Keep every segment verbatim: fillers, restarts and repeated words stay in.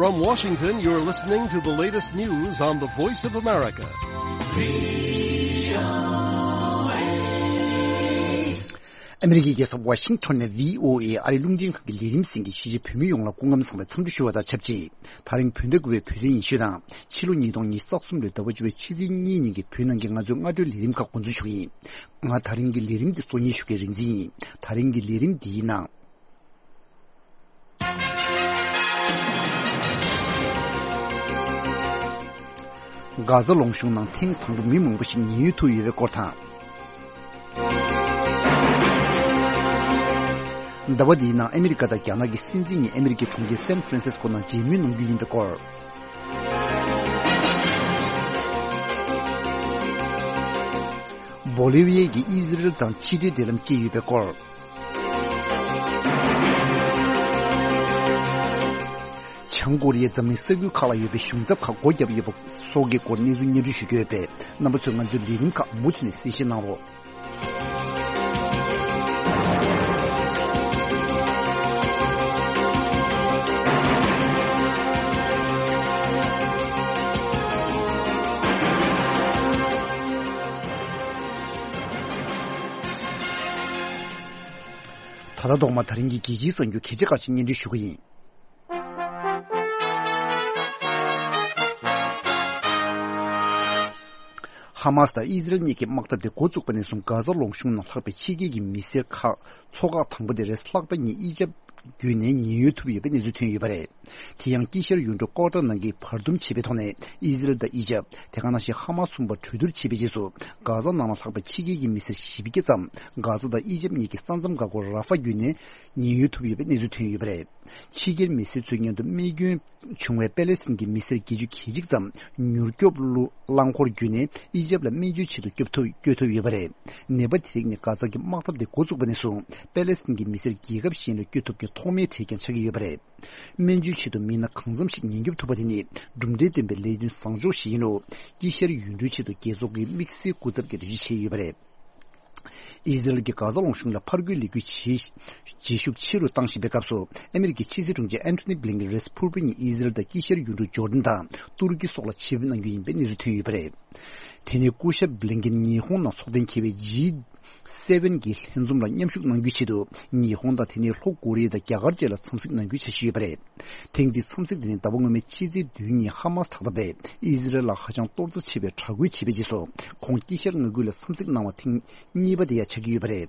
From Washington, you're listening to the latest news on the Voice of America. ཨ་མི་རི་ཀའི་རྒྱལ་ས་ཝ་ཤིང་ཊོན་ནས་བྷི་ཨོ་ཨེ་ཨ་རིའི་རླུང་འཕྲིན་ཁང་གི་ལས་རིམ་གསན་མཁན་གཞིས་བྱེས་བོད་མི་ཡོངས་ལ་སྐུ་ཁམས་བཟང་བའི་འཚམས་འདྲི་ཞུ་བ་དང་ཆབས་ཅིག་དེ་རིང་བོད་ཟླ་དགུ་པའི་བོད་ཚེས་ཉི་ཤུ་དང་ཕྱི་ལོ་ཉིས་སྟོང་ཉི་ཤུ་རྩ་གསུམ་ལོའི་ཟླ་བ་བཅུ་པའི་ཕྱི་ཚེས་གཉིས་ཉིན་གྱི་བོད་ནང་གི་ང་ཚོའི་སྔ་དྲོའི་ལས་རིམ་ཁག་འགོ་འཛུགས་ཞུ་གི་ཡིན། ང་དེ་རིང་གི་ལས་རིམ་འདི་གཙོ་གཉེར་ཞུ་མཁན་རིག་འཛིན་ཡིན། དེ་རིང་གི་ལས་རིམ་འདིའི་ནང་། གྷ་ཛ་ལུང་གཤོང་ནང་ཐེངས་དང་པོ་མི་མང་པོ་ཞིག་ཉེན་གཡོལ་ཐུབ་ཡོད་པའི་སྐོར་དང་། ཟླ་བ་འདིའི་ནང་ཨ་མི་རི་ཀ་དང་རྒྱ་ནག་གི་སྲིད་འཛིན་གཉིས་ཨ་མི་རི་ཀའི་གྲོང་ཁྱེར་སན་ཧྥ་རན་སིས་ཀོ་ནང་མཇལ་མོལ་གནང་རྒྱུ་ཡིན་པའི་སྐོར། བོ་ལི་བི་ཡའི་གི་ཨི་ཟི་རེལ་དང་ཕྱི་འབྲེལ་འབྲེལ་ལམ་བཅད་ཡོད་པའི་སྐོར། བྱང་ཀོ་རི་ཡས་འཛམ་གླིང་ས་ཁུལ་ཁག་ལ་ཡོད་པའི་གཞུང་ཚབ་ཁག་སྒོ་བརྒྱབ་ཡོད་པ་སོགས་ཀྱི་སྐོར་གནས་ཚུལ་སྙན་སྒྲོན་ཞུ་རྒྱུ་ཡོད་པས། རྣམ་པ་ཚོས་ང་ཚོའི་ལས་རིམ་ཁག་མུ་མཐུད་ནས་གསན་བཞེས་གནང་རོགས། ད་ལྟ་ཐོག་མར་དེ་རིང་གི་རྒྱལ་སྤྱིའི་གསར་འགྱུར་གལ་ཆེ་ཁག་ཅིག་སྙན་སྒྲོན་ཞུ་གི་ཡིན། ཧ་མ་སི་དང་ཨི་ཟི་རལ་གཉིས་ཀྱི་དམག་འཐབ་དེ་འགོ་བཙུགས་པ་ནས་བཟུང་གྷ་ཛ་ལུང་གཤོང་ནང་ལྷགས་པའི་ཕྱི་རྒྱལ་གྱི་མི་སེར་ཁག་མཚོ་འགག་དང་པོ་དེ་རེས་ལྷག་པ་ཉིན་དབྱེ་ཞིབ་བརྒྱུད་ནས་ཉེན་གཡོལ་ཐུབ་ཡོད་པའི་གནས་ཚུལ་ཐོན་ཡོད་པ་རེད། དེ་ཡང་དཀྱིལ་ཤར་ཡུལ་གྲུ་ཀོ་ཏར་ནང་གི་བར་འདུམ་བྱས་པའི་ཐོག་ནས་ཨི་ཟི་རལ་དང་དབྱེ་ཞིབ་དེ་ག་ནང་བཞིན་ཧ་མ་སི་གསུམ་པ་གྲོས་བསྡུར་བྱས་པའི་རྗེས་སུ་གྷ་ཛ་ནང་ལ་ལྷགས་པའི་ཕྱི་རྒྱལ་གྱི་མི་སེར་བཞི་བརྒྱ་ཙམ་གྷ་ཛ་དང་དབྱེ་ཞིབ་གཉིས་ཀྱི་ས་མཚམས་འགག་སྒོ་ར་ཧྥ་བརྒྱུད་ནས་ཉེན་གཡོལ་ཐུབ་ཡོད་པའི་གནས་ཚུལ་ཐོན་ཡོད་པ་རེད། ཕྱི་རྒྱལ་མི་སེར་ཚོའི་སྔོན་དུ་རྨས་སྐྱོན་བྱུང་བའི་པེ་ལེ་སི་ཐན་གྱི་མི་སེར་བརྒྱད་ཅུ་གྱ་གཅིག་ཙམ་མྱུར་སྐྱོབ་རླངས་འཁོར་བརྒྱུད་ནས་ཨི་ཇེབ་ལ་སྨན་བཅོས་ཆེད་དུ་སྐྱོབ་ཐུབ་བསྐྱོད་ཐུབ་ཡོད་པ་རེད། ནད་པ་དེ་རིགས་ནི་གྷ་ཛ་གི་དམག་འཐབ་དེ་འགོ་བཙུགས་པ་ནས་བཟུང་པེ་ལེ་སི་ཐན་གྱི་མི་སེར་རྒྱལ་ཁབ་གཞན་ལ་བསྐྱོད་ཐུབ་མཁན་ཐོག་མའི་གྲས་ཀྱང་ཆགས་ཀྱི་ཡོད་པ་རེད། སྨན་བཅོས་ཆེད་དུ་མི་སྣ་གང་འཚམ་ཞིག་ཉེན་སྐྱོབ་ཐུབ་པ་དེ་ནི་གྲུབ་འབྲས་ལྡན་པའི་ལས་དོན་བཟང་ཕྱོགས་ཤིག་ཡིན་ལུགས་དཀྱིལ་ཤར་ཡུལ་གྲུའི་ཆེད་དུ་རྒྱལ་ཚོགས་ཀྱི་དམིགས་བསལ་སྐུ་ཚབ་ཀྱིས་འགྲེལ་བརྗོད་བྱས་ཡོད་པ་རེད། ཨི་ཟི་རལ་གྱིས་གྷ་ཛ་ལུང་གཤོང་ལ་ཕར་རྒོལ་ལས་འགུལ་བྱེད་བྱེད་ཤུགས་ཆེ་རུ་བཏང་བཞིན་པའི་སྐབས་སུ། ཨ་མི་རི་ཀའི་ཕྱི་སྲིད་དྲུང་ཆེ་ཨན་ཐོ་ནི་བྷི་ལིན་ཀེན་རེས་ཕུར་བུ་ཉིན་ཨི་ཟི་རལ་དང་དཀྱིལ་ཤར་ཡུལ་གྲུ་ཇོར་ཌན་དང་ཏུར་ཀི་སོགས་ལ་ཆེད་ཕེབས་གནང་རྒྱུ་ཡིན་པའི་གནས་ཚུལ་ཐོན་ཡོད་པ་རེད། དེ་ནས་སྐུ་ཞབས་བྷི་ལིན་ཀེན་ཉི་ཧོང་ནང་ཚོགས་གཏན་འཁེལ་བའི་ཇི་སེ་བེན་གྱི་ལྷན་འཛོམས་ལ་མཉམ་ཞུགས་གནང་རྒྱུའི་ཆེད་དུ་ཉི་ཧོང་དང་དེ་ནས་ལྷོ་ཀོ་རི་ཡ་དང་རྒྱ་གར་བཅས་ལ་འཚམས་གཟིགས་གནང་རྒྱུའི་འཆར་གཞི་ཡོད་པ་རེད། ཐེངས་འདིའི་འཚམས་གཟིགས་དེ་ནི་ཟླ་བ་སྔོན་མའི་ཕྱི་ཚེས་བདུན་ཉིན་ཧ་མ་སི་དྲག་འཐབ་པས་ཨི་ཟི་རལ་ལ་ཧ་ཅང་གཏོར་རྩ་ཆེ་བའི་དྲག་རྒོལ་བྱས་པའི་རྗེས་སུ་ཁོང་དཀྱིལ་ཤར་མངའ་ཁུལ་ལ་འཚམས་གཟིགས་གནང་བ་ཐེངས་གཉིས་པ་དེ་ཡང་ཆགས་ཀྱི་ཡོད་པ་རེད།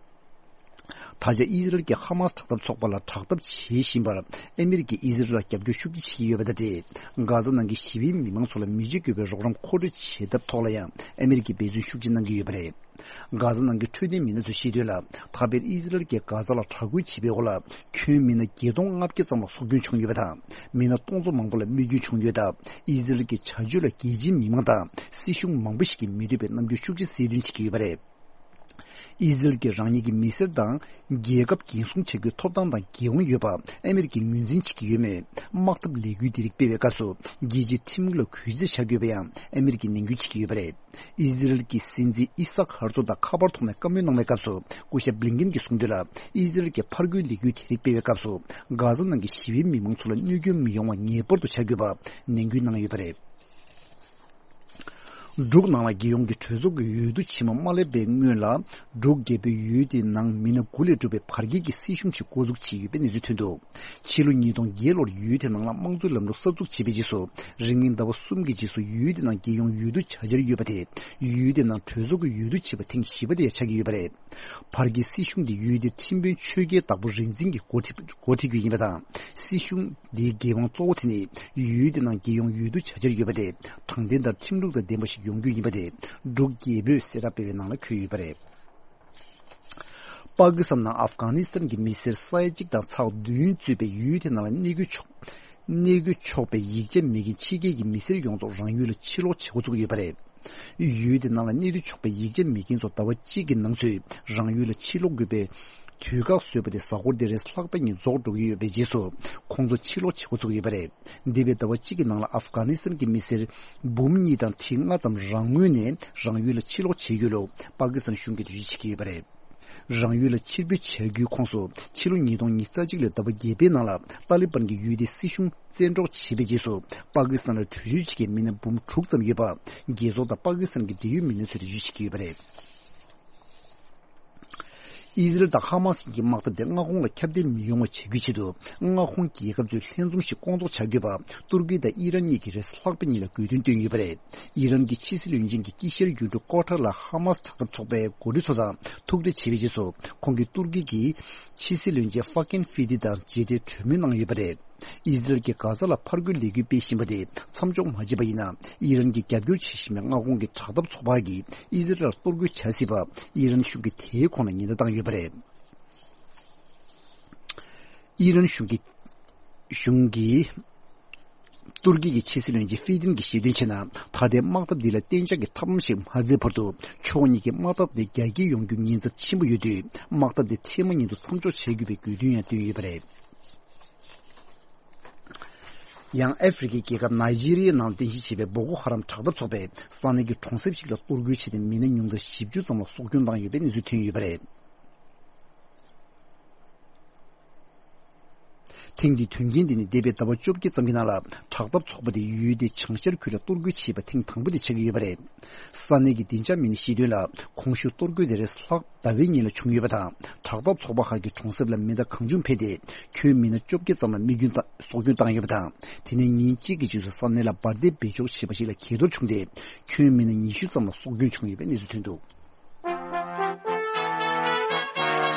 ད་ཆ་ཨི་ཟི་རལ་གྱིས་ཧ་མ་སི་དྲག་འཐབ་ཚོགས་པ་ལ་དྲག་འཐབ་བྱེད་བཞིན་པར་ཨ་མི་རི་ཀས་ཨི་ཟི་རལ་ལ་རྒྱབ་སྐྱོར་ཤུགས་ཆེ་བྱེད་ཀྱི་ཡོད་པ་དང་འབྲེལ། གྷ་ཛ་ནང་གི་ཞི་བའི་མི་མང་ཚོ་ལ་མི་རྗེ་དགོས་པའི་རོགས་རམ་མཁོ་སྤྲོད་བྱེད་ཐབས་ཐོག་ལ་ཡང་ཨ་མི་རི་ཀས་འབད་བརྩོན་ཤུགས་ཆེ་གནང་གི་ཡོད་པ་རེད། གྷ་ཛ་ནང་གི་འཕྲོད་བསྟེན་མི་སྣ་ཚོས་བཤད་དོན་ལ། ད་བར་ཨི་ཟི་རལ་གྱིས་གྷ་ཛ་ལ་དྲག་རྒོལ་བྱེད་པའི་འོག་ལ་ཁྱོན་མི་སྣ་བརྒྱད་སྟོང་ལྔ་བརྒྱ་ཙམ་ལ་སྲོག་སྐྱོན་བྱུང་ཡོད་པ་དང་། མི་སྣ་སྟོང་ཚོ་མང་པོ་ལ་རྨས་སྐྱོན་བྱུང་ཡོད་སྟབས། ཨི་ཟི་རལ་གྱི་བྱ་སྤྱོད་ལ་རྒྱལ་སྤྱིའི་མི་མང་དང་སྲིད་གཞུང་མང་པོ་ཞིག་གིས་མི་འདོད་པའི་རྣམ་འགྱུར་ཤུགས་ཆེ་གསལ་སྟོན་བྱེད་ཀྱི་ཡོད་པ་རེད། ཨི་ཟི་རལ་གྱིས་རང་ཉིད་ཀྱི་མི་སེར་དང་རྒྱལ་ཁབ་འགན་སྲུང་བྱ་རྒྱུའི་ཐོབ་ཐང་དང་འགན་དབང་ཡོད་པ་ཨ་མི་རི་ཀས་ངོས་འཛིན་བྱེད་ཀྱི་ཡོད་མོད། དམག་འཐབ་ལས་འགུལ་འདི་རིགས་སྤེལ་བའི་སྐབས་སུ་རྒྱལ་སྤྱིའི་ཁྲིམས་ལུགས་ལ་གུས་བརྩི་བྱ་དགོས་པ་ཡང་ཨ་མི་རི་ཀས་ནན་སྐུལ་བྱེད་ཀྱི་ཡོད་པ་རེད། ཨི་ཟི་རལ་གྱི་སྲིད་འཛིན་ཨི་སཱག་ཧར་ཚོག་དང་ཁ་པར་ཐོག་ནས་བཀའ་མོལ་གནང་བའི་སྐབས་སུ། སྐུ་ཞབས་བྷི་ལིན་ཀེན་གྱིས་གསུངས་དོན་ལ། ཨི་ཟི་རལ་གྱིས་ཕར་རྒོལ་ལས་འགུལ་དེ་རིགས་སྤེལ་བའི་སྐབས་སུ། གྷ་ཛ་ནང་གི་ཞི་བའི་མི་མང་ཚོ་ལ་གནོད་སྐྱོན་མི་ཡོང་བ་ངེས་པར་དུ་བྱ་དགོས་པ་ནན་སྐུལ་གནང་ཡོད་པ་རེད། འབྲུག་ནང་ལ་རྒྱལ་ཡོངས་ཀྱི་གྲོས་ཚོགས་ཀྱི་འོས་བསྡུ་ཕྱི་མ་མ་སླེབས་པའི་སྔོན་ལ། འབྲུག་རྒྱལ་པོའི་ཡུལ་དེའི་ནང་མི་སྣ་དགུ་ལས་གྲུབ་པའི་བར་བརྒལ་གྱི་སྲིད་གཞུང་ཞིག་འགོ་འཛུགས་བྱས་ཡོད་པའི་གནས་ཚུལ་ཐོན་འདུག་ཕྱི་ལོ་ཉིས་སྟོང་བརྒྱད་ལོར་ཡུལ་དེ་ནང་ལ་དམངས་གཙོའི་ལམ་ལུགས་གསར་འཛུགས་བྱས་པའི་རྗེས་སུ། རིང་མིན་ཟླ་བ་གསུམ་གྱི་རྗེས་སུ་ཡུལ་དེ་ནང་རྒྱལ་ཡོངས་འོས་བསྡུ་བྱ་འཆར་ཡོད་པ་དེ། ཡུལ་དེ་ནང་གྲོས་ཚོགས་ཀྱི་འོས་བསྡུ་བྱས་པ་ཐེངས་བཞི་པ་དེ་ཡང་ཆགས་ཀྱི་ཡོད་པ་རེད། བར་བརྒལ་སྲིད་གཞུང་དེ་ཡུལ་དེའི་ཁྲིམས་དཔོན་ཆོས་རྒྱལ་དྭགས་པོ་རིག་འཛིན་གྱིས་འགོ་ཁྲིད་འགོ་ཁྲིད་རྒྱུ་ཡིན་པ་དང་། སྲིད་གཞུང་འདིའི་འགན་དབང་གཙོ་བོ་དེ་ནི་ཡུལ་དེ་ནང་རྒྱལ་ཡོངས་འོས་བསྡུ་བྱ་འཆར་ཡོད་པ་དེ་དྲང་བདེན་དང་ཁྲིམས་ལུགས་དང་ལྡན་པ་ཞིག་ཡོང་རྒྱུ་ཡིན་པ་དེ་འབྲུག་རྒྱལ་པོས་གསལ་བསྒྲགས་སྤེལ་བའི་ནང་ལ་འཁོད་ཡོད་པ་རེད། པ་ཀི་སི་ཐན་ནང་ཨབ་གྷ་ནི་སི་ཐན་གྱི་མི་སེར་ས་ཡ་གཅིག་དང་ཚེག་བདུན་གཙོས་པའི་ཡུལ་དེ་ནང་ལ་གནས་འགོ་ཆོག་གནས་འགོ་ཆོག་པའི་ཡིག་ཆ་མེད་མཁན་ཕྱི་རྒྱལ་གྱི་མི་སེར་ཡོངས་རྫོགས་རང་ཡུལ་ལ་ཕྱིར་ལོག་བྱེད་འགོ་བཙུགས་ཡོད་པ་རེད། ཡུལ་དེ་ནང་ལ་གནས་སྡོད་ཆོག་པའི་ཡིག་ཆ་མེད་མཁན་ཚོ་ཟླ་བ་གཅིག་གི་ནང་ཚུད་རང་ཡུལ་ལ་ཕྱིར་ལོག་དགོས་པའི་དུས་བཀག་བཟོས་པ་དེ་གཟའ་འཁོར་འདིར་ལྷག་པ་ཉིན་རྫོགས་འགྲོ་གི་ཡོད་པའི་རྗེས་སུ། ཁོང་ཚོ་ཕྱིར་ལོག་བྱེད་འགོ་ཚུགས་ཡོད་པ་རེད། འདས་པའི་ཟླ་བ་གཅིག་གི་ནང་ལ་ཨབ་གྷ་ནི་སི་ཐན་གྱི་མི་སེར་འབུམ་གཉིས་དང་ཁྲི་ལྔ་ཙམ་རང་ངོས་ནས་རང་ཡུལ་ལ་ཕྱིར་ལོག་བྱས་ཡོད་ལུགས་པ་ཀི་སི་ཐན་གཞུང་གིས་འགྲེལ་བརྗོད་བྱེད་ཀྱི་ཡོད་པ་རེད། རང་ཡུལ་ལ་ཕྱིར་འབུད་བྱ་རྒྱུའི་ཁོངས་སུ་ཕྱི་ལོ་ཉིས་སྟོང་ཉི་ཤུ་རྩ་གཅིག་ལོའི་ཟླ་བ་བརྒྱད་པའི་ནང་ལ་ཏཱ་ལི་བན་གྱི་ཡུལ་དེའི་སྲིད་གཞུང་བཙན་འཕྲོག་བྱས་པའི་རྗེས་སུ། པ་ཀི་སི་ཐན་ལ་བྲོས་བྱོལ་བྱེད་མཁན་མི་སྣ་འབུམ་དྲུག་ཙམ་ཡོད་པ། རྒྱལ་ཚོགས་དང་པ་ཀི་སི་ཐན་གྱི་འབྲེལ་ཡོད་མི་སྣ་ཚོས་འགྲེལ་བརྗོད་བྱེད་ཀྱི་ཡོད་པ་རེད། ཨི་ཟི་རལ་དང་ཧ་མ་སི་གཉིས་ཀྱི་དམག་འཐབ་དེ་མངའ་ཁོངས་ལ་ཁྱབ་གདལ་མི་ཡོང་བ་བྱ་རྒྱུའི་ཆེད་དུ། མངའ་ཁོངས་རྒྱལ་ཁབ་ཚོས་ལྷན་འཛོམས་ཤིག་སྐོང་ཚོགས་བྱ་དགོས་པ། ཏུར་ཀི་དང་ཨི་རན་གཉིས་ཀྱིས་རེས་གཟའ་ལྷག་པའི་ཉིན་ལ་དགོས་འདུན་བཏོན་ཡོད་པ་རེད། ཨི་རན་གྱི་ཕྱི་སྲིད་བློན་ཆེན་གྱིས་དཀྱིལ་ཤར་ཡུལ་གྲུ་ཀོ་ཊར་ལ་ཧ་མ་སི་དྲག་འཐབ་ཚོགས་པའི་འགོ་ཁྲིད་ཚོ་དང་ཐུག་འཕྲད་བྱས་པའི་རྗེས་སུ། ཁོང་གིས་ཏུར་ཀི་གི་ཕྱི་སྲིད་བློན་ཆེན་ཧྥ་ཀིན་ཧྥི་ཏི་དང་མཇལ་འཕྲད་གྲོས་མོལ་གནང་ཡོད་པ་རེད། ཨི་ཟི་རལ་གྱིས་གྷ་ཛ་ལ་ཕར་རྒོལ་ལས་འགུལ་སྤེལ་བཞིན་པ་དེ་མཚམས་འཇོག་མ་བྱས་པ་ཡིན་ན། ཨི་རན་གྱིས་རྒྱབ་སྐྱོར་བྱེད་བཞིན་པའི་མངའ་ཁོངས་ཀྱི་དྲག་འཐབ་ཚོགས་པ་གིས་ཨི་ཟི་རལ་ལ་གཏོར་རྒོལ་བྱ་སྲིད་པ། ཨི་རན་གཞུང་གིས་དེའི་ཁོངས་ལ་ཉེན་བརྡ་བཏང་ཡོད་པ་རེད། ཨི་རན་གཞུང་གི་གཞུང་གིས་ཏུར་ཀི་གི་ཕྱི་སྲིད་བློན་ཆེན་ཧྥི་ཏིན་གྱིས་བཤད་དོན་བྱས་ན། ད་ལྟའི་དམག་འཐབ་འདི་ལ་གཏན་འཇགས་ཀྱི་ཐབས་ལམ་ཞིག་མ་བཙལ་བར་དུ། ཕྱོགས་གཉིས་ཀྱི་དམག་འཐབ་དེ་རྒྱ་སྐྱེད་ཡོང་རྒྱུ་ཉེན་ཚབས་ཆེན་པོ་ཡོད་དུས། དམག་འཐབ་དེ་འཕྲལ་མ་ཉིད་དུ་མཚམས་འཇོག་བྱེད་དགོས་པའི་དགོས་འདུན་ཡང་བཏོན་ཡོད་པ་རེད། ཡང་ཨ་ཧྥེ་རི་ཁའི་རྒྱལ་ཁབ་ནཱི་ཇི་རི་ཡའི་ནང་རྟེན་གཞི་བྱས་པའི་བོ་ཀོ་ཧ་རམ་དྲག་འཐབ་ཚོགས་པས་ས་གནས་ཀྱི་གྲོང་གསེབ་ཞིག་ལ་གཏོར་རྒོལ་བྱས་ཏེ། མི་སྣ་ཉུང་མཐར་བཞི་བཅུ་ཙམ་ལ་སྲོག་སྐྱོན་བཏང་ཡོད་པའི་གནས་ཚུལ་ཐོན་ཡོད་པ་རེད། ཐེངས་འདིའི་དོན་རྐྱེན་དེ་ནི་འདས་པའི་ཟླ་བ་བཅོ་བརྒྱད་ཙམ་གྱི་ནང་ལ། དྲག་འཐབ་ཚོགས་པ་དེ་ཡུལ་དེའི་བྱང་ཤར་ཁུལ་ལ་གཏོར་རྒོལ་བྱས་པ་ཐེངས་དང་པོ་དེ་ཆགས་ཀྱི་ཡོད་པ་རེད། ས་གནས་ཀྱི་བདེ་འཇགས་མི་སྣས་བཤད་དོན་ལ། གོང་ཞུས་གཏོར་རྒོལ་དེ་རེས་གཟའ་ལྷག་ཟླ་བའི་ཉིན་ལ་བྱུང་ཡོད་པ་དང་། དྲག་འཐབ་ཚོགས་པ་ཁག་གིས་གྲོང་གསེབ་ལ་མེ་མདའ་གང་བྱུང་འཕེན་ཏེ། ཁྱོན་མི་སྣ་བཅོ་བརྒྱད་ཙམ་ལ་རྨས་སྐྱོན་དང་། སྲོག་སྐྱོན་བཏང་ཡོད་པ་དང་། དེ་ནས་ཉིན་གཅིག་གི་རྗེས་སུ་ས་གནས་ལ་འབར་མདེལ་སྦས་འཇོག་བྱས་པ་ཞིག་ལ་གས་གཏོར་བྱུང་སྟེ། ཁྱོན་མི་སྣ་ཉི་ཤུ་ཙམ་ལ་སྲོག་སྐྱོན་བྱུང་ཡོད་པའི་གནས་ཚུལ་ཐོན་འདུག།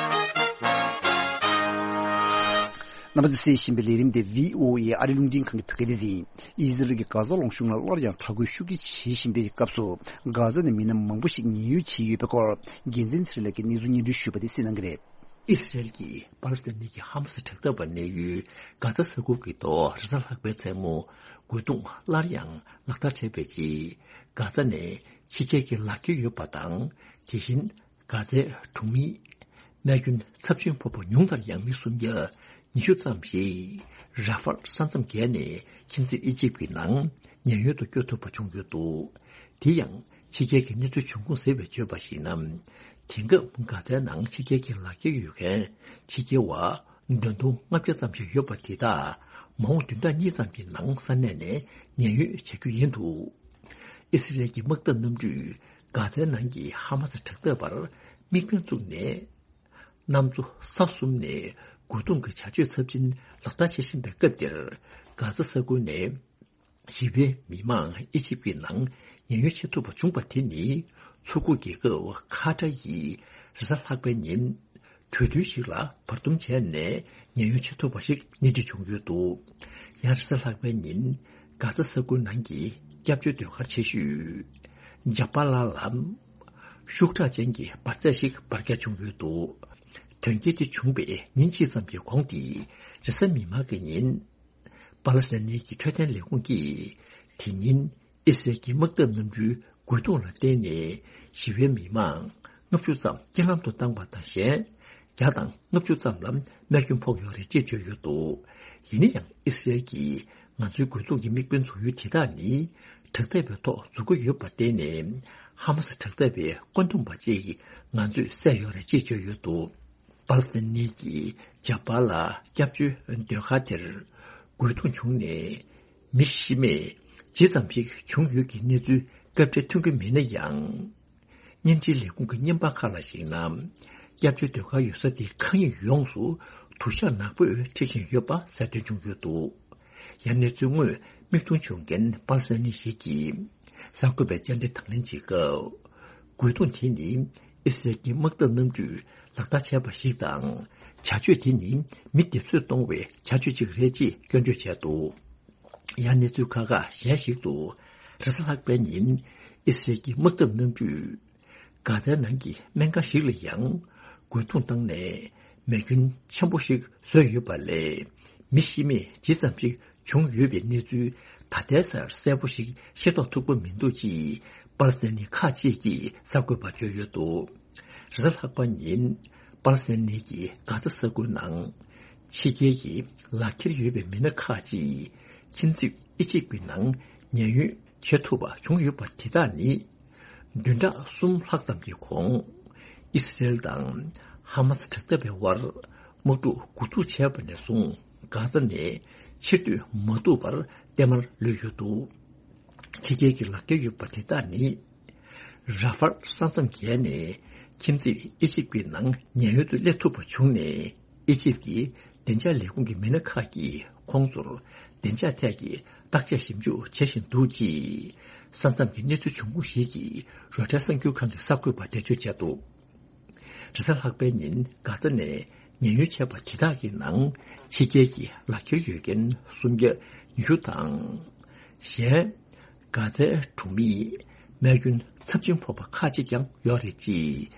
རྣམ་པ་ཚོས་གསན་བཞིན་པའི་ལས་རིམ་དེ་བྷི་ཨོ་ཨེ་ཨ་རི་རླུང་འཕྲིན་ཁང་གི་བོད་སྐད་སྡེ་ཚན་ཡིན། ཨི་ཟི་རལ་གྱིས་གྷ་ཛ་ལུང་གཤོང་ལ་སླར་ཡང་དྲག་རྒོལ་ཤུགས་ཆེ་བྱེད་བཞིན་པའི་སྐབས་སུ། གྷ་ཛ་ནས་མི་སྣ་མང་པོ་ཞིག་ཉེན་གཡོལ་བྱས་ཡོད་པའི་སྐོར། རྒྱལ་མཚན་ཚེ་རིང་ལགས་ཀྱིས་གནས་ཚུལ་སྙན་སྒྲོན་ཞུས་པ་དེ་གསན་གནང་གི་རེད། ཨི་སི་རེལ་གྱིས་པ་ལི་སི་ཐན་གྱི་ཧ་མ་སི་དྲག་འཐབ་པ་གནས་ཡུལ་གྷ་ཛ་ས་ཁུལ་གྱི་ཐོག་རེས་གཟའ་ལྷག་པའི་མཚན་མོ་རྒོལ་རྡུང་སླར་ཡང་ལག་བསྟར་བྱས་པའི་རྗེས། གྷ་ཛ་ནས་ཕྱི་རྒྱལ་གྱི་ལག་འཁྱེར་ཡོད་པ་དང་། དེ་བཞིན་གྷ་ཛའི་གྲོང་མིས་རྨས་སྐྱོན་ཚབས་ཆེན་ཕོག་པ་ཉུང་མཐར་ཡང་མི་སུམ་བརྒྱ་ཉི་ཤུ་ཙམ་ཞིག་ར་ཧྥལ་ས་མཚམས་བརྒལ་ནས་ཁྱིམ་མཚེས་ཨི་ཇིབ་ཀྱི་ནང་ཉེན་གཡོལ་དུ་བསྐྱོད་ཐུབ་པ་བྱུང་ཡོད་འདུག། དེ་ཡང་ཕྱི་རྒྱལ་གྱི་གནས་ཚུལ་བྱུང་ཁུངས་ཟེར་བས་བརྗོད་པར་གཞིགས་ན། དེང་སྐབས་གྷ་ཛའི་ནང་ཕྱི་རྒྱལ་གྱི་ལག་འཁྱེར་ཡོད་མཁན་ཕྱི་རྒྱལ་བ་བདུན་སྟོང་ལྔ་བརྒྱ་ཙམ་ཞིག་ཡོད་པ་དེ་དག་མ་འོངས་བདུན་ཕྲག་གཉིས་ཙམ་གྱི་ནང་ས་གནས་ནས་ཉེན་གཡོལ་བྱ་རྒྱུ་ཡིན་འདུག། ཨི་སི་རེལ་གྱི་དམག་འཐབ་གནམ་གྲུས་གྷ་ཛའི་ནང་གི་ཧ་མ་སི་དྲག་འཐབ་པར་དམིགས་འབེན་བཙུགས་ནས། གནམ་གཙོ་ས་གསུམ་ནས་རྒོལ་རྡུང་གི་བྱ་སྤྱོད་ཚབས་ཆེན་ལག་བསྟར་བྱེད་བཞིན་པའི་སྐབས་འདིར། གྷ་ཛ་ས་ཁུལ་ནས་ཞི་བའི་མི་མང་ཨི་ཇིབ་ཀྱི་ནང་ཉེན་གཡོལ་བྱེད་ཐུབ་པ་བྱུང་པ་དེ་ནི། མཚོ་ཁུག་རྒྱལ་ཁབ་ཁ་ཏར་ཡིས་རེས་གཟའ་ལྷག་པའི་ཉིན། གྲོས་མཐུན་ཞིག་ལ་བར་འདུམ་བྱས་ནས་ཉེན་གཡོལ་བྱེད་ཐུབ་པ་ཞིག་སྣེ་ཁྲིད་བྱུང་ཡོད་འདུག། ཡང་རེས་གཟའ་ལྷག་པའི་ཉིན། གྷ་ཛ་ས་ཁུལ་ནང་གི་སྐྱབས་བཅོལ་ཟློས་གར་ཆེ་ཤོས་ཇ་པ་ལ་ལ། ཤུགས་དྲག་ཅན་གྱི་འབར་རྫས་ཤིག་འབར་འགྱངས་བྱུང་ཡོད་འདུག། དོན་རྐྱེན་དེ་བྱུང་བའི་ཉིན་གཅིག་ཙམ་གྱི་གོང་དེ། རེས་གཟའ་མིག་དམར་གྱི་ཉིན། པ་ལི་སི་ཐན་གྱི་འཕྲོད་བསྟེན་ལས་ཁུངས་ཀྱིས། དེ་ཉིན་ཨི་སི་རལ་གྱི་དམག་འཐབ་གནམ་གྲུའི་རྒོལ་རྡུང་ལ་བརྟེན་ནས་ཞི་བའི་མི་མང་ལྔ་བཅུ་ཙམ་རྐྱེན་ལམ་དུ་བཏང་པ་དང་གཞན། བརྒྱ་དང་ལྔ་བཅུ་ཙམ་ལ་རྨས་སྐྱོན་ཕོག་ཡོད་རེད་ཅེས་བརྗོད་ཡོད་འདུག། ཡིན་ན་ཡང་ཨི་སི་རལ་གྱིས་ང་ཚོའི་རྒོལ་རྡུང་གི་དམིགས་འབེན་འཛུགས་ཡུལ་དེ་དག་ནི། དྲག་འཐབ་པའི་ཐོག་འཛུགས་ཀྱི་ཡོད་པར་བརྟེན་ནས། ཧ་མ་སི་དྲག་འཐབ་པའི་བཀོད་འདོམས་པ་གཅིག་ང་ཚོས་བསད་ཡོད་རེད་ཅེས་བརྗོད་ཡོད་འདུག། པ་ལི་སི་ཐན་གྱི་ཇ་པ་ལ་སྐྱབས་བཅོལ་ཟློས་གར་དེར་རྒོལ་རྡུང་བྱུང་ནས། མི་ཤི་རྨས་ཇི་ཙམ་ཞིག་བྱུང་ཡོད་ཀྱི་གནས་ཚུལ་སྐབས་འཕྲལ་ཐོན་གྱི་མེད་ན་ཡང་། བརྙན་འཕྲིན་ལས་ཁུངས་ཀྱི་བརྙན་པར་ཁག་ལ་གཞིགས་ན། སྐྱབས་བཅོལ་ཟློས་གར་ཡོད་ས་དེའི་མཁའ་དབྱིངས་ཡོངས་སུ་དུ་ཞག་ནག་པོས་འཁྲིགས་བཞིན་ཡོད་པ་གསལ་སྟོན་བྱུང་ཡོད་འདུག། ཡང་གནས་ཚུལ་དངོས་མིག་མཐོང་བྱུང་མཁན་པ་ལི་སི་ཐན་ཞིག་གིས། གསར་འགོད་པའི་བཅར་འདྲི་དང་ལེན་བྱེད་སྐབས། རྒོལ་རྡུང་དེ་ནི་ཨི་སི་རལ་གྱི་དམག་འཐབ་གནམ་གྲུས་ལག་བསྟར་བྱས་པ་ཞིག་དང་། བྱ་སྤྱོད་དེ་ནི་མི་སྡེབ་གསོད་གཏོང་བའི་བྱ་སྤྱོད་ཅིག་རེད་ཅེས་སྐྱོན་བརྗོད་བྱས་འདུག། ཡང་གནས་ཚུལ་ཁག་ཁག་གཞན་ཞིག་ཏུ། རེས་གཟའ་ལྷག་པའི་ཉིན་ཨི་སི་རལ་གྱི་དམག་འཐབ་གནམ་གྲུས་གྷ་ཛའི་ནང་གི་སྨན་ཁང་ཞིག་ལ་ཡང་རྒོལ་རྡུང་བཏང་ནས་མེ་སྐྱོན་ཆེན་པོ་ཞིག་བཟོས་ཡོད་པ་ལས། མི་ཤི་རྨས་ཇི་ཙམ་ཞིག་བྱུང་ཡོད་པའི་གནས་ཚུལ་ད་ལྟའི་ཆར་གསལ་པོ་ཞིག་ཤེས་རྟོགས་ཐུབ་ཀྱི་མི་འདུག་ཅེས་པ་ལི་སི་ཐན་ནི་ཁག་ཅིག་གིས་གསར་འགོད་པར་བརྗོད་ཡོད་འདུག། རེས་གཟའ་ལྷག་པ་ཉིན་པ་ལི་སི་ཐན་ནི་གི་གྷ་ཛ་ས་ཁུལ་ནང་ཕྱི་རྒྱལ་གྱི་ལག་འཁྱེར་ཡོད་པའི་མི་སྣ་ཁག་ཅིག་ཁྱིམ་མཚེས་ཨི་ཇིབ་ཀྱི་ནང་ཉེན་གཡོལ་བྱེད་ཐུབ་པ་བྱུང་ཡོད་པ་དེ་དག་ནི། བདུན་ཕྲག་གསུམ་ལྷག་ཙམ་གྱི་གོང་ ཨི་སི་རེལ་དང་ཧ་མ་སི་དྲག་འཐབ་པའི་དབར་དམག་འཁྲུག་འགོ་འཛུགས་བྱས་པ་ནས་བཟུང་། གྷ་ཛ་ནས་ཕྱིར་སྡོད་མ་ཐུབ་པར་བརྟན་མར་ལུས་ཡོད་འདུག། ཕྱི་རྒྱལ་གྱི་ལག་འཁྱེར་ཡོད་པ་དེ་དག་ནི། ར་ཧྥལ་ས་མཚམས་བརྒལ་ནས་ཁྱིམ་མཚེས་ཨི་ཇིབ་ཀྱི་ནང་ཉེན་གཡོལ་དུ་སླེབས་ཐུབ་པ་བྱུང་ནས། ཨི་ཇིབ་ཀྱི་བདེ་འཇགས་ལས་ཁུངས་ཀྱི་མི་སྣ་ཁག་གིས་ཁོང་ཚོར་བདེ་འཇགས་ཐད་ཀྱི་བརྟག་དཔྱད་ཞིབ་འཇུག་བྱེད་བཞིན་འདུག་ཅེས། ས་མཚམས་ཀྱི་གནས་ཚུལ་བྱུང་ཁུངས་ཤིག་གིས་རོའི་ཊར་གསར་འགྱུར་ཁང་གི་གསར་འགོད་པར་འགྲེལ་བརྗོད་བྱས་འདུག། རེས་གཟའ་ལྷག་པའི་ཉིན་གྷ་ཛ་ནས་ཉེན་གཡོལ་བྱས་པ་དེ་དག་གི་ནང་ཕྱི་རྒྱལ་གྱི་ལག་འཁྱེར་ཡོད་མཁན་སུམ་བརྒྱ་ཉི་ཤུ་དང་། གཞན། གྷ་ཛའི་གྲོང་མིས་རྨས་སྐྱོན་ཚབས་ཆེན་ཕོག་པ་ཁག་ཅིག་ཀྱང་ཡོད་རེད་ཅེས།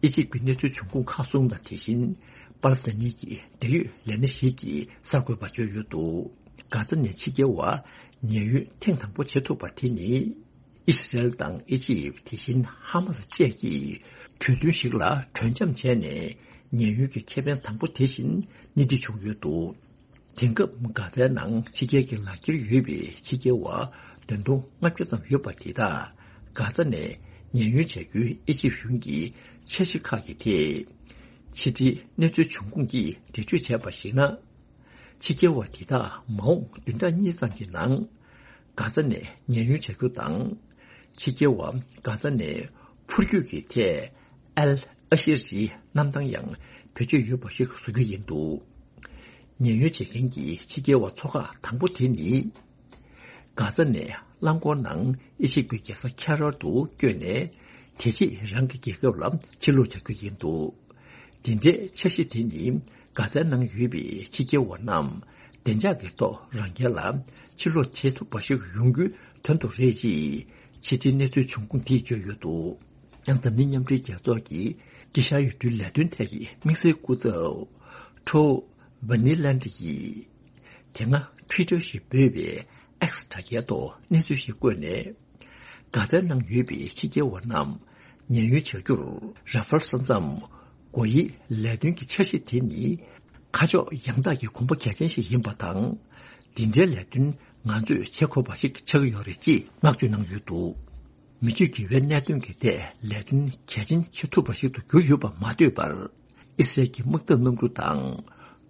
ཨི་ཇིབ་ཀྱི་གནས་ཚུལ་བྱུང་ཁུངས་ཁག་གསུམ་དང་། དེ་བཞིན་པ་ལི་སི་ཐན་གྱི་འབྲེལ་ཡོད་ལས་སྣེ་ཞིག་གིས་གསར་འགོད་པར་བརྗོད་ཡོད་འདུག། གྷ་ཛ་ནས་ཕྱི་རྒྱལ་བ་ཉེན་གཡོལ་ཐེངས་དང་པོ་བྱེད་ཐུབ་པ་དེ་ནི། ཨི་སི་རེལ་དང་ཨི་ཇིབ། དེ་བཞིན་ཧ་མ་སི་བཅས་ཀྱིས་གྲོས་མཐུན་ཞིག་ལ་གྲོས་འཆམ་བྱས་ནས་ཉེན་གཡོལ་གྱི་ཁེ་ཕན་དང་པོ་དེ་བཞིན་སྣེ་ཁྲིད་བྱུང་ཡོད་འདུག། དེང་སྐབས་གྷ་ཛའི་ནང་ཕྱི་རྒྱལ་གྱི་ལག་འཁྱེར་ཡོད་པའི་ཕྱི་རྒྱལ་བ་བདུན་སྟོང་ལྔ་བརྒྱ་ཙམ་ཡོད་པ་དེ་དག་གྷ་ཛ་ནས་ཉེན་གཡོལ་བྱ་རྒྱུའི་ཨི་ཇིབ་གཞུང་གི་འཆར་གཞི་ཁག་གི་ཐད། ཕྱི་དྲིལ་གནས་ཚུལ་བྱུང་ཁུངས་ཀྱིས་འགྲེལ་བརྗོད་བྱས་པར་གཞིགས་ན། ཕྱི་རྒྱལ་བ་དེ་དག་མ་འོངས་བདུན་ཕྲག་གཉིས་ཙམ་གྱི་ནང་། གྷ་ཛ་ནས་ཉེན་གཡོལ་བྱ་རྒྱུ་དང་། ཕྱི་རྒྱལ་བ་གྷ་ཛ་ནས་འཕུར་སྐྱོད་ཀྱི་ཐད་ཨལ་ཨ་ཤེར་གྱི་གནམ་ཐང་ཡང་བེད་སྤྱོད་ཡོད་པ་ཞིག་བཟོ་རྒྱུ་ཡིན་འདུག། ཉེན་གཡོལ་བྱེད་མཁན་གྱི་ཕྱི་རྒྱལ་བ་ཚོ་ཁག་དང་པོ་དེ་ནི། གྷ་ཛ་ནས་རླངས་འཁོར་ནང་ཨི་ཇིབ་ཀྱི་རྒྱལ་ས་ཁ་ཡེ་རོ་དུ་བསྐྱོད་ནས། དེ་རྗེས་རང་གི་རྒྱལ་ཁབ་ལ་ཕྱིར་ལོག་བྱ་རྒྱུ་ཡིན་འདུག། འདི་འདྲའི་འཆར་གཞི་དེ་ནི་གྷ་ཛའི་ནང་ཡོད་པའི་ཕྱི་རྒྱལ་བ་རྣམས་བདེ་འཇགས་ཀྱི་ཐོག་རང་རྒྱལ་ལ་ཕྱིར་ལོག་བྱེད་ཐུབ་པ་ཞིག་ཡོང་རྒྱུའི་དོན་དུ་རེད་ཅེས་ཕྱི་དྲིལ་གནས་ཚུལ་བྱུང་ཁུངས་དེས་བརྗོད་ཡོད་འདུག། ཡང་འཛམ་གླིང་མཉམ་འབྲེལ་རྒྱལ་ཚོགས་ཀྱི་དཀྱིལ་ཤར་ཡུལ་གྲུའི་ལས་དོན་ཐད་ཀྱི་དམིགས་བསལ་སྐུ་ཚབ་ཁྲོ་ཝེ་ནི་ལན་ཌི་ཡིས། དེ་སྔ་Twitter་ཞེས་འབོད་པའི་X་དྲ་རྒྱའི་ཐོག་གནས་ཚུལ་ཞིག་བཀོད་ནས། གྷ་ཛའི་ནང་ཡོད་པའི་ཕྱི་རྒྱལ་བ་རྣམས་ཉེན་གཡོལ་བྱ་རྒྱུར་ར་ཧྥལ་ས་མཚམས་སྒོ་དབྱེའི་ལས་དོན་གྱི་འཆར་གཞི་དེ་ནི་ཁ་ཕྱོགས་ཡང་དག་གི་གོམ་པ་གལ་ཆེན་ཞིག་ཡིན་པ་དང་། འདི་འདྲའི་ལས་དོན་ང་ཚོས་བྱེད་དགོས་པ་ཞིག་ཆགས་ཀྱི་ཡོད་རེད་ཅེས་བསྔགས་བརྗོད་གནང་ཡོད་འདུག། མི་ཆོས་དགེ་བའི་གནད་དོན་གྱི་ཐད་ལས་དོན་གལ་ཆེན་བྱེད་ཐུབ་པ་ཞིག་ཏུ་གྱུར་ཡོད་པ་མ་ལྟོས་པར། ཨི་སི་རལ་གྱི་དམག་འཐབ་གནམ་གྲུ་དང་།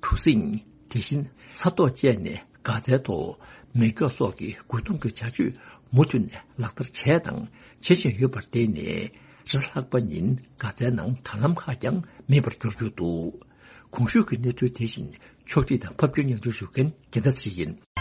གྲུ་གཟིངས། དེ་བཞིན་ས་ཐོག་བཅས་ནས་གྷ་ཛའི་ཐོག་མེ་སྒྱོགས་སོགས་ཀྱི་རྒོལ་རྡུང་གི་བྱ་སྤྱོད་མུ་མཐུད་ནས་ལག་བསྟར་བྱས་དང་བྱེད་བཞིན་ཡོད་པར་བརྟེན་ནས། རེས་གཟའ་ལྷག་པ་ཉིན་གྷ་ཛའི་ནང་ད་ལམ་ཁག་ཀྱང་མེད་པར་གྱུར་ཡོད་འདུག། གོང་ཞུས་ཀྱི་གནས་ཚུལ་དེ་བཞིན་ཕྱོགས་སྒྲིག་དང་ཕབ་སྒྱུར་སྙན་སྒྲོན་ཞུ་མཁན་རྒྱལ་མཚན་ཚེ་རིང་ཡིན།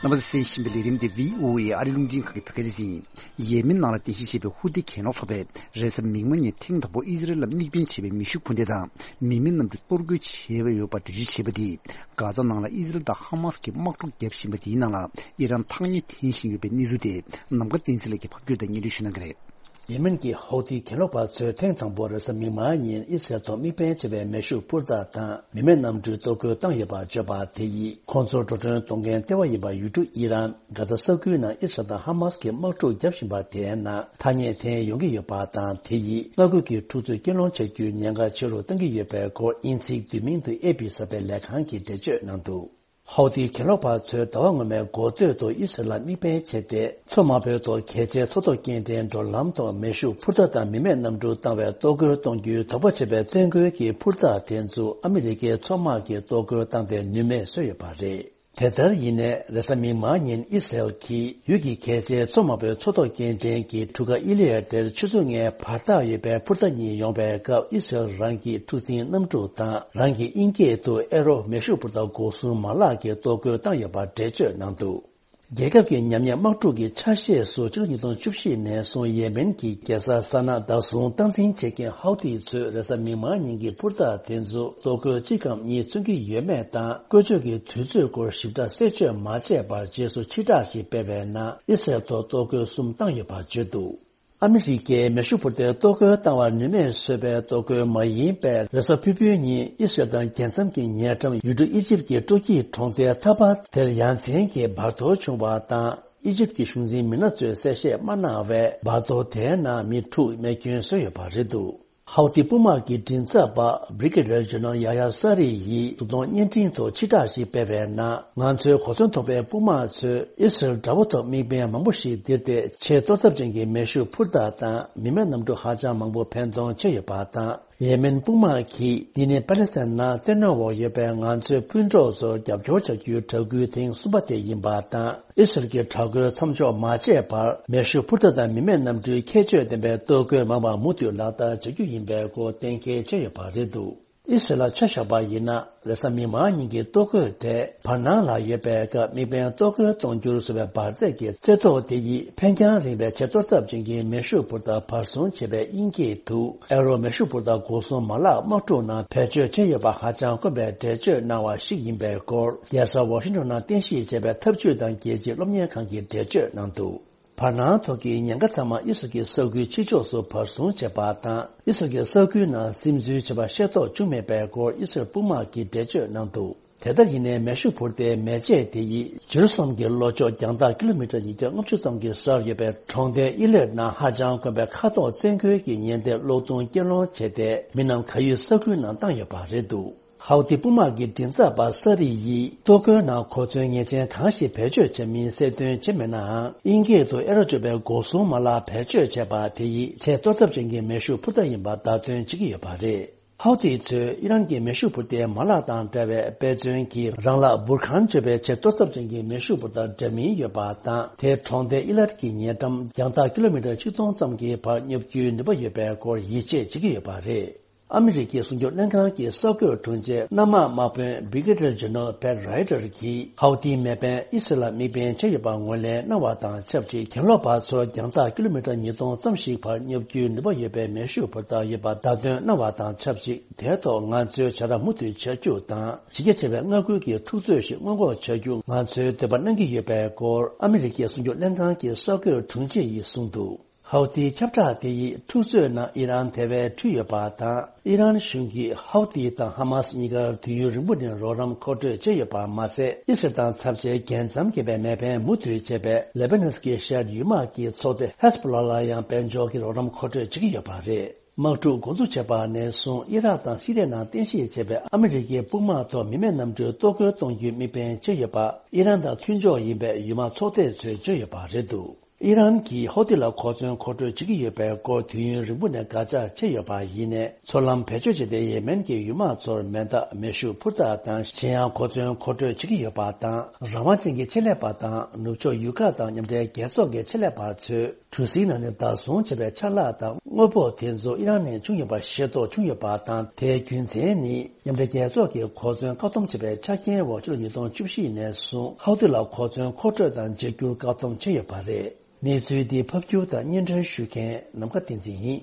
རྣམ་པ་ཚོས་གསན་བཞིན་པའི་ལས་རིམ་དེ་ཝི་ཨོ་ཨེ་ཨ་རིའི་རླུང་འཕྲིན་ཁང་གི་བོད་སྐད་སྡེ་ཚན་ཡིན། ཡེ་མེན་ནང་ལ་རྟེན་གཞི་བྱས་པའི་ཧུ་ཐི་གྱེན་ལོག་ཚོགས་པས་རེས་གཟའ་མིག་དམར་ཉིན་ཐེངས་དང་པོ་ཨི་ཟི་རེལ་ལ་དམིགས་འབེན་བྱས་པའི་མེ་ཤུགས་འཕུར་མདེལ་དང་མི་མེད་གནམ་གྲུ་གཏོར་རྒོལ་བྱས་པ་ཡོད་པར་འགྲེལ་བརྗོད་བྱས་པ་དེས། གྷ་ཛ་ནང་ལ་ཨི་ཟི་རེལ་དང་ཧ་མ་སི་གིས་དམག་འཁྲུག་བརྒྱབ་བཞིན་པ་དེའི་ནང་ལ་ཨི་རན་ཐག་ཉེ་འཐེན་བཞིན་ཡོད་པའི་གནས་ཚུལ་དེ། ནམ་མཁའ་བསྟན་འཛིན་ལགས་ཀྱིས་ཕབ་སྒྱུར་དང་སྙན་སྒྲོན་ཞུ་གནང་གི་རེད། ཡེ་མེན་གྱི་ཧོ་ཐི་གྱེན་ལོག་པ་ཚོས་ཐེངས་དང་པོ་རེས་གཟའ་མིག་དམར་ཉིན་ཨི་སི་རལ་ཐོག་དམིགས་འབེན་བྱས་པའི་མེ་ཤུགས་འཕུར་མདའ་དང་མི་མེད་གནམ་གྲུའི་གཏོར་རྒོལ་བཏང་ཡོད་པ་བརྗོད་པ་དེ་ཡིས། ཁོང་ཚོར་འགྲོ་གྲོན་གཏོང་མཁན་ལྟེ་བ་ཡིན་པ་ཡུལ་གྲུ་ཨི་རན། གྷ་ཛ་ས་ཁུལ་ནང་ཨི་སི་རལ་དང་ཧ་མ་སི་གིས་དམག་འཁྲུག་བརྒྱབ་བཞིན་པ་དེའི་ནང་ཐག་ཉེ་འཐེན་ཡོང་གི་ཡོད་པ་དང་། དེ་ཡིས་མངའ་ཁུལ་གྱི་འཁྲུག་རྩོད་སྐུལ་སློང་བྱ་རྒྱུའི་ཉེན་ཁ་ཆེ་རུ་གཏང་གི་ཡོད་པའི་སྐོར། དབྱིན་ཚིག་བསྡུས་མིང་དུ་ཨེ་པི་གསར་སྤེལ་ལས་ཁང་གིས་འགྲེལ་བརྗོད་གནང་འདུག། ཧོ་ཐི་གྱེན་ལོག་པ་ཚོས་ཟླ་བ་སྔོན་མའི་འགོ་སྟོད་དུ་ཨི་སི་རལ་ལ་དམིགས་འབེན་བྱས་ཏེ། མཚོ་དམར་པོའི་ཐོག་གལ་ཆེའི་མཚོ་ཐོག་སྐྱེལ་འདྲེན་འགྲོ་ལམ་ཐོག་མེ་ཤུགས་འཕུར་མདའ་དང་མི་མེད་གནམ་གྲུ་བཏང་བའི་གཏོར་རྒོལ་གཏོང་རྒྱུའི་དོགས་པ་བྱས་པའི་བཙན་རྒོལ་གྱི་འཕུར་མདའ་དེ་ཚོ་ཨ་མི་རི་ཀའི་མཚོ་དམག་གིས་གཏོར་རྒོལ་བཏང་སྟེ་ནུས་མེད་བཟོས་ཡོད་པ་རེད། དེ་ལྟར་ཡིན་ནའི་རེས་གཟའ་མིག་དམར་ཉིན་ཨི་སི་རལ་གྱིས་ཡུལ་གྱི་གལ་ཆེའི་མཚོ་དམར་པོའི་མཚོ་ཐོག་སྐྱེལ་འདྲེན་གྱི་གྲུ་ཁ་ཨི་ལི་ཡ་དེར་ཆུ་ཚོད་ལྔའི་བར་ཐག་ཡོད་པའི་འཕུར་མདའ་གཉིས་ཡོང་བའི་སྐབས། ཨི་སི་རལ་རང་གི་འཁྲུག་འཛིང་གནམ་གྲུ་དང་རང་གི་དབྱིན་སྐད་དུ་ཨེ་རོ་མེ་ཤུགས་འཕུར་མདའ་འགོག་སྲུང་མ་ལག་གིས་གཏོར་རྒོལ་བཏང་ཡོད་པར་འགྲེལ་བརྗོད་གནང་འདུག། རྒྱལ་ཁབ་ཀྱི་ཉམས་ཉེས་དམག་འཁྲུག་གི་ཆ་ཤས་སུ་ཕྱི་ལོ་ཉིས་སྟོང་བཅུ་བཞི་ནས་བཟུང་ཡེ་མེན་གྱི་རྒྱལ་ས་ས་ན་བདག་བཟུང་སྟངས་འཛིན་བྱེད་མཁན་ཧའུ་ཐི་ཚོས་རེས་གཟའ་མིག་དམར་ཉིན་གྱི་འཕུར་མདའ་དེ་ཚོ་གཏོར་རྒོལ་གཅིག་གམ་གཉིས་མཚོན་གྱི་ཡོད་མེད་དང་། བཀོལ་སྤྱོད་ཀྱི་དུས་ཚོད་སྐོར་ཞིབ་ཕྲ་གསལ་བརྗོད་མ་བྱས་པར་རྗེས་སུ་ཕྱིར་བསྒྲགས་ཤིག་སྤེལ་བའི་ནང་ཨི་སི་རལ་ཐོག་གཏོར་རྒོལ་གསུམ་བཏང་ཡོད་པར་བརྗོད་འདུག། ཨ་མི་རི་ཀས་མེ་ཤུགས་འཕུར་མདའི་གཏོར་རྒོལ་བཏང་བར་ནུས་མེད་བཟོས་པའི་གཏོར་རྒོལ་མ་ཡིན་པའི་རེས་གཟའ་ཕུར་བུའི་ཉིན་ཨི་སི་རལ་དང་རྒྱལ་མཚམས་ཀྱི་ཉེ་འགྲམ་ཡུལ་གྲུ་ཨི་ཇིབ་ཀྱི་སྤྲོ་སྐྱིད་གྲོང་རྡལ་ཐ་པ་དེར་ཡ་མཚན་གྱི་འབར་གཏོར་བྱུང་བ་དང་། ཨི་ཇིབ་ཀྱི་གཞུང་འཛིན་མི་སྣ་ཚོས་གསལ་བཤད་མ་གནང་བས། འབར་གཏོར་དེའི་ནང་མི་དྲུག་རྨས་སྐྱོན་བཟོས་ཡོད་པ་རེད་འདུག། ཧའུ་ཏི་དཔུང་དམག་གི་མགྲིན་ཚབ་པ་Brigadier General Yahya Saree ཡིས་གཟུགས་མཐོང་བརྙན་འཕྲིན་ཐོག་ཕྱིར་བསྒྲགས་ཤིག་སྤེལ་བའི་ནང་། ང་ཚོའི་གོ་མཚོན་ཐོགས་པའི་དཔུང་དམག་ཚོས་ཨི་སི་རལ་དགྲ་བོ་ཐོག་དམིགས་འབེན་མང་པོ་ཞིག་ལྡིར་ཏེ། ཆེས་གཏོར་ཚབས་ཅན་གྱི་མེ་ཤུགས་འཕུར་མདའ་དང་མི་མེད་གནམ་གྲུ་ཧ་ཅང་མང་པོ་འཕེན་གཏོང་བྱས་ཡོད་པ་དང་། ཡེ་མེན་དཔུང་དམག་གིས། འདི་ནི་པ་ལི་སི་ཐན་ནང་བཙན་གནོན་འོག་ཡོད་པའི་ང་ཚོའི་སྤུན་གྲོགས་ཚོར་རྒྱབ་སྐྱོར་བྱ་རྒྱུའི་གྲགས་འགུལ་ཐེངས་གསུམ་པ་དེ་ཡིན་པ་དང་། ཨི་སི་རལ་གྱི་དྲག་རྒོལ་མཚམས་འཇོག་མ་བྱས་བར། མེ་ཤུགས་འཕུར་མདའ་དང་མི་མེད་གནམ་གྲུའི་ཁྱད་ཆོས་ལྡན་པའི་གཏོར་རྒོལ་མང་བ་མུ་མཐུད་ལག་བསྟར་བྱ་རྒྱུ་ཡིན་པའི་སྐོར་གཏན་འཁེལ་བྱས་ཡོད་པ་རེད་འདུག་ཨི་སི་རལ་ལ་ཆ་བཞག་པ་ཡིན་ན། རེས་གཟའ་མིག་དམར་ཉིན་གྱི་གཏོར་རྒོལ་དེ་བར་སྣང་ལ་ཡོད་པའི་སྐབས་དམིགས་འབེན་གཏོར་རྒོལ་གཏོང་རྒྱུར་བཟོས་པའི་འབར་རྫས་ཀྱི་རྩེ་ཐོག་དེ་ཡིས་འཕེན་རྒྱང་རིང་བའི་ཆེས་གཏོར་ཚབས་ཅན་གྱི་མེ་ཤུགས་འཕུར་མདའ་བར་སྲུང་བྱེད་པའི་དབྱིན་སྐད་དུ་ཨེ་རོ་མེ་ཤུགས་འཕུར་མདའ་འགོག་སྲུང་མ་ལག་དམག་འཁྲུག་ནང་བེད་སྤྱོད་བྱས་ཡོད་པ་ཧ་ཅང་དཀོན་པའི་འགྲེལ་བརྗོད་གནང་བ་ཞིག་ཡིན་པའི་སྐོར། རྒྱལ་ས་ཝ་ཤིང་ཊོན་ནང་རྟེན་གཞི་བྱས་པའི་འཐབ་ཇུས་དང་རྒྱལ་སྤྱིའི་སློབ་གཉེར་ཁང་གིས་འགྲེལ་བརྗོད་གནང་འདུག་བར་སྣང་ཐོག་གི་ཉེན་ཁ་ཚང་མ་ཨི་སི་རལ་གྱི་ས་ཁུལ་ཕྱི་ཕྱོགས་སུ་བར་སྲུང་བྱས་པ་དང་། ཨི་སི་རལ་གྱི་ས་ཁུལ་ནང་སིམ་འཛུལ་བྱས་པ་ཤེས་རྟོགས་བྱུང་མེད་པའི་སྐོར་ཨི་སི་རལ་དཔུང་དམག་གིས་འགྲེལ་བརྗོད་གནང་འདུག་དེ་ལྟར་ཡིན་ནའི་མེ་ཤུགས་འཕུར་མདའི་མེ་ལྕེ་དེ་ཡིས་ཇེ་རུ་སོ་ལེམ་གྱི་ལྷོ་ཕྱོགས་རྒྱང་ཐག་ཀི་ལོ་མི་ཊར་ཉིས་བརྒྱ་ལྔ་བཅུ་ཙམ་གྱི་སར་ཡོད་པའི་གྲོང་རྡལ་ཨི་ལེད་ནང་ཧ་ཅང་དཀོན་པའི་མཁའ་ཐོག་བཙན་རྒོལ་གྱི་ཉེན་བརྡའི་གློག་ཐུང་སྐྱེལ་སློང་བྱས་ཏེ། མི་རྣམས་གར་ཡོད་ས་ཁུལ་ནང་བཏང་ཡོད་པ་རེད་འདུག་ཧའུ་ཏི་དཔུང་དམག་གི་མགྲིན་ཚབ་པ་ས་རི་ཡིས། གཏོར་རྒོལ་ནང་གོ་མཚོན་ངེས་ཅན་གང་ཞིག་བེད་སྤྱོད་བྱས་མིན་གསལ་སྟོན་བྱས་མེད་ནའང་། དབྱིན་སྐད་དུ་ཨེ་རོ་བརྗོད་པའི་འགོག་སྲུང་མ་ལག་བེད་སྤྱོད་བྱས་པ་དེ་ཡིས་ཆེས་གཏོར་ཚབས་ཅན་གྱི་མེ་ཤུགས་འཕུར་མདའ་ཡིན་པ་བརྡ་སྟོན་བྱེད་ཀྱི་ཡོད་པ་རེད། ཧའུ་ཏི་ཚོས་ཨི་རན་གྱི་མེ་ཤུགས་འཕུར་མདའི་མ་ལག་དང་འདྲ་བའི་དཔེ་མཚོན་གྱི་རང་ལག་འབུར་ཁང་བརྗོད་པའི་ཆེས་གཏོར་ཚབས་ཅན་གྱི་མེ་ཤུགས་འཕུར་མདའ་འདྲ་མིན་ཡོད་པ་དང་། དེ་གྲོང་རྡལ་ཨི་ལར་གྱི་ཉེ་འགྲམ་རྒྱང་ཐག་ཀི་ལོ་མི་ཊར་ཆིག་སྟོང་ཙམ་གྱི་བར་སྙོབ་རྒྱུའི་ནུས་པ་ཡོད་པའི་སྐོར་ཡིད་ཆེས་བྱེད་ཀྱི་ཡོད་པ་རེད། ཨ་མི་རི་ཀའི་གསུང་སྒྱུར་ལྷན་ཁང་གི་གསར་འགོད་དྲུང་ཆེ་གནམ་དམག་དམག་དཔོན་Brigadier General Pat Ryder གྱིས་ཧའུ་ཏིའི་མེ་འཕེན་ཨི་སི་རལ་ལ་དམིགས་འབེན་བྱས་ཡོད་པ་ངོས་ལེན་གནང་བ་དང་ཆབས་ཅིག་གྱེན་ལོག་པ་ཚོར་རྒྱང་ཐག་ཀི་ལོ་མི་ཊར་ཉིས་སྟོང་ཙམ་ཞིག་བར་སྙོབ་རྒྱུའི་ནུས་པ་ཡོད་པའི་མེ་ཤུགས་འཕུར་མདའ་ཡོད་པ་བརྡ་སྟོན་གནང་བ་དང་ཆབས་ཅིག་དེའི་ཐོག་ང་ཚོའི་བྱ་ར་མུ་མཐུད་བྱ་རྒྱུ་དང་། ཇི་སྐད་བྱ་བའི་མངའ་ཁུལ་གྱི་འཁྲུག་རྩོད་ཞིག་སྔོན་འགོག་བྱ་རྒྱུ་ང་ཚོའི་འདོད་པ་གནང་གི་ཡོད་པའི་སྐོར། ཨ་མི་རི་ཀའི་གསུང་སྒྱུར་ལྷན་ཁང་གི་གསར་འགོད་དྲུང་ཆེ་ཡིས་གསུངས་འདུག་ཧའུ་ཏིའི་ཁྱབ་བསྒྲགས་དེ་ཡིས་འཁྲུག་རྩོད་ནང་ཨི་རན་དེ་བས་འཁྲུལ་ཡོད་པ་དང་། ཨི་རན་གཞུང་གིས་ཧའུ་ཏི་དང་ཧ་མ་སི་གཉིས་ཀར་དུས་ཡུན་རིང་པོ་ནས་རོགས་རམ་མཁོ་སྤྲོད་བྱས་ཡོད་པ་མ་ཟད། ཨི་སི་རལ་དང་ཚབས་ཆེའི་རྒྱལ་མཚམས་བརྒལ་བའི་མེ་འཕེན་མུ་མཐུད་བྱས་པའི་ལེ་བྷ་ནོན་གྱི་ཤར་ཡུལ་དམག་གི་ཚོགས་སྡེ་ཧེ་ཟ་བྷོ་ལ་ལ་ཡང་དཔལ་འབྱོར་གྱི་རོགས་རམ་མཁོ་སྤྲོད་བྱེད་ཀྱི་ཡོད་པ་རེད། དམག་འཁྲུག་འགོ་འཛུགས་བྱས་པ་ནས་བཟུང་ཨི་རག་དང་སི་རི་ཡ་ནང་རྟེན་གཞི་བྱས་པའི་ཨ་མི་རི་ཀའི་དཔུང་དམག་ཐོག་མི་མེད་གནམ་གྲུའི་གཏོར་རྒོལ་གཏོང་རྒྱུའི་དམིགས་འབེན་བྱས་ཡོད་པ་ཨི་རན་དང་མཐུན་ཕྱོགས་ཡིན་པའི་ཡུལ་དམག་ཚོགས་སྡེ་ཚོས་བརྗོད་ཡོད་པ་རེད་འདུག་ཨི་རན་གྱིས་ཧའུ་ཏི་ལ་གོ་མཚོན་མཁོ་སྤྲོད་བྱེད་ཀྱི་ཡོད་པའི་སྐོར་དུས་ཡུན་རིང་པོ་ནས་དགག་བྱ་བྱས་ཡོད་པ་ཡིན་ནའི། མཚོ་ལམ་བེད་སྤྱོད་བྱས་ཏེ་ཡེ་མེན་གྱི་ཡུལ་དམག་ཚོར་མེ་མདའ། མེ་ཤུགས་འཕུར་མདའ་དང་། གཞན་ཡང་གོ་མཚོན་མཁོ་སྤྲོད་བྱེད་ཀྱི་ཡོད་པ་དང་། རང་དབང་ཅན་གྱི་ཆེད་ལས་པ་དང་ནུབ་ཕྱོགས་ཡུལ་ཁག་དང་མཉམ་འབྲེལ་རྒྱལ་ཚོགས་ཀྱི་ཆེད་ལས་པ་ཚོས་གྲུ་གཟིངས་ནང་ནས་བདག་བཟུང་བྱས་པའི་ཆ་ལག་དང་དངོས་པོ་དེ་ཚོ་ཨི་རན་ནས་བྱུང་ཡོད་པ་ཤེས་རྟོགས་བྱུང་ཡོད་པ་དང་། དེའི་རྒྱུ་མཚན་ནི། མཉམ་འབྲེལ་རྒྱལ་ཚོགས་ཀྱིས་གོ་མཚོན་བཀག་སྡོམ་བྱས་པའི་ཆ་རྐྱེན་འོག་ཕྱི་ལོ་ཉིས་སྟོང་བཅུ་བཞི་ནས་བཟུང་ཧའུ་ཏི་ལ་གོ་མཚོན་མཁོ་སྤྲོད་དང་བརྗེ་སྒྱུར་བཀག་སྡོམ་བྱས་ཡོད་པ་རེད། གནས་ཚུལ་འདི་ཕབ་སྒྱུར་དང་སྙན་སྒྲོན་ཞུ་མཁན་ནམ་མཁའ་བསྟན་འཛིན་ཡིན།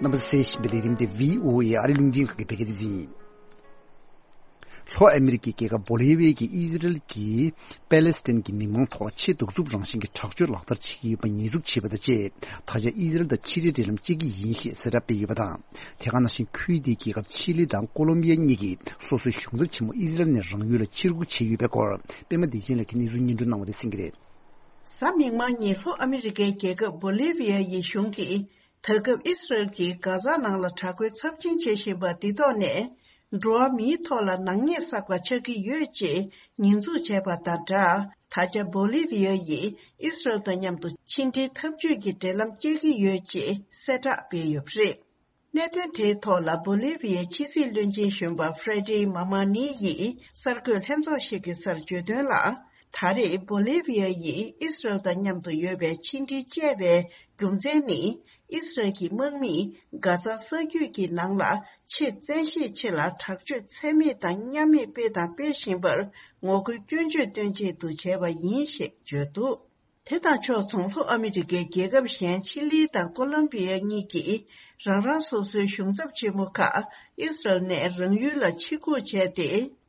རྣམ་པ་གསན་བཞིན་པའི་ལས་རིམ་དེ་བྷི་ཨོ་ཨེ་ཨ་རི་རླུང་འཕྲིན་ཁང་གི་བོད་སྐད་སྡེ་ཚན་ཡིན། ལྷོ་ཨ་མི་རི་ཀའི་རྒྱལ་ཁབ་བོ་ལི་བི་ཡ་གིས་ཨི་ཟི་རལ་གྱིས་པེ་ལེ་སི་ཐན་གྱི་མི་མང་ཐོག་ཆེས་གདུག་རྩུབ་རང་བཞིན་གྱི་དྲག་སྤྱོད་ལག་བསྟར་བྱེད་ཀྱི་ཡོད་པ་ཉེས་འཛུགས་བྱས་པ་དང་བཅས། ད་ཆ་ཨི་ཟི་རལ་དང་ཕྱི་འབྲེལ་འབྲེལ་ལམ་བཅད་ཀྱི་ཡིན་ཞེས་གསལ་བསྒྲགས་སྤེལ་ཡོད་པ་དང་། དེ་ག་ནང་བཞིན་ཁུལ་དེའི་རྒྱལ་ཁབ་ཆི་ལི་དང་ཀོ་ལོམ་བི་ཡ་གཉིས་ཀྱིས་སོ་སོའི་གཞུང་ཚབ་ཆེན་མོ་ཨི་ཟི་རལ་ནས་རང་ཡུལ་ལ་ཕྱིར་འགུག་བྱས་ཡོད་པའི་སྐོར། པད་མ་བདེ་ཆེན་ལགས་ཀྱིས་གནས་ཚུལ་སྙན་སྒྲོན་གནང་བ་དེ་གསན་གྱི་རེད། གཟའ་མིག་དམར་ཉིན་ལྷོ་ཨ་མི་རི་ཀའི་རྒྱལ་ཁབ་བོ་ལི་བི་ཡ་ཡི་གཞུང་གིས། ད་སྐབས་ཨི་སི་རལ་གྱིས་གྷ་ཛ་ནང་ལ་དྲག་རྒོལ་ཚབས་ཆེན་བྱེད་བཞིན་པ་འདི་ཐོག་ནས། འགྲོ་བ་མིའི་ཐོག་ལ་ནག་ཉེས་བསགས་པ་ཆགས་ཀྱི་ཡོད་ཅེས་ཉེས་འཛུགས་བྱས་པ་དང་སྦྲགས། ད་ཆ་བོ་ལི་བི་ཡ་ཡིས་ཨི་སི་རལ་དང་མཉམ་དུ་ཕྱི་འབྲེལ་འཐབ་ཇུས་ཀྱི་འབྲེལ་ལམ་བཅད་ཀྱི་ཡོད་ཅེས་གསལ་བསྒྲགས་སྤེལ་ཡོད་པ་རེད། གནད་དོན་དེའི་ཐོག་ལ་བོ་ལི་བི་ཡའི་ཕྱི་སྲིད་བློན་ཆེན་གཞོན་པ་ཧྥེ་ཌི་མ་མ་ནི་ཡིས་གསར་འགོད་ལྷན་ཚོགས་ཤིག་གི་སར་བརྗོད་དོན་ལ། ད་རེས་བོ་ལི་བི་ཡ་ཡིས་ཨི་སི་རལ་དང་མཉམ་དུ་ཡོད་པའི་ཕྱི་འབྲེལ་བཅད་པའི་རྒྱུ་མཚན་ནི། ཨི་སི་རལ་གྱི་དམག་མིས་གྷ་ཛ་ས་རྒྱུད་ཀྱི་ནང་ལ་ཆེས་བཙན་ཤེད་ཆེ་ལ་དྲག་སྤྱོད་ཚད་མེད་དང་མཉམ་མེད་སྤེལ་དང་སྤེལ་བཞིན་པར་ངོ་རྒོལ་སྐྱོན་བརྗོད་སྟོན་ཆེད་དུ་བྱས་པ་ཡིན་ཞེས་བརྗོད་འདུག་དེ་དང་ཕྱོགས་མཚུངས་ལྷོ་ཨ་མི་རི་ཀའི་རྒྱལ་ཁབ་གཞན་ཆི་ལི་དང་ཀོ་ལོམ་བི་ཡ་གཉིས་ཀྱིས་རང་རང་སོ་སོའི་གཞུང་ཚབ་ཆེན་མོ་ཁག་ཨི་སི་རལ་ནས་རང་ཡུལ་ལ་ཕྱིར་འགུག་བྱས་ཏེ།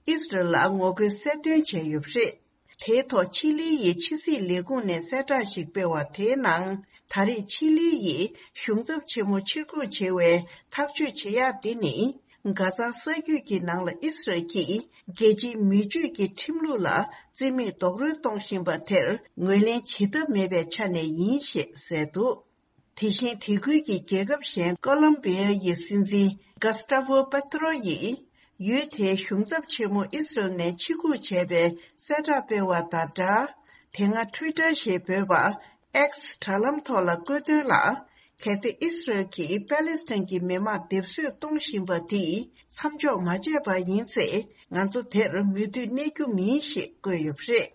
ཨི་སི་རལ་ལ་ངོ་རྒོལ་གསལ་སྟོན་བྱས་ཡོད་པ་རེད། དེའི་ཐོག་ཆི་ལི་ཡི་ཕྱི་སྲིད་ལས་ཁུངས་ནས་གསལ་བསྒྲགས་ཤིག་སྤེལ་བ་དེའི་ནང་། ད་རེས་ཆི་ལི་ཡིས་གཞུང་ཚབ་ཆེན་མོ་ཕྱིར་འགུག་བྱེད་པའི་ཐག་གཅོད་བྱེད་ཡག་འདི་ནི། གྷ་ཛ་ས་རྒྱུད་ཀྱི་ནང་ལ་ཨི་སི་རལ་གྱིས་རྒྱལ་སྤྱིའི་མི་སྤྱོད་ཀྱི་ཁྲིམས་ལུགས་ལ་བརྩི་མེད་རྡོག་རོལ་གཏོང་བཞིན་པ་དེར་ངོས་ལེན་བྱེད་ཐབས་མེད་པའི་ཆ་ནས་ཡིན་ཞེས་གསལ་འདུག་དེ་བཞིན་དེ་ཁུལ་གྱི་རྒྱལ་ཁབ་གཞན་ཀོ་ལོམ་བི་ཡ་ཡི་སྲིད་འཛིན་གྷ་སི་ཏཱ་ཝོ་པེ་ཏྲོ་ཡིས་ཡུལ་དེའི་གཞུང་ཚབ་ཆེན་མོ་ཨི་སི་རལ་ནས་ཕྱིར་འགུག་བྱས་པའི་གསལ་བསྒྲགས་སྤེལ་བ་དང་སྦྲགས། དེ་སྔ་ཊུའི་ཊར་ཞེས་འབོད་པ་ཨེག་སི་དྲ་ལམ་ཐོག་ལ་བཀོད་དོན་ལ། གལ་ཏེ་ཨི་སི་རལ་གྱིས་པེ་ལེ་སི་ཐན་གྱི་མི་དམངས་སྡེབ་གསོད་གཏོང་བཞིན་པ་དེས་མཚམས་འཇོག་མ་བྱས་པ་ཡིན་ཚེ། ང་ཚོ་དེར་མུ་མཐུད་གནས་རྒྱུ་མིན་ཞེས་བཀོད་ཡོད་པ་རེད།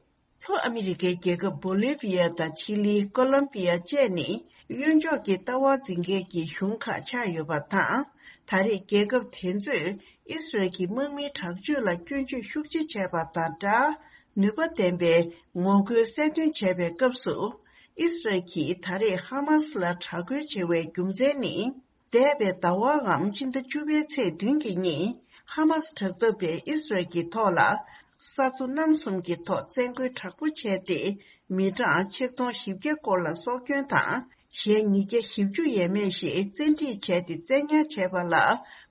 ལྷོ་ཨ་མི་རི་ཀའི་རྒྱལ་ཁབ་བོ་ལི་བི་ཡ་དང་ཆི་ལི། ཀོ་ལོམ་བི་ཡ་བཅས་ནི་གཡོན་ཕྱོགས་ཀྱི་ལྟ་བ་འཛིན་མཁན་གྱི་གཞུང་ཁག་ཆགས་ཡོད་པ་དང་། ད་རེས་རྒྱལ་ཁབ་དེ་ཚོས་ཨི་སི་རལ་གྱི་དམག་མིའི་དྲག་སྤྱོད་ལ་སྐྱོན་བརྗོད་ཤུགས་ཆེ་བྱས་པ་དང་སྦྲགས། ནུས་པ་ལྡན་པའི་ངོ་རྒོལ་གསལ་སྟོན་བྱས་པའི་སྐབས་སུ། ཨི་སི་རལ་གྱིས་ད་རེས་ཧ་མ་སི་ལ་དྲག་རྒོལ་བྱེད་པའི་རྒྱུ་མཚན་ནི། འདས་པའི་ཟླ་བའམ་ཕྱི་ཟླ་བཅུ་པའི་ཚེས་བདུན་གྱི་ཉིན། ཧ་མ་སི་དྲག་འཐབ་པས་ཨི་སི་རལ་གྱི་ཐོག་ལ། ས་མཚོ་གནམ་གསུམ་གྱི་ཐོག་བཙན་རྒོལ་དྲག་པོ་བྱས་ཏེ། མི་གྲངས་ཆིག་སྟོང་བཞི་བརྒྱ་སྐོར་ལ་སྲོག་སྐྱོན་དང་། གཞན་ཉིས་བརྒྱ་བཞི་བཅུ་ཡས་མས་ཤིག་བཙན་ཁྲིད་བྱས་ཏེ་བཙན་ཉར་བྱས་པ་ལ།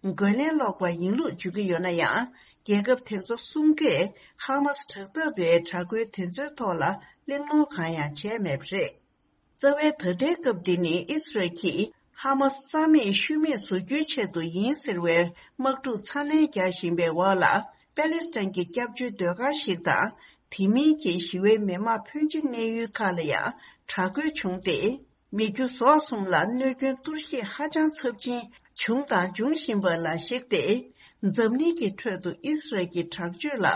རྒོལ་ལན་སློག་པ་ཡིན་ལུགས་བརྗོད་ཀྱི་ཡོད་ན་ཡང་། རྒྱལ་ཁབ་དེ་ཚོ་གསུམ་ཀས་ཧ་མ་སི་དྲག་འཐབ་པའི་དྲག་རྒོལ་དེ་ཚོའི་ཐོག་ལ་གླེང་སློང་གང་ཡང་བྱས་མེད་པ་རེད། རྩ་བའི་ད་ལྟའི་སྐབས་འདི་ནི་ཨི་སི་རལ་གྱིས་ཧ་མ་སི་རྩ་མེད་ཤུལ་མེད་བཟོ་རྒྱུའི་ཆེད་དུ་ཡིན་ཟེར་བའི་དམག་འཁྲུག་ཚ་ནན་རྒྱག་བཞིན་པའི་འོག་ལ། པེ་ལེ་སི་ཐན་གྱི་སྐྱབས་བཅོལ་ཟློས་གར་ཞིག་དང་། དེ་མིན་གྱི་ཞི་བའི་མི་དམངས་ཕོན་ཆེ་གནས་ཡུལ་ཁག་ལ་ཡང་དྲག་རྒོལ་བྱུང་སྟེ། མི་རྒྱུ་ཟོག་གསུམ་ལ་གནོད་སྐྱོན་གཏོར་བཤིག་ཧ་ཅང་ཚབས་ཆེན་བྱུང་དང་འབྱུང་བཞིན་པ་ལ་གཞིགས་ཏེ། འཛམ་གླིང་གི་ཁྲོད་དུ་ཨི་སི་རལ་གྱི་དྲག་སྤྱོད་ལ་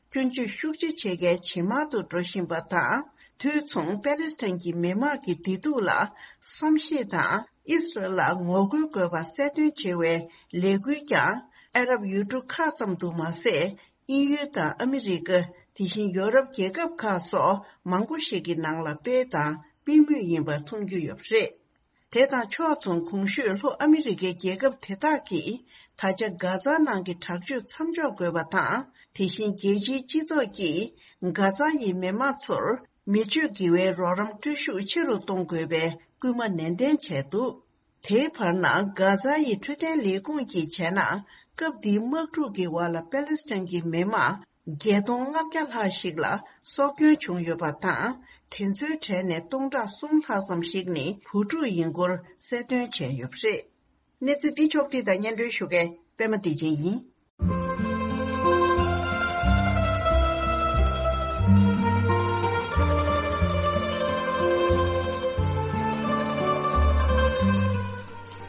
སྐྱོན་བརྗོད་ཤུགས་ཆེ་བྱེད་མཁན་ཇེ་མང་དུ་འགྲོ་བཞིན་པ་དང་། དུས་མཚུངས་པེ་ལེ་སི་ཐན་གྱི་མི་དམངས་ཀྱི་བདེ་སྡུག་ལ་བསམ་ཤེས་དང་། ཨི་སི་རལ་ལ་ངོ་རྒོལ་དགོས་པ་གསལ་སྟོན་བྱེད་པའི་ལས་འགུལ་ཀྱང་ཨ་རབ་ཡུལ་གྲུ་ཁག་ཙམ་དུ་མ་ཟད། དབྱིན་ཡུལ་དང་ཨ་མི་རི་ཀ། དེ་བཞིན་ཡོ་རོབ་རྒྱལ་ཁབ་ཁག་སོགས་མང་པོ་ཞིག་གི་ནང་ལ་སྤེལ་དང་སྤེལ་མུས་ཡིན་པ་མཐོང་རྒྱུ་ཡོད་པ་རེད། དེ་དང་ཕྱོགས་མཚུངས། གོང་ཞུས་ལྷོ་ཨ་མི་རི་ཀའི་རྒྱལ་ཁབ་དེ་དག་གིས་ད་ཆ་གྷ་ཛ་ནང་གི་དྲག་སྤྱོད་མཚམས་འཇོག་དགོས་པ་དང་། དེ་བཞིན་རྒྱལ་སྤྱིའི་སྤྱི་ཚོགས་ཀྱིས་གྷ་ཛ་ཡི་མི་དམངས་ཚོར་མི་སྤྱོད་དགེ་བའི་རོགས་རམ་སྤྲོད་ཤུགས་ཆེ་རུ་གཏོང་དགོས་པའི་སྐུལ་མ་ནན་ཏན་བྱས་འདུག་དེའི་བར་ན། གྷ་ཛ་ཡི་འཕྲོད་བསྟེན་ལས་ཁུངས་ཀྱིས་བྱས་ན། སྐབས་འདིའི་དམག་འཁྲུག་གི་འོག་ལ་པེ་ལེ་སི་ཐན་གྱི་མི་དམངས་བརྒྱད་སྟོང་ལྔ་བརྒྱ་ལྷག་ཞིག་ལ་སྲོག་སྐྱོན་བྱུང་ཡོད་པ་དང་། དེ་ཚོའི་གྲས་ནས་སྟོང་ཕྲག་གསུམ་ལྷག་ཙམ་ཞིག་ནི་བུ་ཕྲུག་ཡིན་སྐོར་གསལ་སྟོན་བྱས་ཡོད་པ་རེད། གནས་ཚུལ་འདི་ཕྱོགས་བསྒྲིགས་དང་སྙན་སྒྲོན་ཞུ་མཁན་པད་མ་བདེ་ཆེན་ཡིན།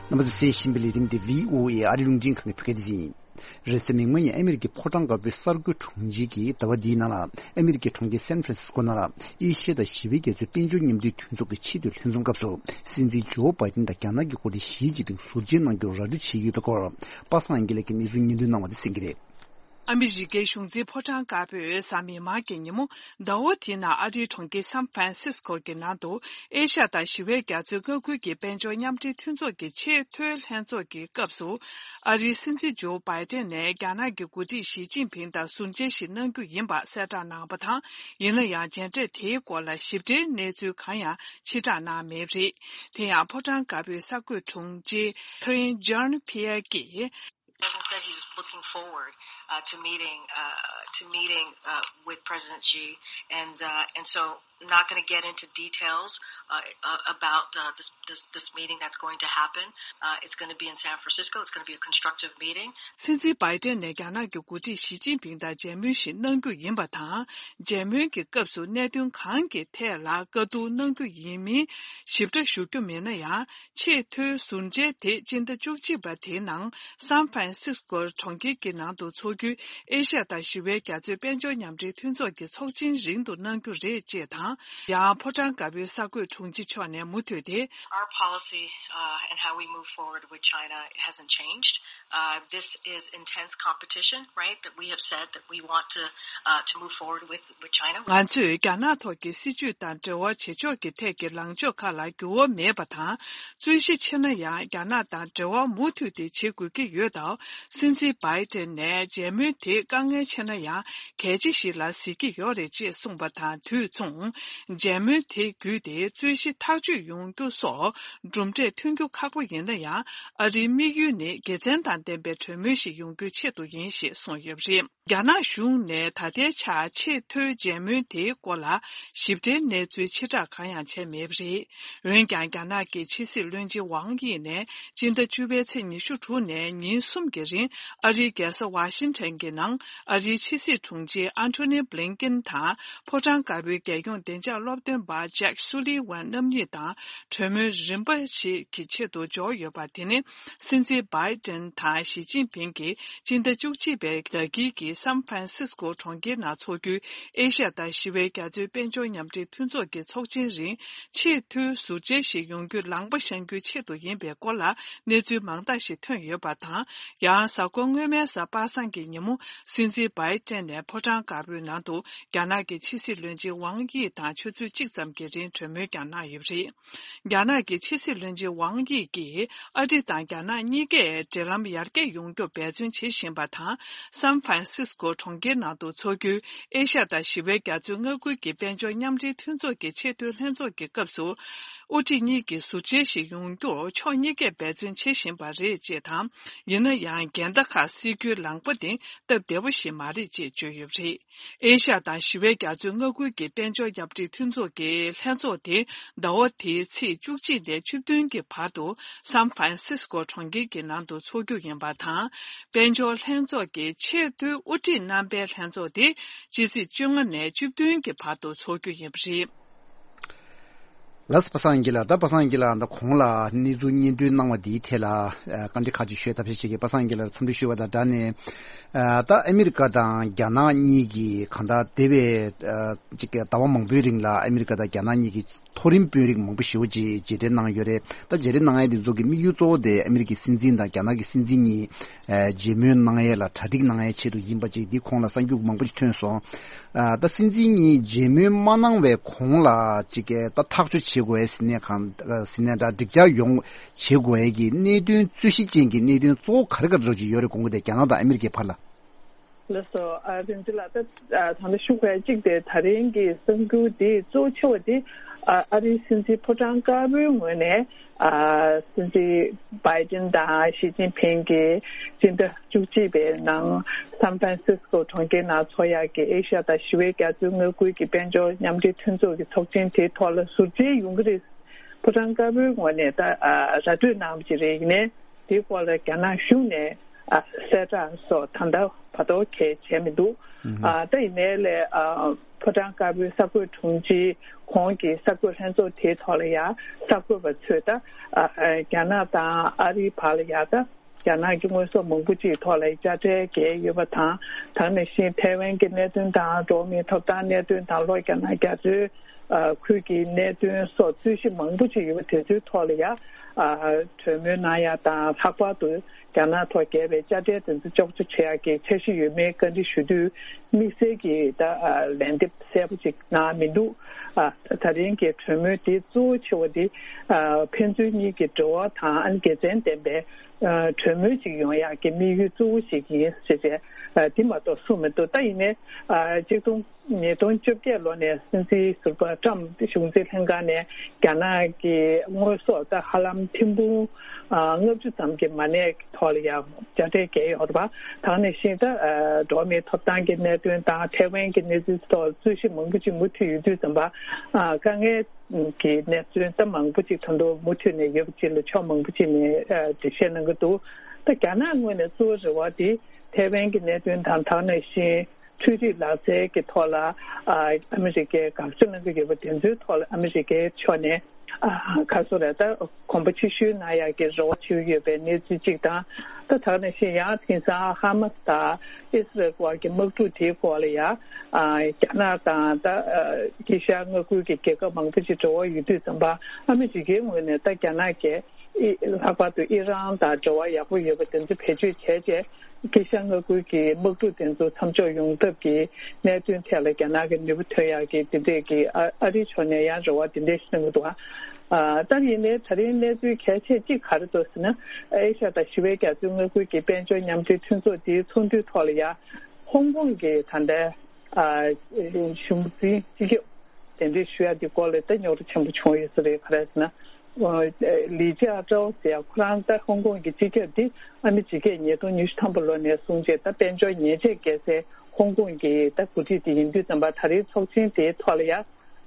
རྣམ་པ་ཚོས་གསན་བཞིན་པའི་ལས་རིམ་འདི་བྷི་ཨོ་ཨེ་ཨ་རི་རླུང་འཕྲིན་ཁང་གི་བོད་སྐད་སྡེ་ཚན་ཡིན། རེས་གཟའ་མིག་དམར་ཉིན་ཨ་མི་རི་ཀའི་ཕོ་བྲང་དཀར་པོའི་གསར་འགོད་དྲུང་ཆེ་གིས་ཟླ་བ་འདིའི་ནང་ལ་ཨ་མི་རི་ཀའི་གྲོང་ཁྱེར་སན་ཧྥ་རན་སིས་ཀོ་ནང་ལ་ཨེ་ཤི་ཡ་དང་ཞི་བའི་རྒྱ་མཚོའི་དཔལ་འབྱོར་མཉམ་འབྲེལ་མཐུན་ཚོགས་ཀྱི་ཆེས་མཐོའི་ལྷན་འཛོམས་སྐབས་སུ། སྲིད་འཛིན་ཇོ་བྷའི་ཏིན་དང་རྒྱ་ནག་གི་འགོ་ཁྲིད་ཞི་ཅིན་ཕིང་ཟུར་མཇལ་གནང་རྒྱུར་ར་སྤྲོད་བྱས་ཡོད་པའི་སྐོར། པ་སངས་དབྱངས་ལགས་ཀྱིས་གནས་ཚུལ་སྙན་སྒྲོན་གནང་བ་དེ་གསན་གྱི་རེད། ཨ་མི་རི་ཀའི་གཞུང་འཛིན་ཕོ་བྲང་དཀར་པོས་གཟའ་མིག་དམར་གྱི་ཉིན་མོ། ཟླ་བ་དེའི་ནང་ཨ་རིའི་གྲོང་ཁྱེར་སན་ཧྥ་རན་སིས་ཀོ་གི་ནང་དུ། ཨེ་ཤ་ཡ་དང་ཞི་བའི་རྒྱ་མཚོའི་མངའ་ཁུལ་གྱི་དཔལ་འབྱོར་མཉམ་འབྲེལ་མཐུན་ཚོགས་ཀྱི་ཆེས་མཐོའི་ལྷན་ཚོགས་ཀྱི་སྐབས་སུ། ཨ་རིའི་སྲིད་འཛིན་ཇོ་བྷའི་ཏན་ནས་རྒྱ་ནག་གི་འགོ་ཁྲིད་ཞི་ཅིན་ཕིང་དང་ཟུར་མཇལ་ཞིག་གནང་རྒྱུ་ཡིན་པ་གསལ་བསྒྲགས་གནང་བ་དང་། ཡིན་ན་ཡང་མཇལ་འཕྲད་དེའི་སྐོར་ལ་ཞིབ་ཕྲའི་གནས་ཚུལ་གང་ཡང་ཕྱིར་བསྒྲགས་གནང་མེད་པ་རེད། དེ་ཡང་ཕོ་བྲང་དཀར་པོའི་གསར་འགོད་དྲུང་ཆེ་Karine Jean-Pierre གྱིས། Biden said he's looking forward, uh, to meeting, uh, to meeting, uh, with President Xi, and, uh, and so not gonna get into details, uh, uh, about, uh, this, this, this meeting that's going to happen. Uh, it's gonna be in San Francisco. It's gonna be a constructive meeting. སྲིད་འཛིན་བྷའི་ཏན་ནས་རྒྱ་ནག་གི་འགོ་ཁྲིད་ཞི་ཅིན་ཕིང་དང་མཇལ་མོལ་ཞིག་གནང་རྒྱུ་ཡིན་པ་དང་། མཇལ་མོལ་གྱི་སྐབས་སུ་གནད་དོན་གང་གི་ཐད་ལ་བཀའ་བསྡུར་གནང་རྒྱུ་ཡིན་མིན་ཞིབ་ཕྲ་ཞུ་རྒྱུ་མེད་ན་ཡང་། ཆེས་མཐོའི་ཟུར་མཇལ་དེ་སྤྱི་ཟླ་བཅུ་གཅིག་པ་དེའི་ནང་སན་ཧྥ་རན་སིས་ཀོ་གྲོང་ཁྱེར་གྱི་ནང་དུ་འཚོགས་རྒྱུའི་ཨེ་ཤ་ཡ་དང་ཞི་བའི་རྒྱ་མཚོའི་དཔལ་འབྱོར་མཉམ་འབྲེལ་མཐུན་ཚོགས་ཀྱི་ཚོགས་ཆེན་རིང་དུ་གནང་རྒྱུ་རེད་ཅེས་དང་། ཡང་ཕོ་བྲང་དཀར་པོའི་གསར་འགོད་དྲུང་ཆེ་མཆོག་ནས་མུ་མཐུད་དེ། Our policy, uh, and how we move forward with China hasn't changed. Uh, this is intense competition, right? That we have said that we want to, uh, to move forward with, with China. ང་ཚོས་རྒྱ་ནག་ཐོག་གི་སྲིད་ཇུས་དང་འབྲེལ་བ་བྱེད་ཕྱོགས་ཀྱི་ཐད་ཀྱི་ལངས་ཕྱོགས་ཁག་ལ་འགྱུར་བ་མེད་པ་དང་། རྩོད་གཞི་ཆེ་ན་ཡང་རྒྱ་ནག་དང་འབྲེལ་བ་མུ་མཐུད་དེ་བྱེད་དགོས་ཀྱི་ཡོད་སྟབས། སྲིད་འཛིན་བྷའི་ཏན་ནས་མཇལ། མཇལ་མོལ་དེ་དཀའ་ངལ་ཆེ་ན་ཡང་གལ་ཆེ་ཞིག་ལ་གཟིགས་ཀྱི་ཡོད་རེད་ཅེས་གསུངས་པ་དང་དུས་མཚུངས། མཇལ་མོལ་དེ་བརྒྱུད་དེ་རྩོད་གཞི་ཐག་གཅོད་ཡོང་རྒྱུ་སོགས་གྲུབ་འབྲས་ཐོན་རྒྱུ་ཁག་པོ་ཡིན་ན་ཡང་། ཨ་རིའི་དམིགས་ཡུལ་ནི་དགེ་མཚན་དང་ལྡན་པའི་གྲོས་མོལ་ཞིག་ཡོང་རྒྱུའི་ཆེད་དུ་ཡིན་ཞེས་གསུངས་ཡོད་པ་རེད། རྒྱ་ནག་གཞུང་ནས་ད་ལྟའི་ཆར་ཆེས་མཐོའི་མཇལ་མོལ་དེའི་སྐོར་ལ་ཞིབ་ཕྲའི་གནས་ཚུལ་ཕྱིར་བསྒྲགས་གང་ཡང་བྱས་མེད་པ་རེད། འོན་ཀྱང་། རྒྱ་ནག་གི་ཕྱི་སྲིད་བློན་ཆེན་ཝང་དབྱི་ནས་སྤྱི་ཟླ་བཅུ་པའི་ཚེས་ཉི་ཤུ་དྲུག་ནས་ཉིན་གསུམ་གྱི་རིང་ཨ་རིའི་རྒྱལ་ས་ཝ་ཤིང་ཊོན་གྱི་ནང་ཨ་རིའི་ཕྱི་སྲིད་དྲུང་ཆེ་ཨན་ཐོ་ནི་བྷི་ལིན་ཀིན་དང་ཕོ་བྲང་དཀར་པོའི་རྒྱལ་ཡོངས་བདེ་འཇགས་སློབ་སྟོན་པ་ཇེག་སུ་ལི་ཝན་རྣམ་གཉིས་དང་གྲོས་མོལ་རིམ་པ་ཞིག་གི་ཆེད་དུ་འབྱོར་ཡོད་པ། དེ་ནི་སྲིད་འཛིན་བྷའི་ཏན་དང་ཞི་ཅིན་ཕིང་གིས་སྤྱི་ཟླ་བཅུ་གཅིག་པའི་ཟླ་དཀྱིལ་གྱི་སན་ཧྥ་རན་སིས་ཀོ་གྲོང་ཁྱེར་ནང་འཚོགས་རྒྱུའི་ཨེ་ཤ་ཡ་དང་ཞི་བའི་རྒྱ་མཚོའི་དཔལ་འབྱོར་མཉམ་འབྲེལ་མཐུན་ཚོགས་ཀྱི་ཚོགས་ཆེན་རིང་ཆེས་མཐོའི་ཟུར་མཇལ་ཞིག་ཡོང་རྒྱུའི་ལམ་པ་བཤངས་རྒྱུའི་ཆེད་དུ་ཡིན་པའི་སྐོར་ལ་གནས་ཚུལ་མང་དག་ཞིག་ཐོན་ཡོད་པ་དང་། ཡང་གཟའ་འཁོར་སྔོན་མའི་གཟའ་པ་སངས་ཀྱི་ཉིན་མོ་སྲིད་འཛིན་བྷའི་ཏན་ནས་ཕོ་བྲང་དཀར་པོའི་ནང་དུ་རྒྱ་ནག་གི་ཕྱི་སྲིད་བློན་ཆེན་ཝང་དབྱི་དང་ཆུ་ཚོད་གཅིག་ཙམ་གྱི་རིང་གྲོས་མོལ་ཀྱང་གནང་ཡོད་པ་རེད། རྒྱ་ནག་གི་ཕྱི་སྲིད་བློན་ཆེན་ཝང་དབྱི་གིས་ཨ་རི་དང་རྒྱ་ནག་གཉིས་ཀས་འབྲེལ་ལམ་ཡར་རྒྱས་ཡོང་རྒྱུར་འབད་བརྩོན་བྱེད་བཞིན་པ་དང་། སན་ཧྥ་རན་སིས་ཀོ་གྲོང་ཁྱེར་ནང་དུ་འཚོགས་རྒྱུའི་ཨེ་ཤ་ཡ་དང་ཞི་བའི་རྒྱ་མཚོའི་མངའ་ཁུལ་གྱི་དཔལ་འབྱོར་མཉམ་འབྲེལ་མཐུན་ཚོགས་ཀྱི་ཆེས་མཐོའི་ལྷན་ཚོགས་ཀྱི་སྐབས་སུ། དབུ་ཁྲིད་གཉིས་ཀྱི་ཟུར་མཇལ་ཞིག་ཡོང་རྒྱུར་ཕྱོགས་གཉིས་ཀས་འབད་བརྩོན་བྱེད་བཞིན་པ་རེད་ཅེས་དང་། ཡིན་ན་ཡང་། འགལ་ཟླ་ཁག་སེལ་རྒྱུའི་ལམ་པ་དེ་སྟབས་བདེ་པོ་ཞིག་མ་རེད་ཅེས་བརྗོད་ཡོད་པ་རེད། ཨེ་ཤ་ཡ་དང་ཞི་བའི་རྒྱ་མཚོའི་མངའ་ཁུལ་གྱི་དཔལ་འབྱོར་མཉམ་འབྲེལ་མཐུན་ཚོགས་ཀྱི་ལྷན་ཚོགས་དེ་ཟླ་བ་འདིའི་ཚེས་བཅུ་གཅིག་ནས་བཅུ་བདུན་གྱི་བར་དུ་སན་ཧྥ་རན་སིས་ཀོ་གྲོང་ཁྱེར་གྱི་ནང་དུ་འཚོགས་རྒྱུ་ཡིན་པ་དང་། དཔལ་འབྱོར་ལྷན་ཚོགས་ཀྱི་ཆེས་མཐོའི་དབུ་ཁྲིད་རྣམ་པའི་ལྷན་ཚོགས་དེ་ཕྱི་ཚེས་བཅོ་ལྔ་ནས་བཅུ་བདུན་གྱི་བར་དུ་འཚོགས་རྒྱུ་ཡིན་པ་རེད། ལགས་པ་སངས་སྐྱིད་ལགས། ད་པ་སངས་སྐྱིད་ལགས་ད་གོང་ལ་གནས་ཚུལ་སྙན་སྒྲོན་གནང་བ་འདིའི་ཐད་ལ་ཨ་བཀའ་འདྲི་ཁག་ཅིག་ཞུས། ཐབས་ཤེས་བྱེད་ཀྱི་པ་སངས་སྐྱིད་ལགས་འཚམས་འདྲི་ཞུ་བ་དང་སྦྲགས་ནས། ཨ་ད་ཨ་མི་རི་ཀ་དང་རྒྱ་ནག་གཉིས་ཀྱིས་གང་ལྟར་འདས་པའི་ཨ་ཅིག་ཟླ་བ་མང་པོའི་རིང་ལ་ཨ་མི་རི་ཀ་དང་རྒྱ་ནག་གཉིས་ཀྱིས་མཐོ་རིམ་དཔོན་རིགས་མང་པོ་ཞེ་པོ་ཅིག་མཇལ་འཕྲད་གནང་ཡོད་རེད། ད་མཇལ་འཕྲད་གནང་ཡས་དེ་ཚོ་གི་དམིགས་ཡུལ་གཙོ་བོ་དེ་ཨ་མི་རི་ཀའི་སྲིད་འཛིན་དང་རྒྱ་ནག་གི་སྲིད་འཛིན་གཉིས་ཨ་མཇལ་མོལ་གནང་ཡས་ལ་གྲ་སྒྲིག་གནང་ཡས་ཆེད་དུ་ཡིན་པ་ཅིག་འདི་གོང་ལ་གསར་འགྱུར་མང་པོ་ཅིག་ཐོན་སོང་། ཨ་ད་སྲིད་འཛིན་གཉིས་མཇལ་མོལ་མ་གནང་བའི་གོང་ལ་ཅིག་གི་ད་ཐག་གཅོད་བྱེད་དགོས་ཡས་ཟེར་ནས་གང་ཟེར་ནས་འདྲ་འགྲིག་འཇགས་ཡོང་བྱེད་དགོས་ཡས་ཀྱི་གནད་དོན་རྩོད་གཞི་ཅན་གྱི་གནད་དོན་གཙོ་བོ་ག་རེ་ག་རེ་ཅིག་ཡོད་རེད། དགོངས་དག་དེ་རྒྱ་ནག་དང་ཨ་མི་རི་ཀའི་བར་ལ། ལགས་སོ། ཨ་རིན་ཅི་ལགས། ད་ཨ་ད་ལྟ་ཞུ་དགོས་གཅིག་དེ་ད་རིང་གི་གསར་འགྱུར་དེ་གཙོ་ཆེ་བ་དེ་ཨ་ཨ་རིའི་སྲིད་འཛིན་ཕོ་བྲང་དཀར་པོའི་ངོས་ནས་ཨ་སྲིད་འཛིན་བྷའི་ཏིན་དང་ཞི་ཅིན་ཕིང་གིས་སྤྱི་ཟླ་བཅུ་གཅིག་པའི་ནང་སན་ཧྥ་རན་སིས་ཀོ་གྲོང་ཁྱེར་ནང་འཚོགས་ཡག་གི་ཨེ་ཤ་ཡ་དང་ཞི་བའི་རྒྱ་མཚོའི་མངའ་ཁུལ་གྱི་དཔལ་འབྱོར་མཉམ་འབྲེལ་མཐུན་ཚོགས་ཀྱི་ཚོགས་ཆེན་དེའི་ཐོག་ལ་ཟུར་མཇལ་ཡོང་གི་རེད། ཕོ་བྲང་དཀར་པོའི་ངོས་ནས་ད་ཨ་ར་སྤྲོད་གནང་བ་ཅིག་རེད། ཡིན་ནའི་དེའི་སྐོར་ལ་རྒྱ་ནག་གཞུང་ནས་ཨ་གསལ་བསྒྲགས་སོགས་ད་ལྟ་བར་དོ་གས་བྱས་མི་འདུག་ཨ་ད་ཡིན་ནའི་ལས་ཨ་ཕོ་བྲང་དཀར་པོའི་གསར་འགོད་དྲུང་ཆེ་གོང་གི་གསར་འགོད་ལྷན་ཚོགས་དེའི་ཐོག་ལ་ཡང་གསར་འགོད་པ་ཚོས་ད་ཨ་ཨ་རྒྱ་ནག་དང་ཨ་རིའི་བར་ལ་ཡང་ད་རྒྱ་ནག་གི་དངོས་ཟོག་མང་པོ་ཅིག་ཐོག་ལ་དཔྱ་ཁྲལ་བཀལ་ཡོད་པ་དང་། ད་ག་ནང་བཞིན་ཐའེ་ཝན་གྱི་གནད་དོན་དང་འགྲོ་བ་མིའི་ཐོབ་ཐང་གནད་དོན་དང་ལྷོ་རྒྱ་ནག་རྒྱ་མཚོའི་ཨ་ཁུལ་གྱི་གནད་དོན་སོགས་རྩོད་གཞི་མང་པོ་ཅིག་ཡོད་པ་དེ་ཚོའི་ཐོག་ལ་ཡང་ཨ་གྲོས་མོལ་གནང་ཡག་དང་། ལྷག་པར་དུ་རྒྱ་ནག་ཐོག་བརྒྱབ་པའི་དཔྱ་ཁྲལ་དེ་ཚོ་གཅོག་ཆ་བྱེད་ཡག་གི་འཆར་གཞི་ཡོད་མེད་བཀའ་འདྲི་ཞུ་དུས་དམིགས་བསལ་གྱི་ད་ཨ་ལན་འདེབས་གསལ་པོ་ཅིག་གནང་མི་འདུག་ཨ་ད་རིང་གི་གྲོས་མོལ་དེ་གཙོ་བོ་ཆེ་བ་དེ་ཨ་ཕན་ཚུན་གཉིས་ཀྱི་འབྲེལ་བ་དང་ཨ་ནི་དགེ་མཚན་ལྡན་པའི་ཨ་གྲོས་མོལ་ཅིག་ཡོང་ཡག་གི་དམིགས་ཡུལ་གཙོ་བོ་ཞིག་ཡིན་ཟེར་བྱས་ཨ་དེ་མ་གཏོགས་གསུངས་མི་འདུག་ད་ཡིན་ནའི་ཨ་གཅིག་སྟོང་ཉིས་སྟོང་བཅོ་བརྒྱད་ལོ་ནས་སྲིད་འཛིན་ཟུར་པ་ཊྲམ་གཞུང་འཛིན་ལྷན་ཁང་ནས་རྒྱ་ནག་གི་དངོས་ཟོག་ད་ཧ་ལམ་ཐེར་འབུམ་ཨ་ལྔ་བཅུ་ཙམ་གྱི་མ་གནས་ཐོག་ལ་ཡང་དཔྱ་ཁྲལ་བཀལ་ཡོད་རེད་པ། ད་ག་ནང་བཞིན་ད་ཨ་འགྲོ་བ་མིའི་ཐོབ་ཐང་གི་གནད་དོན་དང་ཐའེ་ཝན་གྱི་གནས་ཚུལ་སོགས་རྩོད་གཞི་མང་པོ་ཅིག་མུ་མཐུད་ཡོད་དུས་ཙམ་པ་ཨ་དཀའ་ངལ་གྱི་གནས་ཚུལ་ད་མང་པོ་ཅིག་ད་དུང་མུ་མཐུད་ནས་ཡོད་པ་ཅིག་ལ་ཕྱོགས་མང་པོ་ཅིག་ནས་ཨ་འགྲེལ་བཤད་གནང་གི་འདུག་ད་རྒྱ་ནག་ངོས་ནས་གཙོ་བོ་རེ་བ་དེ་ཐའེ་ཝན་གྱི་གནད་དོན་དང་། ད་ག་ནང་བཞིན་འཕྲུལ་རིག་ལག་རྩལ་གྱི་ཐོག་ལ་ཨ་ཨ་མི་རི་ཀས་དགག་བྱ་གནང་གི་ཡོད་པ་དེ་ཚོའི་ཐོག་ལ་ཨ་མི་རི་ཀའི་ཕྱོགས་ནས་ཨ་ག་རེ་ཟེར་དགོས་རེད། ད་གོམ་པ་ཕྱིར་བཤོལ་གནང་ཡག་གི་རེ་བ་བྱེད་ཀྱི་ཡོད་པའི་གནས་ཚུལ་གཅིག་དང་། ད་ད་ག་ནང་བཞིན་ཡང་དེང་སང་ཧ་མ་སི་དང་ཨི་སི་རལ་བར་གྱི་དམག་འཁྲུག་དེའི་སྐོར་ལ་ཡང་ཨ་རྒྱ་ནག་དང་ད་ཨ་དཀྱིལ་ཤར་མངའ་ཁུལ་གྱི་རྒྱལ་ཁབ་མང་པོ་ཅིག་འབྲེལ་བ་ཡོད་དུས་ཙམ་པ་ཨ་མི་རི་ཀའི་ངོས་ནས་ད་རྒྱ་ནག་གིས་ཨི་ལྷག་པར་དུ་ཨི་རན་དང་འབྲེལ་བ་ཡག་པོ་ཡོད་པ་དེ་ཚོ་བེད་སྤྱོད་བྱས་རྗེས་དཀྱིལ་ཤར་མངའ་ཁུལ་གྱི་དམག་འཁྲུག་དེ་ཚོ་མཚམས་འཇོག་ཡོང་ཐབས་ཀྱི་གནད་དོན་ཐད་ལ་རྒྱ་ནག་གི་ནུས་པ་ཐོན་ཡག་གི་དེ་འདྲས་ཀྱི་ཨ་ཨ་རིའི་ཕྱོགས་ནས་ཡང་རེ་བ་དེ་འདྲས་ཞིག་གནང་གི་འདུག་ཨ། ཨ་ད་ཡིན་ནའི་ད་རིང་གནས་ཚུལ་གལ་ཆེ་གཅིག་ག་རེ་འདུག་ཟེར་ན། ཨེ་ཤ་ཡ་དང་ཞི་བའི་རྒྱ་མཚོའི་མངའ་ཁུལ་གྱི་དཔལ་འབྱོར་མཉམ་འབྲེལ་མཐུན་ཚོགས་འདིའི་ཚོགས་འདུའི་ཐོག་ལ་ཡ་ཧོང་ཀོང་གི་ད་ལྟའི་ཨ་གཞུང་འཛིན་སྤྱི་ཁྱབ་གདན་འདྲེན་ཞུ་ཡ་འདི་སྐོར་ལ་ད་རྙོག་དྲ་ཆེན་པོ་བྱུང་ཡོད་ས་རེད། ག་རེ་ཟེར་ན། ལི་ཅི་ཨ་ཀྲའོ་ཟེར་ཡ་ཁོ་རང་ད་ཧོང་ཀོང་གི་སྤྱི་ཁྱབ་འདི་ཨ་མི་ཇི་ཀས་ཉིས་སྟོང་ཉི་ཤུ་ཐམ་པ་ལོ་ནས་བཟུང་བྱས་ད་དཔལ་འབྱོར་ཉེས་ཆད་བཀལ་སའི་ཧོང་ཀོང་གི་ད་འགོ་ཁྲིད་དེ་ཡིན་དུས་ཙམ་པ་ད་རེས་ཚོགས་ཆེན་དེའི་ཐོག་ལ་ཡ་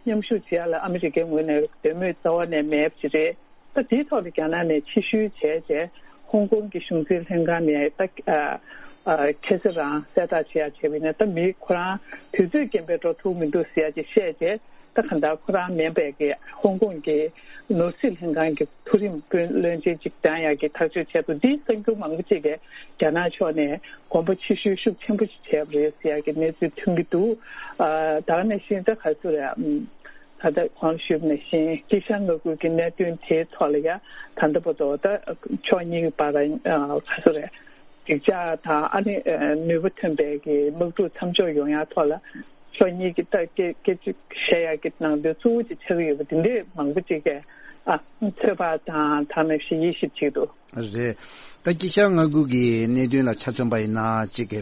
མཉམ་ཞུགས་བྱེད་ཡ་ལ་ཨ་མི་རི་ཀའི་ངོས་ནས་འདོད་མོས་རྩ་བ་ནས་མེད་པ་ཅིག་རེད། ད་དེའི་ཐོག་ལ་རྒྱ་ནག་ནས་ཕྱིར་བཤོལ་བྱས་རྗེས་ཧོང་ཀོང་གི་གཞུང་འཛིན་ལྷན་ཁང་ནས་ད་ཨ་ཨ་ཁ་སང་རང་གསལ་བསྒྲགས་བྱེད་ཡ་བྱས་པ་ཡིན་ན། ད་མི་ཁོ་རང་དུས་ཚོད་རྐྱེན་པས་འགྲོ་ཐུབ་མི་འདུག་ཟེར་ཡ་ཅིག་བཤད་རྗེས། ད་གང་ལྟར་ཁོ་རང་མིན་པའི་གི་ཧོང་ཀོང་གི་ནོར་སྲིད་ལྷན་ཁང་གི་མཐོ་རིམ་བློན་ཆེན་ཅིག་བདམས་ཡག་གི་ཐག་གཅོད་བྱས་འདུག་འདིས་གསར་འགྱུར་མང་པོ་ཅིག་གིས་རྒྱ་ནག་ཕྱོགས་ནས་དགོངས་པ་ཕྱིར་བཤོལ་ཤུགས་ཆེན་པོ་ཞིག་བྱས་པ་རེད་ཟེར་ཡག་གི་གནས་ཚུལ་ཐོན་གྱི་འདུག་ཨ་ད་ག་ནང་བཞིན་ད་ག་ཚོད་རེད། ཨམ་ད་ལྟ་གོང་ཞུས་པ་ནང་བཞིན་དཀྱིལ་ཤར་མངའ་ཁུལ་གྱི་གནད་དོན་དེའི་ཐོག་ལ་ཡ་ད་ལྟ་བར་དུ་ད་ཕྱོགས་གཉིས་ཀྱི་བར་ཨ་ག་ཚོད་རེད། འགྲིག་འཇགས་དང་ཨ་ནི་ནུས་པ་ཐོན་པའི་གི་དམག་འཁྲུག་མཚམས་འཇོག་ཡོང་ཡ་ཐོག་ལ་ཕྱོགས་གཉིས་ཀྱི་ད་སྐད་སྐད་ཆ་བཤད་ཡ་གི་ནང་དོན་གཙོ་བོ་ཅིག་ཆགས་ཀྱི་ཡོད་པ་འདི་འདྲས་མང་པོ་ཅིག་གིས་ཨ་ཚོད་དཔག་དང་ད་ནང་བཞིན་དབྱེ་ཞིབ་བྱེད་འདུག་རེད། ད་དཀྱིལ་ཤར་མངའ་ཁུལ་གྱི་གནད་དོན་ལ་ཆ་མཚོན་པ་ཡིན་ན་ཅིག་གི་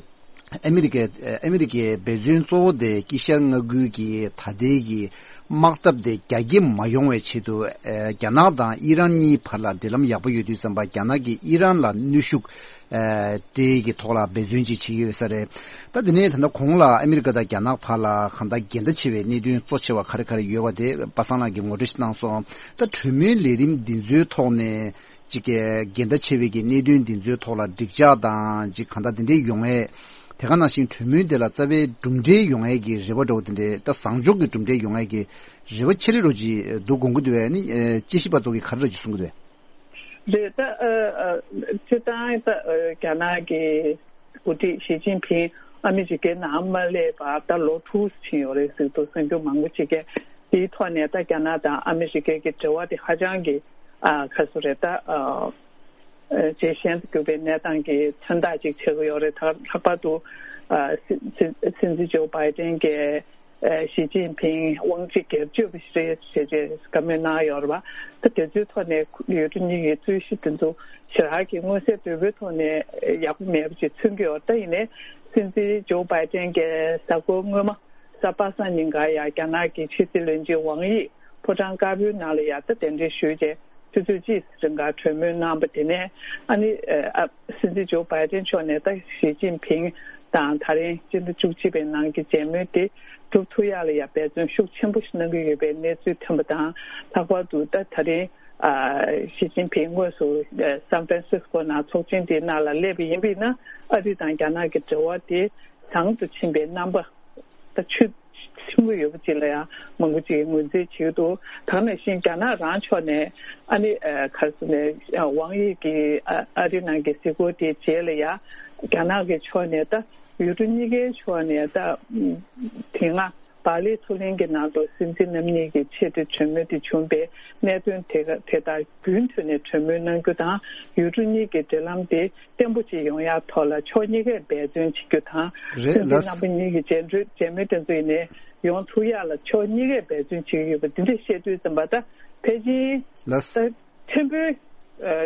ཨ་མི་རི་ཀའི་ཨ་མི་རི་ཀའི་འབད་བརྩོན་གཙོ་བོ་དེ་དཀྱིལ་ཤར་མངའ་ཁུལ་གྱི་ད་ལྟའི་གི་དམག་འཐབ་དེ་རྒྱ་སྐྱེད་མ་ཡོང་བའི་ཆེད་དུ་ཨ་རྒྱ་ནག་དང་ཨི་རན་གཉིས་བར་ལ་འབྲེལ་ལམ་ཡག་པོ་ཡོད་དུས་ཙམ་པ་རྒྱ་ནག་གིས་ཨི་རན་ལ་གནོན་ཤུགས་ཨ་སྤྲད་ཀྱི་ཐོག་ལ་འབད་བརྩོན་ཅིག་བྱེད་ཀྱི་ཡོད་ས་རེད། ད་དེ་ནས་ད་ལྟ་གོང་ལ་ཨ་མི་རི་ཀ་དང་རྒྱ་ནག་བར་ལ་གང་ལྟར་འགལ་ཟླ་ཆེ་བའི་གནད་དོན་གཙོ་ཆེ་བ་ག་རེ་ག་རེ་ཡོད་པ་དེ་པ་སངས་ལགས་ཀྱིས་ངོ་སྤྲོད་ཞིག་གནང་སོང་། ད་གྲོས་མོལ་ལས་རིམ་འདི་ཚོའི་ཐོག་ནས་ཅིག་གི་འགལ་ཟླ་ཆེ་བའི་གི་གནད་དོན་འདི་ཚོའི་ཐོག་ལ་འགྲིག་འཇགས་དང་ཅིག་གང་ལྟར་འདི་འདྲའི་ཡོང་ཡས། དེ་ག་ནང་བཞིན་གྲོས་མོལ་འདི་ལ་རྩ་བའི་གྲུབ་འབྲས་ཡོང་ཡས་ཀྱི་རེ་བ་འདྲ་བོ་དེ་འདྲའི་ད་བཟང་ཕྱོགས་ཀྱི་གྲུབ་འབྲས་ཡོང་ཡས་ཀྱི་རེ་བ་ཆེ་རེ་རོ་ཅིག་འདུག་དགོངས་ཀྱི་འདུག་བས་ནི་དཔྱད་ཞིབ་པ་ཚོ་གིས་ག་རེ་ར་ཅིག་གསུང་གི་འདུག་བས། རེད། ད་ཨ་ཨ་སྤྱིར་བཏང་ད་ཨ་རྒྱ་ནག་གི་འགོ་ཁྲིད་ཞི་ཅིན་ཕིང་ཨ་མི་རི་ཀའི་ནང་མ་སླེབས་པར་ད་ལོ་དྲུག་ཕྱིན་ཡོད་རེད་ཟེར་འདུག་གསར་འགྱུར་མང་པོ་ཅིག་གིས་དེའི་ཐོག་ནས་ད་རྒྱ་ནག་དང་ཨ་མི་རི་ཀའི་གི་འབྲེལ་བ་དེ་ཧ་ཅང་གི་ཨ་ཁ་སོ་རེད། ད་ཨ་ཇེ་ཞན་དུ་གྱུར་པའི་གནས་སྟངས་ཀྱི་མཚོན་རྟགས་ཅིག་ཆགས་ཀྱི་ཡོད་རེད། ད་ལྷག་པར་དུ་ཨ་སྲིད་སྲིད་སྲིད་འཛིན་ཇོ་བྷའི་ཏན་གྱིས། ཨ་ཞི་ཅིན་ཕིང་དབང་ཆ་སྒེར་གཅོད་པ་ཞིག་རེད་ཞེས་བཀའ་མོལ་གནང་ཡོད་རེད་པ། ད་དེ་ཚོའི་ཐོག་ནས་ཡུལ་གྲུ་གཉིས་ཀྱི་རྩོད་གཞི་དེ་ཚོ་ཞེ་དྲག་གི་མངོན་གསལ་དོད་པོའི་ཐོག་ནས་ཡག་པོ་མེད་པ་ཞིག་མཚོན་གྱི་ཡོད། ད་ཡིན་ནའི་སྲིད་འཛིན་ཇོ་བྷའི་ཏན་གྱིས་གཟའ་འཁོར་སྔོན་མ་གཟའ་པ་སངས་ཉིན་ཀར་ཡང་རྒྱ་ནག་གི་ཕྱི་སྲིད་བློན་ཆེན་ཝང་དབྱི་ཕོ་བྲང་དཀར་པོའི་ནང་ལ་ཡང་ད་གདན་འདྲེན་ཞུས་རྗེས་ཆུ་ཚོད་གཅིག་རིང་ག་གྲོས་མོལ་གནང་པ། དེ་ནས་ཨ་ནི་ཨ་སྲིད་འཛིན་ཇོ་བྷའི་ཏན་མཆོག་ནས་ད་ཞི་ཅིན་ཕིང་དང་ད་རིང་སྤྱི་ཟླ་བཅུ་གཅིག་པའི་ནང་གི་མཇལ་མོལ་དེ་གྲུབ་ཐུབ་ཡག་ལ་ཡང་འབད་བརྩོན་ཤུགས་ཆེན་པོ་ཞིག་གནང་གི་ཡོད་པའི་གནས་ཚུལ་ཐོན་པ་དང་། ལྷག་པར་དུ་ད་ད་རིང་ཨ་ཞི་ཅིན་ཕིང་དངོས་སུ་ཨ་སན་ཧྥ་རན་སིས་ཀོ་ནང་ཚོགས་ཆེན་དེའི་ནང་ལ་སླེབས་པ་ཡིན་པས་ན་ཨ་རི་དང་རྒྱ་ནག་གི་འབྲེལ་བ་དེ་བཟང་དུ་ཕྱིན་པའི་རྣམ་པ། ད་ཆོས་ཆེན་པོ་ཡོད་པ་ཅིག་ལ་ཡང་མང་པོ་ཅིག་ངོས་འཛིན་བྱེད་ཀྱི་འདུག་ད་ག་ནང་བཞིན་རྒྱ་ནག་རང་ཕྱོགས་ནས་ཨ་ནི་ཨ་ག་རེ་ཟེར་ནས་ཝང་དབྱི་གི་ཨ་ཨ་རི་ནང་གི་གཟིགས་སྐོར་དེའི་རྗེས་ལ་ཡང་རྒྱ་ནག་གི་ཕྱོགས་ནས་ད་ཡུལ་གྲུ་གཉིས་ཀའི་ཕྱོགས་ནས་ད་དེ་སྔ་བག་ལེབ་མཚོ་གླིང་གི་ནང་དུ་སྲིད་འཛིན་རྣམ་གཉིས་ཀྱི་ཆེས་མཐོའི་གྲོས་མོལ་དེ་བྱུང་པའི་གནད་དོན་དེ་དེ་དག་རྒྱུན་མཐུད་ནས་གྲོས་མོལ་གནང་རྒྱུ་དང་། ཡུལ་གྲུ་གཉིས་ཀྱི་འབྲེལ་ལམ་དེ་བརྟན་པོ་ཅིག་ཡོང་ཡག་ཐོག་ལ་ཕྱོགས་གཉིས་ཀས་འབད་བརྩོན་བྱེད་རྒྱུ་དང་། རེད་སྲིད་འཛིན་ལགས། རྣམ་པ་གཉིས་ཀྱི་མཇལ་འཕྲད་མཇལ་མོལ་དེ་ཚོ་ཡིན་ནའི་ཡོང་ཐུབ་ཡག་ལ་ཕྱོགས་གཉིས་ཀས་འབད་བརྩོན་བྱེད་ཀྱི་ཡོད་པ་འདི་འདྲ་བཤད་དུས་ཙམ་པ་ད་ཕལ་ཆེར་ལགས། ད་ཕྲན་བུ་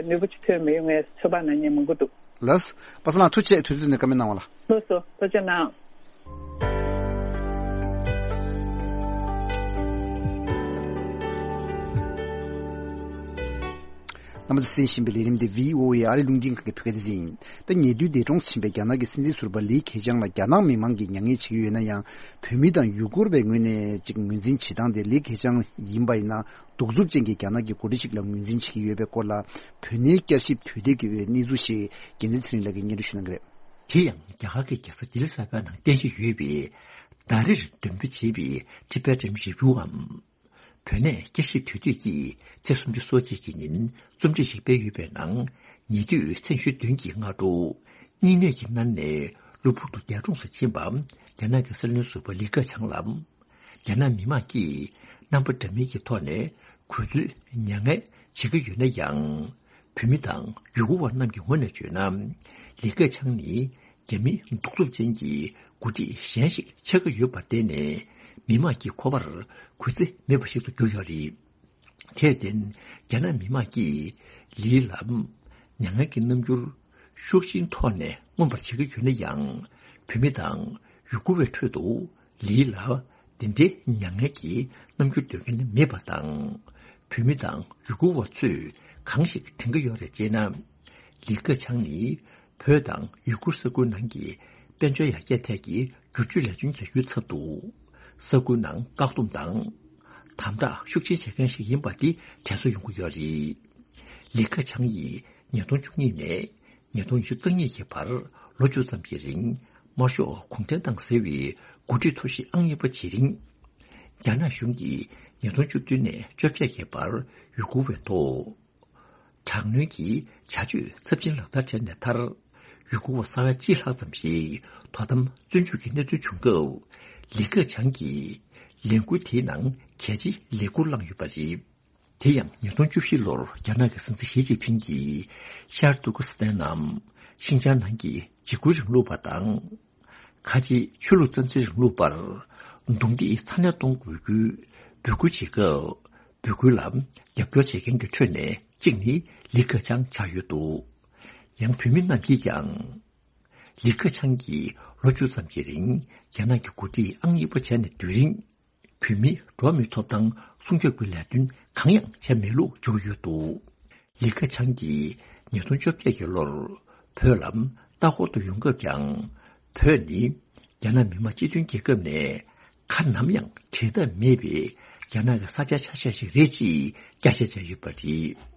ནུས་པ་ཅིག་ཐོན་མི་ཡོང་ངའི་ཚོད་དཔག་གནང་མཁན་མང་པོ་འདུག་ལགས། པ་སངས་ལགས་ཐུགས་རྗེ་ཆེ། དུས་ཚོད་ནས་བཀའ་མོལ་གནང་བ་ལ། ལགས་སོ། ཐུགས་རྗེ་གནང་། རྣམ་པ་ཚོས་གསན་བཞིན་པའི་ལས་རིམ་འདི་བྷི་ཨོ་ཨེ་ཨ་རི་རླུང་འཕྲིན་ཁང་གི་བོད་སྐད་སྡེ་ཚན་ཡིན། ད་ཉེ་དུས་འདས་གྲོངས་ཕྱིན་པའི་རྒྱ་ནག་གི་སྲིད་འཛིན་ཟུར་པ་ལི་ཁེ་ཆང་ལ་རྒྱ་ནག་མི་མང་གིས་མྱ་ངན་བྱེད་ཀྱི་ཡོད་ན་ཡང་། བོད་མི་དང་ཡུ་གུར་བའི་ངོས་ནས་ཅིག་ངོས་འཛིན་བྱེད་སྟངས་དེ་ལི་ཁེ་ཆང་ཡིན་པ་ཡིན་ན། གདུག་རྩུབ་ཅན་གྱི་རྒྱ་ནག་གི་འགོ་ཁྲིད་ཅིག་ལ་ངོས་འཛིན་བྱེད་ཀྱི་ཡོད་པའི་སྐོར་ལ། བོད་གནས་བསྐྱར་ཞིབ་དོད་ཐེངས་ཀྱི་འོས་གནས་ཚུལ་ཞིག་རྒྱལ་མཚན་ཚེ་རིང་ལགས་ཀྱིས་སྙན་སྒྲོན་ཞུ་གནང་གི་རེད། དེ་ཡང་རྒྱ་གར་གྱི་རྒྱལ་ས་ལྡི་ལི་གསར་པའི་ནང་རྟེན་གཞི་ཡོད་པའི་ཟླ་རེར་འདོན་སྤེལ་བྱེད་པའི་Tibetan Review་འམ། བོད་གནས་བསྐྱར་ཞིབ་དོད་ཐེངས་ཀྱི་ཚེས་སུམ་ཅུ་སོ་གཅིག་གི་ཉིན་རྩོམ་སྒྲིག་ཞིག་སྤེལ་ཡོད་པའི་ནང་། ཉེ་དུས་མཚན་གཞི་བདུན་གྱི་སྔ་དྲོ། སྙིང་ནད་ཀྱིས་མནར་ནས་གློ་བུར་དུ་འདས་གྲོངས་སུ་ཕྱིན་པ། རྒྱ་ནག་གི་སྲིད་བློན་ཟུར་པ་ལི་ཁེ་ཆང་ལ། རྒྱ་ནག་མི་མང་གིས་རྣམ་པ་འདྲ་མིན་གྱི་ཐོག་ནས་གུས་འདུད་མྱ་ངན་བྱེད་ཀྱི་ཡོད་ན་ཡང་། བོད་མི་དང་ཡུ་གུར་བ་རྣམས་ཀྱི་ངོས་ནས་བརྗོད་ན། ལི་ཁེ་ཆང་ནི་རྒྱ་མི་གདུག་རྩུབ་ཅན་གྱི་འགོ་ཁྲིད་གཞན་ཞིག་ཆགས་ཀྱི་ཡོད་པར་བརྟེན་ནས། མི་མང་གི་མཁོ་བར་གུས་བརྩི་མེད་པ་ཞིག་ཏུ་གྱུར་ཡོད་རེད། དེར་བརྟེན་རྒྱ་ནག་མི་དམངས་ཀྱིས་ལི་ལ་མྱ་ངན་གྱི་རྣམ་འགྱུར་ཤུགས་ཆེན་ཐོག་ནས་མངོན་པར་བྱེད་ཀྱི་ཡོད་ན་ཡང་། བོད་མི་དང་ཡུ་གུར་བའི་ཁྲོད་དུ་ལི་ལ་དེ་འདྲའི་མྱ་ངན་གྱི་རྣམ་འགྱུར་སྟོན་མཁན་མེད་པ་དང་། བོད་མི་དང་ཡུ་གུར་བ་ཚོས་གང་ཞིག་དྲན་གྱི་ཡོད་རེད་ཅེ་ན། ལི་ཁེ་ཆང་ནི་བོད་དང་ཡུ་གུར་ས་ཁུལ་ནང་གི་དཔལ་འབྱོར་ཡར་རྒྱས་ཐད་ཀྱི་བསྒྱུར་བཅོས་ལས་དོན་བྱ་རྒྱུའི་ཚབ་ཏུ། ས་ཁུལ་ནང་བཀག་སྡོམ་དང་དམ་དྲག་ཤུགས་ཆེན་བྱེད་མཁན་ཞིག་ཡིན་པ་དེ་དྲན་གསོ་ཡོང་གི་ཡོད་རེད། ལི་ཁེ་ཆང་ཡིས་ཉིས་སྟོང་བཅུ་གཉིས་ནས་ཉིས་སྟོང་ཉི་ཤུ་རྩ་གཉིས་ཀྱི་བར་ལོ་བཅུ་ཙམ་གྱི་རིང་དམར་ཤོག་གུང་ཁྲན་ཏང་ཟེར་བའི་འགོ་ཁྲིད་ཐོར་བཞི་ཨང་གཉིས་པ་བྱེད་རིང་། རྒྱ་ནག་གཞུང་གིས་ཉིས་སྟོང་བཅུ་བདུན་ནས་བཅོ་བརྒྱད་ཀྱི་བར་ཡུ་གུར་བའི་ཐོག་དྲག་གནོན་གྱི་བྱ་སྤྱོད་ཚབས་ཆེན་ལག་བསྟར་བྱས་ནས་མཐར། ཡུ་གུར་བ་ས་ཡ་གཅིག་ལྷག་ཙམ་ཞིག་དོ་དམ་བཙོན་འཇུག་གི་གནས་ཚུལ་བྱུང་སྐབས། ལི་ཁེ་ཆང་གིས་ལས་འགུལ་དེའི་ནང་གལ་ཆེའི་ལས་འགུལ་བླངས་ཡོད་པ་རེད། དེ་ཡང་ཉིས་སྟོང་བཅུ་བཞི་ལོར་རྒྱ་ནག་གི་སྲིད་འཛིན་ཞི་ཅིན་ཕིང་གིས་ཤར་ཏུར་ཀི་སི་ཐན་ནམ་ཤིན་ཅང་ནང་གི་འཇིགས་སྐུལ་རིང་ལུགས་པ་དང་། ཁ་ཆེའི་ཆོས་ལུགས་རྩ་འཛིན་རིང་ལུགས་པར་རྡུང་རྡེག་ཚ་ནན་གཏོང་དགོས་རྒྱུའི་འབོད་སྐུལ་བྱེད་སྐབས། འབོད་སྐུལ་ལ་རྒྱབ་སྐྱོར་བྱེད་མཁན་གྱི་ཁྲོད་ནས་གཅིག་ནི་ལི་ཁེ་ཆང་ཆགས་ཡོད་འདུག། ཡང་བོད་མི་རྣམས་ཀྱིས་ཀྱང་། ལི་ཁེ་ཆང་གིས་ལོ་བཅུ་ཙམ་གྱི་རིང་རྒྱ་ནག་གི་འགོ་ཁྲིད་ཨང་གཉིས་པ་བྱས་ནས་སྡོད་རིང་། བོད་མིའི་འགྲོ་བ་མིའི་ཐོབ་ཐང་སྲུང་སྐྱོབ་ཀྱི་ལས་དོན་གང་ཡང་བྱས་མེད་ལུགས་བརྗོད་ཡོད་འདུག། ལི་ཁེ་ཆང་གིས་ཉིས་སྟོང་བཅོ་བརྒྱད་ཀྱི་ལོར་བོད་ལ་ལྟ་སྐོར་དུ་ཡོང་སྐབས་ཀྱང་། བོད་ནི་རྒྱ་ནག་མི་དམངས་སྤྱི་མཐུན་རྒྱལ་ཁབ་ནས་ཁ་ནམ་ཡང་བྲལ་ཐབས་མེད་པའི་རྒྱ་ནག་གི་ས་ཆ་ཆ་ཤས་ཤིག་རེད་ཅེས་བསྐྱར་བཤད་བྱས་ཡོད་པ་རེད།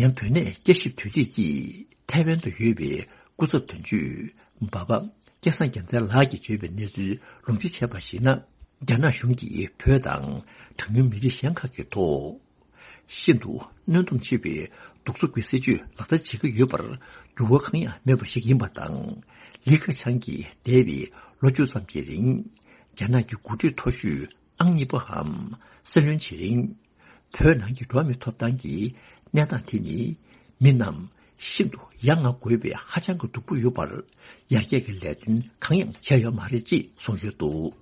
ཡང་བོད་གནས་བསྐྱར་ཞིབ་དོད་ཐེངས་ཀྱིས་ཐའེ་ཝན་དུ་ཡོད་པའི་སྐུ་ཚབ་དོན་གཅོད་འབའ་པ་སྐལ་བཟང་རྒྱལ་མཚན་ལགས་ཀྱིས་བརྗོད་པའི་གནས་ཚུལ་ལུང་འདྲེན་བྱས་པར་གཞིགས་ན། རྒྱ་ནག་གཞུང་གིས་བོད་དང་གྲངས་ཉུང་མི་རིགས་གཞན་ཁག་གི་ཐོག་ཤིན་ཏུ་གནོན་སྡོམ་ཆེ་བའི་གདུག་རྩུབ་ཀྱི་སྲིད་བྱུས་ལག་བསྟར་བྱེད་ཀྱི་ཡོད་པར་འགྱུར་བ་གང་ཡང་མེད་པ་ཞིག་ཡིན་པ་དང་། ལི་ཁེ་ཆང་གིས་འདས་པའི་ལོ་བཅུ་ཙམ་གྱི་རིང་རྒྱ་ནག་གི་འགོ་ཁྲིད་མཐོ་ཤོས་ཨང་གཉིས་པའམ་སྲིད་བློན་བྱེད་རིང་། བོད་ནང་གི་འགྲོ་བ་མིའི་ཐོབ་ཐང་གི་གནས་སྟངས་དེ་ནི་མི་རྣམས་ཤིན་ཏུ་ཡ་ང་དགོས་པའི་ཧ་ཅང་གི་སྡུག་པོ་ཡོད་པར། ཡར་རྒྱས་ཀྱི་ལས་དོན་གང་ཡང་བྱས་ཡོད་མ་རེད་ཅེས་གསུངས་ཡོད་འདུག།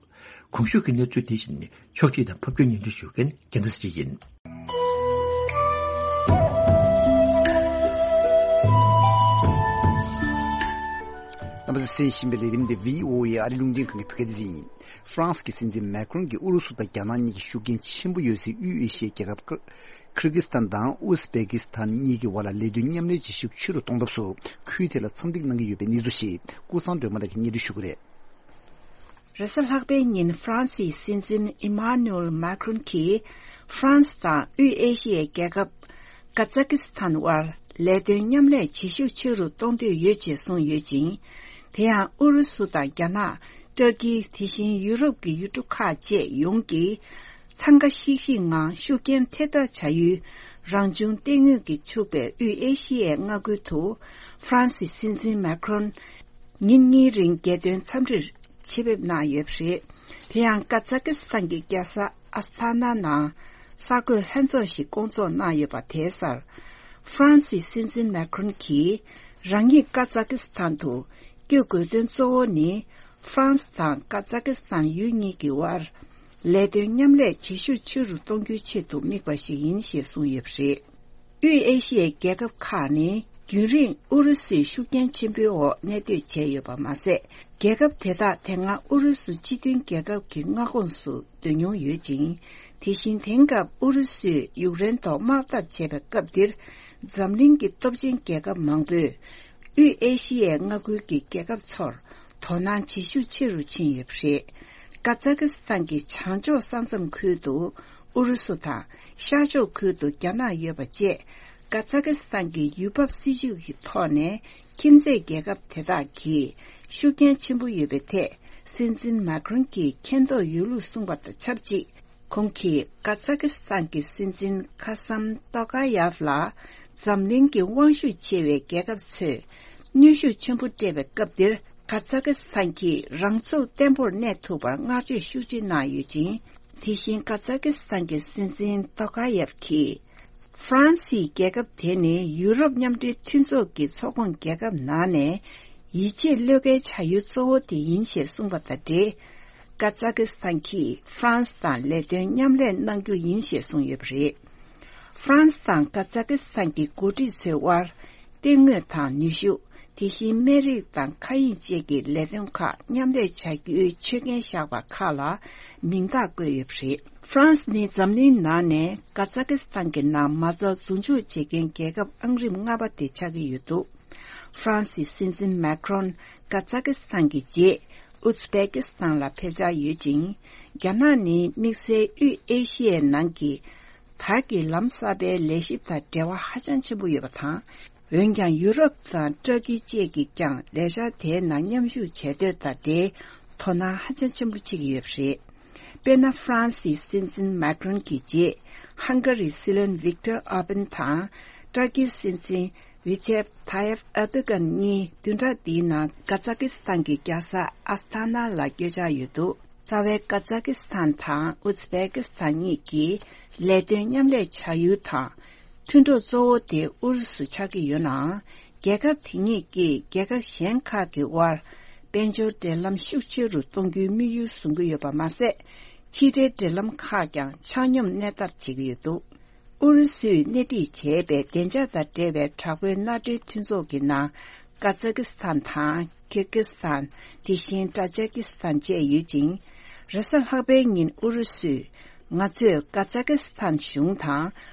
གོང་ཞུས་ཀྱི་གནས་ཚུལ་དེ་བཞིན་ཕྱོགས་སྒྲིག་དང་ཕབ་སྒྱུར་སྙན་སྒྲོན་ཞུ་མཁན་རྒྱལ་མཚན་ཡིན། རྣམ་པ་ཚོས་གསན་བཞིན་པའི་ལས་རིམ་འདི་བྷི་ཨོ་ཨེ་ཨ་རི་རླུང་འཕྲིན་ཁང་གི་བོད་སྐད་སྡེ་ཚན་ཡིན། ཧྥ་རན་སི་གི་སྲིད་འཛིན་མེ་ཁྲོན་གྱིས་ཨུ་རུ་སུ་དང་རྒྱ་ནག་གཉིས་ཀྱི་ཤུགས་རྐྱེན་ཆེན་པོ་ཡོད་སའི་དབུས་ཨེ་ཤི་ཡའི་རྒྱལ་ཁབ་ཀིར་ཀི་སི་ཐན་དང་ཨུ་སི་བེ་ཀི་སི་ཐན་གཉིས་ཀྱི་བར་ལ་ལས་དོན་མཉམ་ལས་བྱེད་ཤུགས་ཆེ་རུ་གཏོང་ཐབས་སུ་ཁུལ་དེ་ལ་འཚམས་འདྲི་གནང་གི་ཡོད་པའི་གནས་ཚུལ་ཞིག་ཀུན་བཟང་སྒྲོལ་མ་ལགས་ཀྱིས་སྙན་སྒྲོན་ཞུ་གི་རེད། རེས་གཟའ་ལྷག་པའི་ཉིན་ཧྥ་རན་སིའི་སྲིད་འཛིན་ཨི་མཱ་ནུ་ཨེལ་མཱ་ཁྲོན་གྱིས་ཧྥ་རན་སི་དང་དབུས་ཨེ་ཤི་ཡའི་རྒྱལ་ཁབ་ཀ་ཛ་ཀི་སི་ཐན་དབར་ལས་དོན་མཉམ་ལས་བྱེད་ཤུགས་ཆེ་རུ་གཏོང་འདོད་ཡོད་ཅེས་གསུངས་ཡོད་ཅིང་། དེ་ཡང་ཨུ་རུ་སུ་དང་རྒྱ་ནག་ཏུར་ཀི། དེ་བཞིན་ཡུ་རོབ་ཀྱི་ཡུལ་གྲུ་ཁག་བཅས་ཡོངས་ཀྱིས་འཚང་ཁ་ཤིག་ཤིག་ངང་ཤུགས་རྐྱེན་ཐེབས་ཐབས་བྱ་ཡུལ་རང་བྱུང་གཏེར་དངོས་ཀྱིས་ཕྱུག་པའི་དབུས་ཨེ་ཤི་ཡའི་མངའ་ཁུལ་དུ་ཧྥ་རན་སིའི་སྲིད་འཛིན་མཱ་ཁྲོན་ཉིན་གཉིས་རིང་རྒྱལ་དོན་འཚམས་འདྲིར་ཆེད་ཕེབས་གནང་ཡོད་པ་རེད། དེ་ཡང་ཀ་ཛ་ཀི་སི་ཐན་གྱི་རྒྱལ་ས་ཨ་སི་ཐ་ན་ནང་གསར་འགོད་ལྷན་ཚོགས་ཤིག་བསྐོང་ཚོགས་གནང་ཡོད་པ་དེའི་སར། ཧྥ་རན་སིའི་སྲིད་འཛིན་མཱ་ཁྲོན་གྱིས་རང་ཉིད་ཀ་ཛ་ཀི་སི་ཐན་དུ་བསྐྱོད་དགོས་དོན་གཙོ་བོ་ནི། ཧྥ་རན་སི་དང་ཀ་ཛ་ཀི་སི་ཐན་ཡུལ་གཉིས་ཀྱི་དབར་ལས་དོན་མཉམ་ལས་བྱེད་ཤུགས་ཆེ་རུ་གཏོང་རྒྱུའི་ཆེད་དུ་དམིགས་པ་ཞིག་ཡིན་ཞེས་གསུངས་ཡོད་པ་རེད། དབུས་ཨེ་ཤི་ཡའི་རྒྱལ་ཁབ་ཁག་ནི་རྒྱུན་རིང་ཨུ་རུ་སུའི་ཤུགས་རྐྱེན་ཆེན་པོའི་འོག་གནས་སྡོད་བྱས་ཡོད་པ་མ་ཟད། རྒྱལ་ཁབ་དེ་དག་དེ་སྔ་ཨུ་རུ་སུ་སྤྱི་མཐུན་རྒྱལ་ཁབ་ཀྱི་མངའ་ཁོངས་སུ་སྡོད་མྱོང་ཡོད་ཅིང་། དེ་བཞིན་དེང་སྐབས་ཨུ་རུ་སུས་ཡུཀ་རེན་ཐོག་དམག་འཐབ་བྱས་པའི་སྐབས་འདིར། འཛམ་གླིང་གི་སྟོབས་ཆེན་རྒྱལ་ཁབ་མང་པོས་དབུས་ཨེ་ཤི་ཡའི་མངའ་ཁུལ་གྱི་རྒྱལ་ཁབ་ཚོར་དོ་སྣང་བྱེད་ཤུགས་ཆེ་རུ་ཕྱིན་ཡོད་པ་རེད། ཀ་ཛ་ཀི་སི་ཐན་གྱི་བྱང་ཕྱོགས་ས་མཚམས་ཁུལ་དུ་ཨུ་རུ་སུ་དང་ཤར་ཕྱོགས་ཁུལ་དུ་རྒྱ་ནག་ཡོད་པ་བཅས། ཀ་ཛ་ཀི་སི་ཐན་གྱི་ཡུལ་བབ་སྲིད་ཇུས་ཀྱི་ཐོག་ནས་ཁྱིམ་མཚེས་རྒྱལ་ཁབ་དེ་དག་གིས་ཤུགས་རྐྱེན་ཆེན་པོ་ཡོད་པའི་ཐད་སྲིད་འཛིན་མཱ་ཁྲོན་གྱིས་མཁྱེན་རྟོགས་ཡོད་ལུགས་གསུངས་པ་དང་ཆབས་ཅིག། ཁོང་གིས་ཀ་ཛ་ཀི་སི་ཐན་གྱི་སྲིད་འཛིན་ཁ་སམ་ཏོ་ཀ་ཡབ་ལ་འཛམ་གླིང་གི་དབང་ཤུགས་ཆེ་བའི་རྒྱལ་ཁབ་ཚོས་གནོན་ཤུགས་ཆེན་པོ་སྤྲད་པའི་སྐབས་འདིར། ཀ་ཛ་ཀི་སི་ཐན་གྱིས་རང་ཚུགས་བརྟན་པོར་གནས་ཐུབ་པར་བསྔགས་བརྗོད་ཤུགས་ཆེ་གནང་ཡོད་ཅིང་། དེ་བཞིན་ཀ་ཛ་ཀི་སི་ཐན་གྱི་སྲིད་འཛིན་ཏོ་ཀ་ཡབ་ཀྱིས། ཧྥ་རན་སིའི་རྒྱལ་ཁབ་དེ་ནི་ཡུ་རོབ་མཉམ་འབྲེལ་མཐུན་ཚོགས་ཀྱི་ཚོགས་ཁོངས་རྒྱལ་ཁབ་ནང་ནས་ཡིད་ཆེས་བློས་འགེལ་བྱ་ཡུལ་གཙོ་བོ་དེ་ཡིན་ཞེས་གསུངས་པ་དང་འབྲེལ། ཀ་ཛ་ཀི་སི་ཐན་གྱིས་ཧྥ་རན་སི་དང་ལས་དོན་མཉམ་ལས་གནང་རྒྱུ་ཡིན་ཞེས་གསུངས་ཡོད་པ་རེད། ཧྥ་རན་སི་དང་ཀ་ཛ་ཀི་སི་ཐན་གྱི་འགོ་ཁྲིད་ཚོའི་དབར། གཏེར་དངོས་དང་ནུས་ཤུགས། དེ་བཞིན་སྨན་རིགས་དང་མཁའ་དབྱིངས་བཅས་ཀྱི་ལས་དོན་ཁག་མཉམ་ལས་བྱ་རྒྱུའི་ཆོད་གན་བཞག་པ་ཁག་ལ་མིང་རྟགས་བཀོད་ཡོད་པ་རེད། ཧྥ་རན་སི་ནི་འཛམ་གླིང་ནང་ནས་ཀ་ཛ་ཀི་སི་ཐན་གྱི་ནང་མ་རྩ་འཛུགས་འཇུག་བྱེད་མཁན་རྒྱལ་ཁབ་ཨང་རིམ་ལྔ་པ་དེ་ཆགས་ཀྱི་ཡོད་འདུག་ཧྥ་རན་སིའི་སྲིད་འཛིན་མེ་ཁྲོན་ཀ་ཛ་ཀི་སི་ཐན་གྱི་རྗེས་ཨུ་ཛི་བེ་ཀི་སི་ཐན་ལ་ཕེབས་འཆར་ཡོད་ཅིང་། རྒྱ་ནག་ནི་དམིགས་བསལ་དབུས་ཨེ་ཤི་ཡའི་ནང་གི་དར་གྱི་ལམ་གསར་པའི་ལས་གཞི་དང་འབྲེལ་བ་ཧ་ཅང་ཆེན་པོ་ཡོད་པ་དང་། འོན་ཀྱང་ཡུ་རོབ་དང་ཏུར་ཀི་བཅས་ཀྱིས་ཀྱང་ལས་འཆར་དེའི་ནང་མཉམ་ཞུགས་བྱེད་འདོད་དང་འབྲེལ་དོ་སྣང་ཧ་ཅང་ཆེན་པོ་བྱེད་ཀྱི་ཡོད་པ་རེད། དཔེར་ན། ཧྥ་རན་སིའི་སྲིད་འཛིན་མེ་ཁྲོན་གྱི་རྗེས་ཧང་ག་རིའི་སྲིད་བློན་ཝིག་ཏར་ཨོར་བན་དང་། ཏུར་ཀིའི་སྲིད་འཛིན་རི་ཅེབ་ཐ་ཡེབ་ཨེར་ཏོ་གྷན་གཉིས་བདུན་ཕྲག་འདིའི་ནང་ཀ་ཛ་ཀི་སི་ཐན་གྱི་རྒྱལ་ས་ཨ་སི་ཐ་ན་ལ་བསྐྱོད་འཆར་ཡོད་འདུག་རྩ་བའི་ཀ་ཛ་ཀི་སི་ཐན་དང་ཨུ་ཛི་བེ་ཀི་སི་ཐན་གཉིས་ཀྱིས་ལས་དོན་མཉམ་ལས་བྱ་ཡུལ་དང་། མཐུན་གྲོགས་གཙོ་བོ་དེ་ཨུ་རུ་སུ་ཆགས་ཀྱི་ཡོད་ནའང་། རྒྱལ་ཁབ་དེ་གཉིས་ཀྱིས་རྒྱལ་ཁབ་གཞན་ཁག་གི་དབར་དཔལ་འབྱོར་འབྲེལ་ལམ་ཤུགས་ཆེ་རུ་གཏོང་རྒྱུའི་དམིགས་ཡུལ་བཟུང་གི་ཡོད་པ་མ་ཟད། ཕྱི་འབྲེལ་འབྲེལ་ལམ་ཁག་ཀྱང་ཆ་སྙོམས་གནས་ཐབས་བྱེད་ཀྱི་ཡོད་འདུག་ཨུ་རུ་སུས་སྣེ་ཁྲིད་བྱས་པའི་བདེ་འཇགས་དང་འབྲེལ་བའི་དྲག་པོའི་མནའ་འབྲེལ་མཐུན་ཚོགས་ཀྱི་ནང་ཀ་ཛ་ཀི་སི་ཐན་དང་ཀིར་ཀི་སི་ཐན། དེ་བཞིན་ཏ་ཇ་ཀི་སི་ཐན་བཅས་ཡོད་ཅིང་། རེས་གཟའ་ལྷག་པའི་ཉིན་ཨུ་རུ་སུས། ང་ཚོས་ཀ་ཛ་ཀི་སི་ཐན་གཞུང་དང་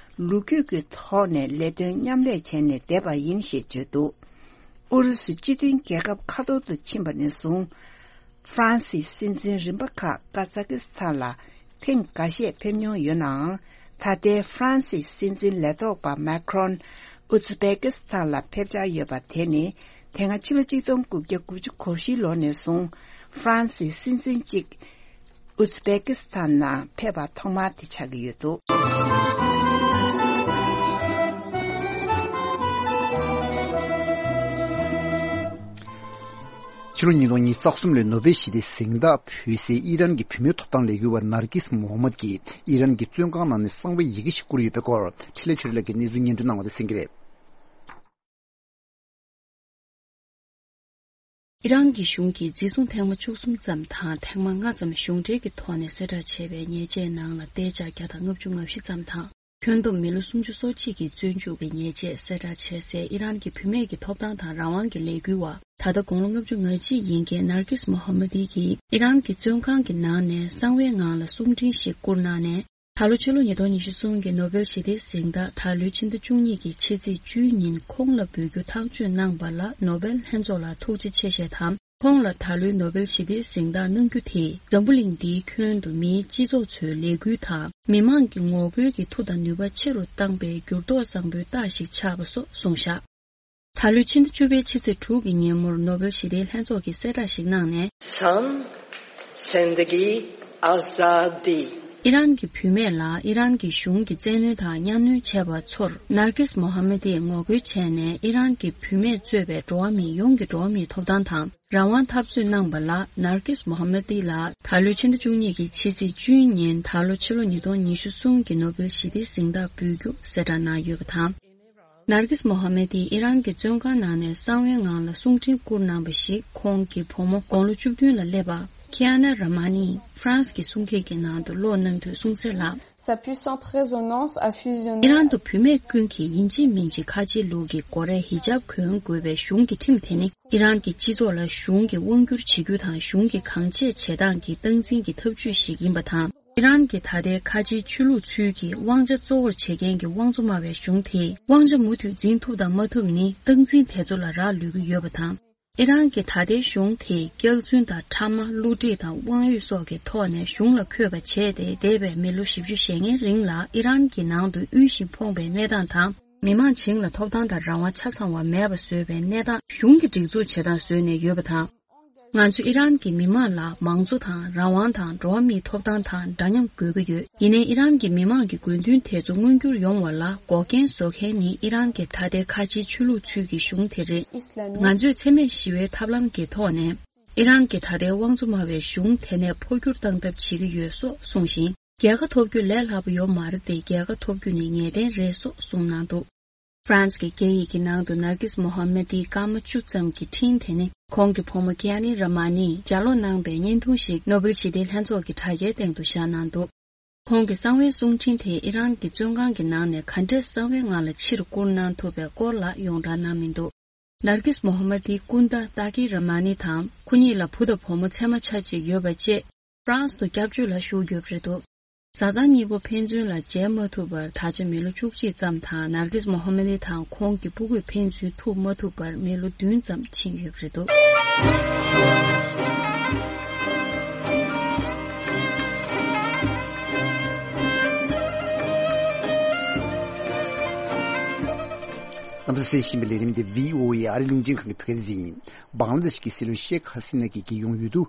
ལོ་རྒྱུས་ཀྱི་ཐོག་ནས་ལས་དོན་མཉམ་ལས་བྱས་ནས་བསྡད་པ་ཡིན་ཞེས་བརྗོད་འདུག་ཨུ་རུ་སུ་སྤྱི་མཐུན་རྒྱལ་ཁབ་ཁ་ཐོར་དུ་ཕྱིན་པ་ནས་བཟུང་། ཧྥ་རན་སིའི་སྲིད་འཛིན་རིམ་པ་ཁག་ཀ་ཛ་ཀི་སི་ཐན་ལ་ཐེངས་འགའ་ཤས་ཕེབས་མྱོང་ཡོད་ནའང་། ད་ལྟའི་ཧྥ་རན་སིའི་སྲིད་འཛིན་ལས་ཐོག་པ་མེ་ཁྲོན་ཨུ་ཛི་བེ་ཀི་སི་ཐན་ལ་ཕེབས་འཆར་ཡོད་པ་དེ་ནི། དེ་སྔ་ཕྱི་ལོ་ཆིག་སྟོང་དགུ་བརྒྱ་དགུ་བཅུ་གོ་བཞི་ལོ་ནས་བཟུང་ཧྥ་རན་སིའི་སྲིད་འཛིན་གཅིག་ཨུ་ཛི་བེ་ཀི་སི་ཐན་ནང་ཕེབས་པ་ཐོག་མ་དེ་ཆགས་ཀྱི་ཡོད་འདུག་ཕྱི་ལོ་ཉིས་སྟོང་ཉི་ཤུ་རྩ་གསུམ་ལོའི་ནོ་བེལ་ཞི་བདེའི་གཟེངས་རྟགས་ཕུལ་སའི་ཨི་རན་གྱི་བུད་མེད་ཐོབ་ཐང་ལས་འགུལ་བ་ནར་ཀིས་མོ་ཧ་མད་ཀྱིས་ཨི་རན་གྱི་བཙོན་ཁང་ནང་ནས་གསང་བའི་ཡི་གེ་ཞིག་བསྐུར་ཡོད་པའི་སྐོར་འཕྲིན་ལས་ཆོས་སྒྲོན་ལགས་ཀྱིས་གནས་ཚུལ་སྙན་སྒྲོན་གནང་བ་དེ་གསན་གྱི་རེད། ཨི་རན་གྱི་གཞུང་གིས་འཛིན་བཟུང་ཐེངས་མ་བཅུ་གསུམ་ཙམ་དང་ཐེངས་མ་ལྔ་ཙམ་གཞུང་འབྲེལ་གྱི་ཐོག་ནས་གསལ་བསྒྲགས་བྱས་པའི་ཉེས་ཆད་ནང་ལ་གཏན་འཇགས་བརྒྱ་དང་ལྔ་བཅུ་ང་བཞི་ཙམ་དང་། ཁྱོན་བསྡོམས་མི་ལོ་སུམ་ཅུ་སོ་གཅིག་གི་བཙོན་འཇུག་གི་ཉེས་ཆད་གསལ་བསྒྲགས་བྱས་སའི་ཨི་རན་གྱི་བུད་མེད་ཀྱི་ཐོབ་ཐང་དང་རང་དབང་གི་ལས་འགུལ་བ། ད་ལྟ་དགུང་ལོ་ལྔ་བཅུ་ང་གཅིག་ཡིན་མཁན་ནར་ཀིས་མོ་ཧ་མ་དི་གིས་ཨི་རན་གྱི་བཙོན་ཁང་གི་ནང་ནས་གསང་བའི་ངང་ལ་གསུང་འཕྲིན་ཞིག་བསྐུར་གནང་ནས། ད་ལོ་ཕྱི་ལོ་ཉིས་སྟོང་ཉི་ཤུ་གསུམ་གྱི་ནོ་བེལ་ཞི་བདེའི་གཟེངས་རྟགས་ད་ལོའི་ཕྱི་ཟླ་བཅུ་གཉིས་ཀྱི་ཕྱི་ཚེས་བཅུའི་ཉིན་ཁོང་ལ་འབུལ་རྒྱུ་ཐག་གཅོད་གནང་པ་ལ་ནོ་བེལ་ལྷན་ཚོགས་ལ་ཐུགས་རྗེ་ཆེ་ཞེས་དང་། ཁོང་ལ་ད་ལོའི་ནོ་བེལ་ཞི་བདེའི་གཟེངས་རྟགས་གནང་རྒྱུ་དེས་འཛམ་བུ་གླིང་འདིའི་ཁྱོན་དུ་མིའི་སྤྱི་ཚོགས་ཚོའི་ལས་འགུལ་དང་མི་མང་གི་ངོ་རྒོལ་གྱི་མཐུ་དང་ནུས་པ་ཆེ་རུ་བཏང་པའི་འགྱུར་ལྡོག་བཟང་པོའི་རྟགས་ཤིག་ཆགས་པ་སོགས་གསུངས་བཞག་ད་ལོའི་ཕྱི་ཟླ་བཅུ་པའི་ཕྱི་ཚེས་དྲུག་གི་ཉིན་མོར་ནོ་བེལ་ཞི་བདེའི་ལྷན་ཚོགས་ཀྱིས་གསལ་བསྒྲགས་ཤིག་གནང་ནས། San Zendegi Azadi། ཨི་རན་གྱི་བུད་མེད་ལ་ཨི་རན་གྱི་གཞུང་གིས་བཙན་གནོན་དང་གཉའ་གནོན་བྱས་པ་ཚོར་ནར་ཀིས་མོ་ཧ་མ་དིས་ངོ་རྒོལ་བྱས་ནས། ཨི་རན་གྱི་བུད་མེད་གཙོས་པའི་འགྲོ་བ་མི་ཡོངས་ཀྱི་འགྲོ་བ་མིའི་ཐོབ་ཐང་དང་རང་དབང་འཐབ་རྩོད་གནང་པ་ལ་ནར་ཀིས་མོ་ཧ་མ་དི་ལ་ད་ལོའི་ཕྱི་ཟླ་བཅུ་གཉིས་ཀྱི་ཕྱི་ཚེས་བཅུའི་ཉིན་ད་ལོ་ཕྱི་ལོ་ཉིས་སྟོང་ཉི་ཤུ་གསུམ་གྱི་ནོ་བེལ་ཞི་བདེའི་གཟེངས་རྟགས་འབུལ་རྒྱུ་གསལ་བསྒྲགས་གནང་ཡོད་པ་དང་། ནར་ཀིས་མོ་ཧ་མེ་དིས་ཨི་རན་གྱི་བཙོན་ཁང་ནང་ནས་གསང་བའི་ངང་ལ་གསུང་འཕྲིན་བསྐུར་གནང་བ་ཞིག་ཁོང་གི་བུ་མོ་དགུང་ལོ་བཅུ་བདུན་ལ་སླེབས་པ་ཁི་ཡ་ན་ར་མ་ནིས་ཧྥ་རན་སི་གི་གསུང་སྐད་ཀྱི་ནང་དུ་ཀློག་གནང་དུས་གསུངས་གསལ་ལ། Sa puissante résonance a fusionné ཨི་རན་དུ་བུད་མེད་ཀུན་གྱིས་ཡིན་གཅིག་མིན་གཅིག་ཁ་ཆེའི་ལུགས་ཀྱི་སྒོ་རས་ཧི་ཇབ་གོན་དགོས་པའི་གཞུང་གི་ཁྲིམས་དེ་ནི་ཨི་རན་གྱི་སྤྱི་ཚོགས་ལ་གཞུང་གིས་དབང་བསྒྱུར་བྱེད་རྒྱུ་དང་གཞུང་གིས་གང་བྱས་བྱེད་སྟངས་ཀྱི་སྟངས་འཛིན་གྱི་ཐབས་ཇུས་ཤིག་ཡིན་པ་དང་། ཨི་རན་གྱི་ད་ལྟའི་ཁ་ཆེའི་ཆོས་ལུགས་ཚུལ་གྱིས་དབང་ཆ་གཙོ་བོར་བྱེད་མཁན་གྱི་དབང་གཙོ་སྨྲ་བའི་གཞུང་དེས་དབང་ཆ་མུ་མཐུད་འཛིན་ཐུབ་དང་མ་ཐུབ་ནི་སྟངས་འཛིན་དེ་ཚོ་ལ་རག་ལུས་ཀྱི་ཡོད་པ་དང་། ཨི་རན་གྱི་ད་ལྟའི་གཞུང་དེས་སྐྱག་རྫུན་དང་ཕྲ་མ་བསླུ་བྲིད་དང་དབང་ཡོད་སོགས་ཀྱི་ཐོག་ནས་གཞུང་ལ་འཁོད་པ་བྱས་ཏེ་འདས་པའི་མི་ལོ་བཞི་བཅུ་ཞེ་ལྔའི་རིང་ལ་ཨི་རན་གྱི་ནང་དུ་དབུལ་ཞིང་ཕོངས་པའི་གནས་སྟངས་དང་། མི་མང་བྱིངས་ལ་ཐོབ་ཐང་དང་རང་དབང་ཆ་ཚང་བ་མེད་པ་བཟོས་པའི་གནས་སྟངས། གཞུང་གི་སྒྲིག་འཛུགས་བྱེད་སྟངས་བཟོས་ནས་ཡོད་པ་དང་། ང་ཚོ་ཨི་རན་གྱི་མི་མང་ལ་མང་གཙོ་དང་རང་དབང་དང་འགྲོ་བ་མིའི་ཐོབ་ཐང་དང་འདྲ་མཉམ་དགོས་ཀྱི་ཡོད། ཡིན་ནའི་ཨི་རན་གྱི་མི་མང་གི་དགོས་འདུན་དེ་ཚོ་མངོན་འགྱུར་ཡོང་བ་ལ་འགོག་རྐྱེན་བཟོ་མཁན་ནི་ཨི་རན་གྱི་ད་ལྟའི་ཁ་ཆེའི་ཆོས་ལུགས་ཚུལ་གྱི་གཞུང་དེ་རེད། Islamique། ང་ཚོས་འཚེ་མེད་ཞི་བའི་ཐབས་ལམ་གྱི་ཐོག་ནས་ཨི་རན་གྱི་ད་ལྟའི་དབང་གཙོ་སྨྲ་བའི་གཞུང་དེ་ནས་འཕོ་འགྱུར་བཏང་ཐབས་བྱེད་ཀྱི་ཡོད་སོགས་གསུངས་ཤིང་། རྒྱལ་ཁ་ཐོབ་རྒྱུ་ལས་སླ་པོ་ཡོད་མ་རེད་དེ། རྒྱལ་ཁ་ཐོབ་རྒྱུ་ནི་ངེས་གཏན་རེད་སོགས་གསུངས་གནང་འདུག་ཧྥ་རན་སི་གི་སྐད་ཡིག་གི་ནང་དུ་ནར་ཀིས་མོ་ཧ་མེ་ཏིའི་སྐར་མ་བཅུ་ཙམ་གྱི་འཕྲིན་དེ་ནི་ཁོང་གི་བུ་མོ་ཀི་ཡ་ནི་ར་མ་ནིས་ལྗགས་ཀློག་གནང་པའི་བརྙན་ཐུང་ཞིག་ནོ་བེལ་ཞི་བདེའི་ལྷན་ཚོགས་ཀྱི་དྲ་རྒྱའི་སྟེང་དུ་བཞག་གནང་འདུག་ཁོང་གི་གསང་བའི་གསུང་འཕྲིན་དེ་ཨི་རན་གྱི་བཙོན་ཁང་གི་ནང་ནས་ག་འདྲས་གསང་བའི་ངང་ལ་ཕྱིར་བསྐུར་གནང་ཐུབ་པའི་སྐོར་ལ་ཡོངས་གྲགས་གནང་མི་འདུག་ནར་གིས་མོ་ཧ་མ་དིའི་སྐུ་ཟླ་ཏཱ་ཀི་ར་མ་ནི་དང་ཁོ་གཉིས་ལ་བུ་དང་བུ་མོ་ཚད་མ་ཆ་གཅིག་ཡོད་པ་བཅས་ཧྥ་རན་སི་དུ་སྐྱབས་བཅོལ་ལ་བཞུགས་ཡོད་པ་རེད་འདུག་བཟའ་ཚང་གཉིས་པོ་ཕན་ཚུན་ལ་མཇལ་མ་ཐུབ་པར་ད་ཆ་མི་ལོ་བཅུ་གཅིག་ཙམ་དང་ནར་གིས་མོ་ཧ་མ་དི་དང་ཁོང་གི་སྤུ་གུས་ཕན་ཚུན་ཐུག་མ་ཐུབ་པར་མི་ལོ་བདུན་ཙམ་ཕྱིན་ཡོད་པ་རེད་འདུག་རྣམ་པ་ཚོས་གསན་བཞིན་པའི་ལས་རིམ་འདི་བྷི་ཨོ་ཨེ་ཨ་རིའི་རླུང་འཕྲིན་ཁང་གི་བོད་སྐད་སྡེ་ཚན་ཡིན། བང་ལ་དེ་ཤི་གི་སྲིད་བློན་ཤེག་ཧ་སི་ན་གྱིས་རྒྱལ་ཡོངས་འོས་བསྡུ་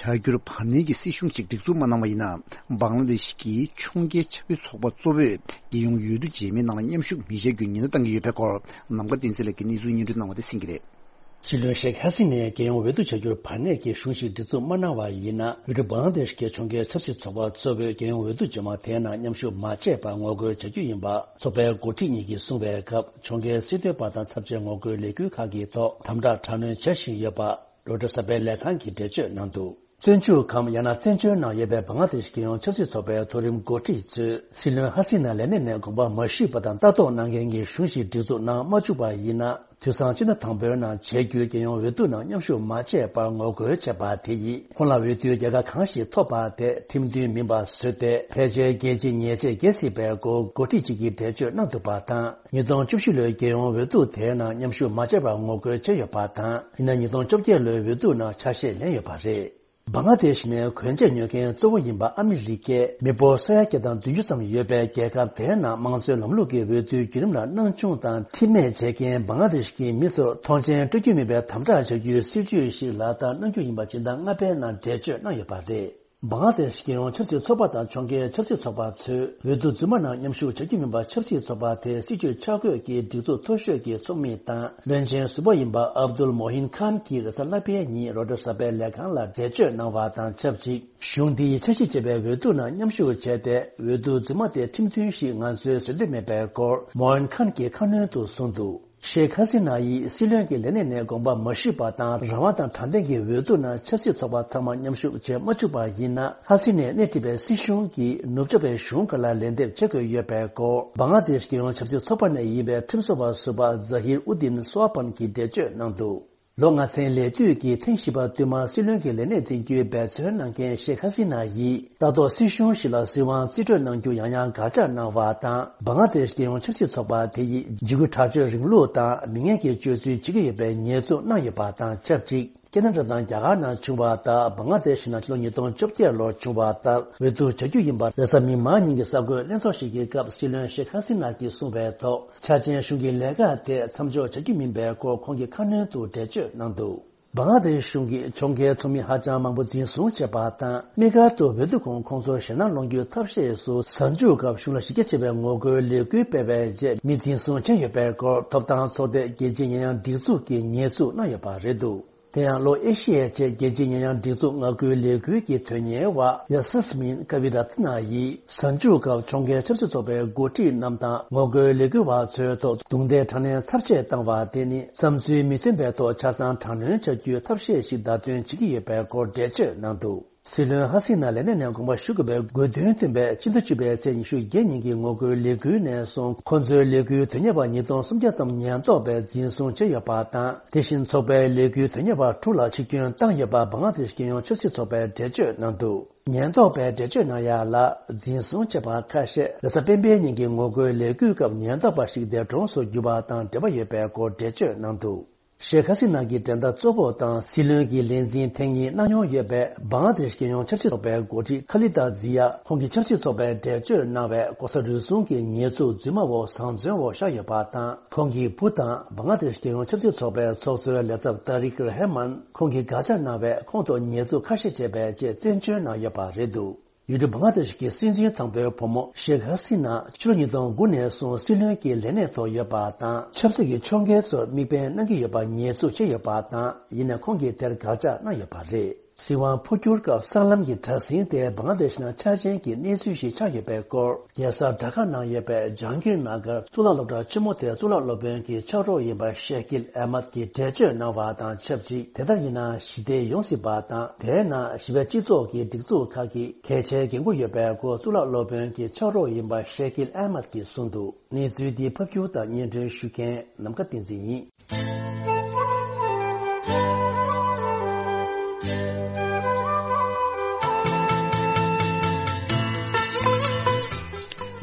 བྱ་རྒྱུར་བར་གནས་ཀྱི་སྲིད་གཞུང་ཅིག་སྒྲིག་འཛུགས་མ་གནང་བ་ཡིན་ན། བང་ལ་དེ་ཤི་གི་ཕྱོགས་འགལ་ཆབ་སྲིད་ཚོགས་པ་གཙོ་བོས་རྒྱལ་ཡོངས་འོས་བསྡུ་རྗེས་མའི་ནང་ལ་མཉམ་ཞུགས་མི་བྱ་རྒྱུའི་ཉེན་བརྡ་བཏང་གི་ཡོད་པའི་སྐོར། ནམ་མཁའ་བསྟན་འཛིན་ལགས་ཀྱིས་གནས་ཚུལ་སྙན་སྒྲོན་གནང་བ་དེ་གསན་གྱི་རེད། སྲིད་བློན་ཤེག་ཧ་སི་ནས་རྒྱལ་ཡོངས་འོས་བསྡུ་བྱ་རྒྱུར་བར་གནས་ཀྱི་གཞུང་ཞིག་སྒྲིག་འཛུགས་མ་གནང་བ་ཡིན་ན། འོས་བསྡུ་བང་ལ་དེ་ཤི་གི་ཕྱོགས་འགལ་ཆབ་སྲིད་ཚོགས་པ་གཙོ་བོས་རྒྱལ་ཡོངས་འོས་བསྡུ་རྗེས་མ་དེའི་ནང་མཉམ་ཞུགས་མ་བྱས་པར་ངོ་རྒོལ་བྱ་རྒྱུ་ཡིན་པ། ཚོགས་པའི་འགོ་ཁྲིད་གཉིས་ཀྱིས་གསུངས་པའི་སྐབས། ཕྱོགས་འགལ་སྲིད་དོན་པ་དང་ཚབས་ཆེན་ངོ་རྒོལ་ལས་འགུལ་ཁག་གི་ཐོག་དམ་དྲག་དྲག་གནོན་བྱ་བཞིན་ཡོད་པ། རོའི་ཊར་གསར་སྤེལ་ལས་ཁང་གིས་འགྲེལ་བརྗོད་གནང་འདུག་བཙོན་འཇུག་གམ་ཡང་ན་བཙན་བྱོལ་ནང་ཡོད་པའི་བང་ལ་དེ་ཤི་རྒྱལ་ཡོངས་ཆབ་སྲིད་ཚོགས་པའི་མཐོ་རིམ་འགོ་ཁྲིད་ཚོས་སྲིད་བློན་ཧ་སི་ན་ལས་གནས་ནས་དགོངས་པ་མ་ཞུས་པ་དང་ལྟ་རྟོག་གནང་མཁན་གྱི་གཞུང་ཞིག་སྒྲིག་འཛུགས་གནང་མ་བཅུག་པ་ཡིན་ན། དུས་སང་སྤྱི་ཟླ་དང་པོའི་ནང་བྱེད་རྒྱུའི་རྒྱལ་ཡོངས་འོས་བསྡུ་ནང་མཉམ་ཞུགས་མ་བྱས་པར་ངོ་རྒོལ་བྱས་པ་དེ་ཡིས། ཁོང་ལ་འོས་བསྡུའི་རྒྱལ་ཁ་གང་ཞིག་ཐོབ་པ་དེ་ཁྲིམས་མཐུན་མིན་པ་བཟོས་ཏེ། ཕལ་ཆེར་རྒྱལ་སྤྱིའི་ཉེས་ཆད་འགེལ་སྲིད་པའི་སྐོར་འགོ་ཁྲིད་ཅིག་གིས་འགྲེལ་བརྗོད་གནང་འདུག་པ་དང་། ཉིས་སྟོང་བཅུ་བཞི་ལོའི་རྒྱལ་ཡོངས་འོས་བསྡུ་དེའི་ནང་མཉམ་ཞུགས་མ་བྱས་པར་ངོ་རྒོལ་བྱས་ཡོད་པ་དང་། ཡིན་ན་ཉིས་སྟོང་བཅོ་བརྒྱད་ལོའི་འོས་བསྡུ་ནང་ཆ་ཤས་ལེན་ཡོད་པ་རེད། བང་ལ་དེ་ཤི་ནས་གོན་ཆས་ཉོ་མཁན་གཙོ་བོ་ཡིན་པ་ཨ་མི་རི་ཀས་མི་འབོར་ས་ཡ་བརྒྱ་དང་བདུན་ཅུ་ཙམ་ཡོད་པའི་རྒྱལ་ཁབ་དེའི་ནང་དམངས་གཙོའི་ལམ་ལུགས་ཀྱི་འོས་བསྡུའི་བརྒྱུད་རིམ་ལ་སྣང་ཆུང་དང་ཁྲིམས་མེད་བྱེད་མཁན་བང་ལ་དེ་ཤི་གི་མི་ཚོར་མཐོང་མཆན་སྤྲོད་རྒྱུ་མིན་པའི་དམ་དྲག་བྱ་རྒྱུའི་སྲིད་ཇུས་ཤིག་ལག་བསྟར་གནང་རྒྱུ་ཡིན་པ་སྤྱི་ཟླ་ལྔ་པའི་ནང་འགྲེལ་བརྗོད་གནང་ཡོད་པ་རེད། བང་ལ་དེ་ཤི་རྒྱལ་ཡོངས་ཆབ་སྲིད་ཚོགས་པ་དང་ཕྱོགས་འགལ་ཆབ་སྲིད་ཚོགས་པ་ཚོས་འོས་བསྡུ་རྫུན་མ་ནང་མཉམ་ཞུགས་བྱ་རྒྱུ་མིན་པ། ཆབ་སྲིད་ཚོགས་པ་དེའི་སྲིད་ཇུས་འཆར་འགོད་ཀྱི་སྒྲིག་འཛུགས་མཐོ་ཤོས་ཀྱི་ཚོགས་མི་དང་བློན་ཆེན་ཟུར་པ་ཡིན་པ་ཨབ་དུལ་མོ་ཧིན་ཁཱན་གྱིས་རེས་གཟའ་ལྷག་པའི་ཉིན་རོའི་ཊར་གསར་སྤེལ་ལས་ཁང་ལ་འགྲེལ་བརྗོད་གནང་བ་དང་ཆབས་ཅིག་གཞུང་འདིས་འཆར་གཞི་བྱས་པའི་འོས་བསྡུ་ནང་མཉམ་ཞུགས་བྱས་ཏེ། འོས་བསྡུ་རྫུན་མ་དེ་ཁྲིམས་མཐུན་ཞིག་ང་ཚོས་བཟོ་འདོད་མེད་པའི་སྐོར་མོ་ཧིན་ཁཱན་གྱིས་ཁ་སྣོན་དུ་གསུངས་འདུག་ཤེག་ཧ་སི་ན་ཡིས་སྲིད་བློན་གྱི་ལས་གནས་ནས་དགོངས་པ་མ་ཞུས་པ་དང་། རང་དབང་དང་དྲང་བདེན་གྱི་འོས་བསྡུ་ནང་ཆབ་སྲིད་ཚོགས་པ་ཚང་མ་མཉམ་ཞུགས་བྱེད་མ་བཅུག་པ་ཡིན་ན། ཧ་སི་ནས་སྣེ་ཁྲིད་པའི་སྲིད་གཞུང་གིས་ནུབ་ཕྱོགས་པའི་གཞུང་ཁག་ལ་ལན་འདེབས་བྱེད་དགོས་ཡོད་པའི་སྐོར་བང་ལ་དེ་ཤི་རྒྱལ་ཡོངས་ཆབ་སྲིད་ཚོགས་པ་ནས་ཡིན་པའི་ཁྲིམས་བཟོ་བ་ཟུར་པ་ཛ་ཧིར་ཨུ་དིན་སོ་ཨ་པན་གྱིས་འགྲེལ་བརྗོད་གནང་འདུག་ལོ་ལྔ་ཚན་ལས་དུས་ཀྱི་ཐེངས་བཞི་པ་བསྟུད་མར་སྲིད་བློན་གྱི་ལས་གནས་འཛིན་རྒྱུའི་འབད་བརྩོན་གནང་མཁན་ཤེག་ཧ་སི་ན་ཡིས། ལྟ་རྟོག་སྲིད་གཞུང་ཞིག་ལ་སྲིད་དབང་རྩིས་སྤྲོད་གནང་རྒྱུ་ཡང་ཡང་དགག་བྱ་གནང་བ་དང་། བང་ལ་དེ་ཤི་རྒྱལ་ཡོངས་ཆབ་སྲིད་ཚོགས་པ་དེ་ཡིས་འཇིགས་སྐུལ་དྲག་སྤྱོད་རིང་ལུགས་དང་མི་ངན་གྱི་སྤྱོད་ཚུལ་བྱེད་ཀྱི་ཡོད་པའི་ཉེས་འཛུགས་གནང་ཡོད་པ་དང་ཆབས་ཅིག་ཁེ་ན་ཌ་དང་རྒྱ་གར་ནང་བྱུང་བ་ལྟར། བང་ལ་དེ་ཤི་ནང་ཕྱི་ལོ་ཉིས་སྟོང་བཅོ་བརྒྱད་ལོར་བྱུང་བ་ལྟར་འོས་བསྡུ་བྱ་རྒྱུ་ཡིན་པ། རེས་གཟའ་མིག་དམར་ཉིན་གྱི་གསར་འགོད་ལྷན་ཚོགས་ཤིག་གི་སྐབས་སྲིད་བློན་ཤེག་ཧ་སི་ན་གྱིས་གསུངས་པའི་ཐོག་འཆར་ཅན་གཞུང་གི་ལས་ཀ་དེ་མཚམས་འཇོག་བྱ་རྒྱུ་མིན་པའི་སྐོར་ཁོང་གིས་ཁ་སྣོན་དུ་འགྲེལ་བརྗོད་གནང་འདུག་བང་ལ་དེ་ཤི་གཞུང་གིས་ཕྱོགས་འགལ་ཚོགས་མི་ཧ་ཅང་མང་པོ་འཛིན་བཟུང་བྱས་པ་དང་། དམིགས་བཀར་དུ་འོས་བསྡུ་གོང་ཁོང་ཚོར་ཞེད་སྣང་སློང་རྒྱུའི་ཐབས་ཤེས་སུ། གཟའ་མཇུག་སྐབས་གཞུང་ལ་གཞི་རྒྱ་ཆེ་བའི་ངོ་རྒོལ་ལས་འགུལ་སྤེལ་བའི་རྗེས་མི་འཛིན་བཟུང་བྱས་ཡོད་པའི་སྐོར། ཐོབ་ཐང་ཚོགས་སྡེ་རྒྱལ་སྤྱིའི་ཉེས་ཡངས་སྒྲིག་འཛུགས་ཀྱིས་ཉེས་འཛུགས་གནང་ཡོད་པ་རེད་འདུག་དེ་ཡང་ལྷོ་ཨེ་ཤི་ཡའི་ཆེད་རྒྱལ་སྤྱིའི་ཉེས་ཡངས་སྒྲིག་འཛུགས་ངག་བཀོལ་ལས་འགུལ་གྱི་དོན་གཉེར་བ་ཡ་སི་མིན་ཀ་བི་ར་ཐི་ན་ཡིས། གཟའ་མཇུག་སྐབས་ཕྱོགས་འགལ་ཆབ་སྲིད་ཚོགས་པའི་འགོ་ཁྲིད་རྣམས་དང་ངོ་རྒོལ་ལས་འགུལ་བ་ཚོའི་ཐོག་རྡུང་རྡེག་དྲག་གནོན་ཚབས་ཆེ་བཏང་བ་དེ་ནི། བསམ་ཚུལ་མི་མཐུན་པའི་ཐོག་ཆ་ཚང་དྲག་གནོན་བྱ་རྒྱུའི་ཐབས་ཤེས་ཤིག་བརྡ་སྟོན་བྱེད་ཀྱི་ཡོད་པའི་སྐོར་འགྲེལ་བརྗོད་གནང་འདུག་སྲིད་བློན་ཧ་སི་ན་ལས་གནས་ནས་དགོངས་པ་ཞུ་དགོས་པའི་དགོས་འདུན་བཏོན་པའི་ཕྱི་ཟླ་བཅུ་པའི་ཚེས་ཉི་ཤུ་བརྒྱད་ཉིན་གྱི་ངོ་རྒོལ་ལས་འགུལ་ནས་བཟུང་། ཁོ་ཚོའི་ལས་འགུལ་དོན་གཉེར་བ་ཉིས་སྟོང་སུམ་བརྒྱ་ཙམ་ཉེན་རྟོག་པས་འཛིན་བཟུང་བྱས་ཡོད་པ་དང་། དེ་བཞིན་ཚོགས་པའི་ལས་འགུལ་དོན་གཉེར་བ་དྲུག་ལ་འཆི་སྐྱོན་བཏང་ཡོད་པ་བང་ལ་དེ་ཤི་རྒྱལ་ཡོངས་ཆབ་སྲིད་ཚོགས་པས་འགྲེལ་བརྗོད་གནང་འདུག་ཉེན་རྟོག་པས་འགྲེལ་བརྗོད་གནང་ཡ་ལ། འཛིན་བཟུང་བྱས་པ་ཁ་ཤས་རེས་གཟའ་སྤེན་པའི་ཉིན་གྱི་ངོ་རྒོལ་ལས་འགུལ་སྐབས་ཉེན་རྟོག་པ་ཞིག་འདས་གྲོངས་སུ་གྱུར་པ་དང་འབྲེལ་བ་ཡོད་པའི་སྐོར་འགྲེལ་བརྗོད་གནང་འདུག་ཤེག་ཧ་སི་ན་གྱི་འགྲན་ཟླ་གཙོ་བོ་དང་སྲིད་བློན་གྱི་ལས་འཛིན་ཐེངས་གཉིས་གནང་མྱོང་ཡོད་པའི་བང་ལ་དེ་ཤི་རྒྱལ་ཡོངས་ཆབ་སྲིད་ཚོགས་པའི་འགོ་ཁྲིད་ཁ་ལི་ད་ཛི་ཡ། ཁོང་གིས་ཆབ་སྲིད་ཚོགས་པའི་འགྲེལ་བརྗོད་གནང་བའི་ལྐོག་ཟ་རུལ་སུངས་ཀྱི་ཉེས་འཛུགས་རྫུན་མ་འོག་བཟང་བཙོན་འོག་བཞག་ཡོད་པ་དང་། ཁོང་གི་བུ་དང་བང་ལ་དེ་ཤི་རྒྱལ་ཡོངས་ཆབ་སྲིད་ཚོགས་པའི་ཚོགས་གཙོའི་ལས་ཚབ་ཏཱ་རིག་ར་ཧེ་མན། ཁོང་གིས་དགག་བྱ་གནང་བས་ཁོང་ཐོག་ཉེས་འཛུགས་ཁ་ཤས་བྱས་པའི་ཆེད་བཙན་བྱོལ་ནང་ཡོད་པ་རེད་འདུག་ཡུལ་གྲུ་བང་ལ་དེ་ཤི་གི་སྲིད་འཛིན་དང་པོའི་བུ་མོ་ཤེག་ཧ་སི་ན་ཕྱི་ལོ་ཉིས་སྟོང་དགུ་ནས་བཟུང་སྲིད་བློན་གྱི་ལས་གནས་ཐོག་ཡོད་པ་དང་། ཆབ་སྲིད་ཀྱི་ཕྱོགས་འགལ་ཚོར་མིག་དཔེ་གནང་གི་ཡོད་པ་ཉེས་འཛུགས་བྱས་ཡོད་པ་དང་། ཡིན་ནའི་ཁོང་གིས་དེར་དགག་བྱ་གནང་ཡོད་པ་རེད། སྲིད་དབང་འཕོ་འགྱུར་སྐབས་གསར་ལམ་གྱི་དྲ་ཟིང་དེ་བང་ལ་དེཤ་ནང་ཆ་རྐྱེན་གྱི་གནས་ཚུལ་ཞིག་ཆགས་ཡོད་པའི་སྐོར། རྒྱལ་ས་ཌ་ཁ་ནང་ཡོད་པའི་ཇང་གིར་ནག་གར་གཙུག་ལག་སློབ་གྲྭ་ཆེན་མོ་དེར་གཙུག་ལག་སློབ་དཔོན་གྱི་ཕྱག་རོགས་ཡིན་པ་ཤེ་ཁིལ་ཨེ་མད་ཀྱིས་འགྲེལ་བརྗོད་གནང་བ་དང་ཆབས་ཅིག་དེ་ལྟར་ཡིན་ན་ཞི་བདེ་ཡོང་སྲིད་པ་དང་། དེས་ན་ཞི་བའི་སྤྱི་ཚོགས་ཀྱི་སྒྲིག་འཛུགས་ཁག་གི་གལ་ཆེའི་འགན་འཁུར་ཡོད་པའི་སྐོར་གཙུག་ལག་སློབ་དཔོན་གྱི་ཕྱག་རོགས་ཡིན་པ་ཤེ་ཁིལ་ཨེ་མད་ཀྱིས་གསུངས་འདུག་གནས་ཚུལ་འདི་ཕབ་སྒྱུར་དང་སྙན་སྒྲོན་ཞུ་མཁན་ནམ་མཁའ་བསྟན་འཛིན་ཡིན།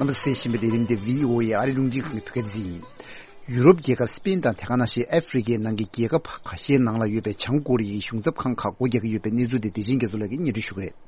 རྣམ་པ་གསན་བཞིན་པའི་ལས་རིམ་དེ་བྷི་ཨོ་ཨེ་ཨ་རི་རླུང་འཕྲིན་ཁང་གི་བོད་སྐད་སྡེ་ཚན་ཡིན། ཡུ་རོབ་རྒྱལ་ཁབ་སི་པེན་དང་དེ་ག་ནང་བཞིན་ཨ་ཧྥེ་རི་ཁའི་ནང་གི་རྒྱལ་ཁབ་ཁ་ཤས་ནང་ལ་ཡོད་པའི་བྱང་ཀོ་རི་ཡའི་གཞུང་ཚབ་ཁང་ཁག་སྒོ་རྒྱག་གི་ཡོད་པའི་གནས་ཚུལ་དེ་བདེ་ཆེན་རྒྱ་མཚོ་ལགས་ཀྱིས་སྙན་སྒྲོན་ཞུ་གི་རེད།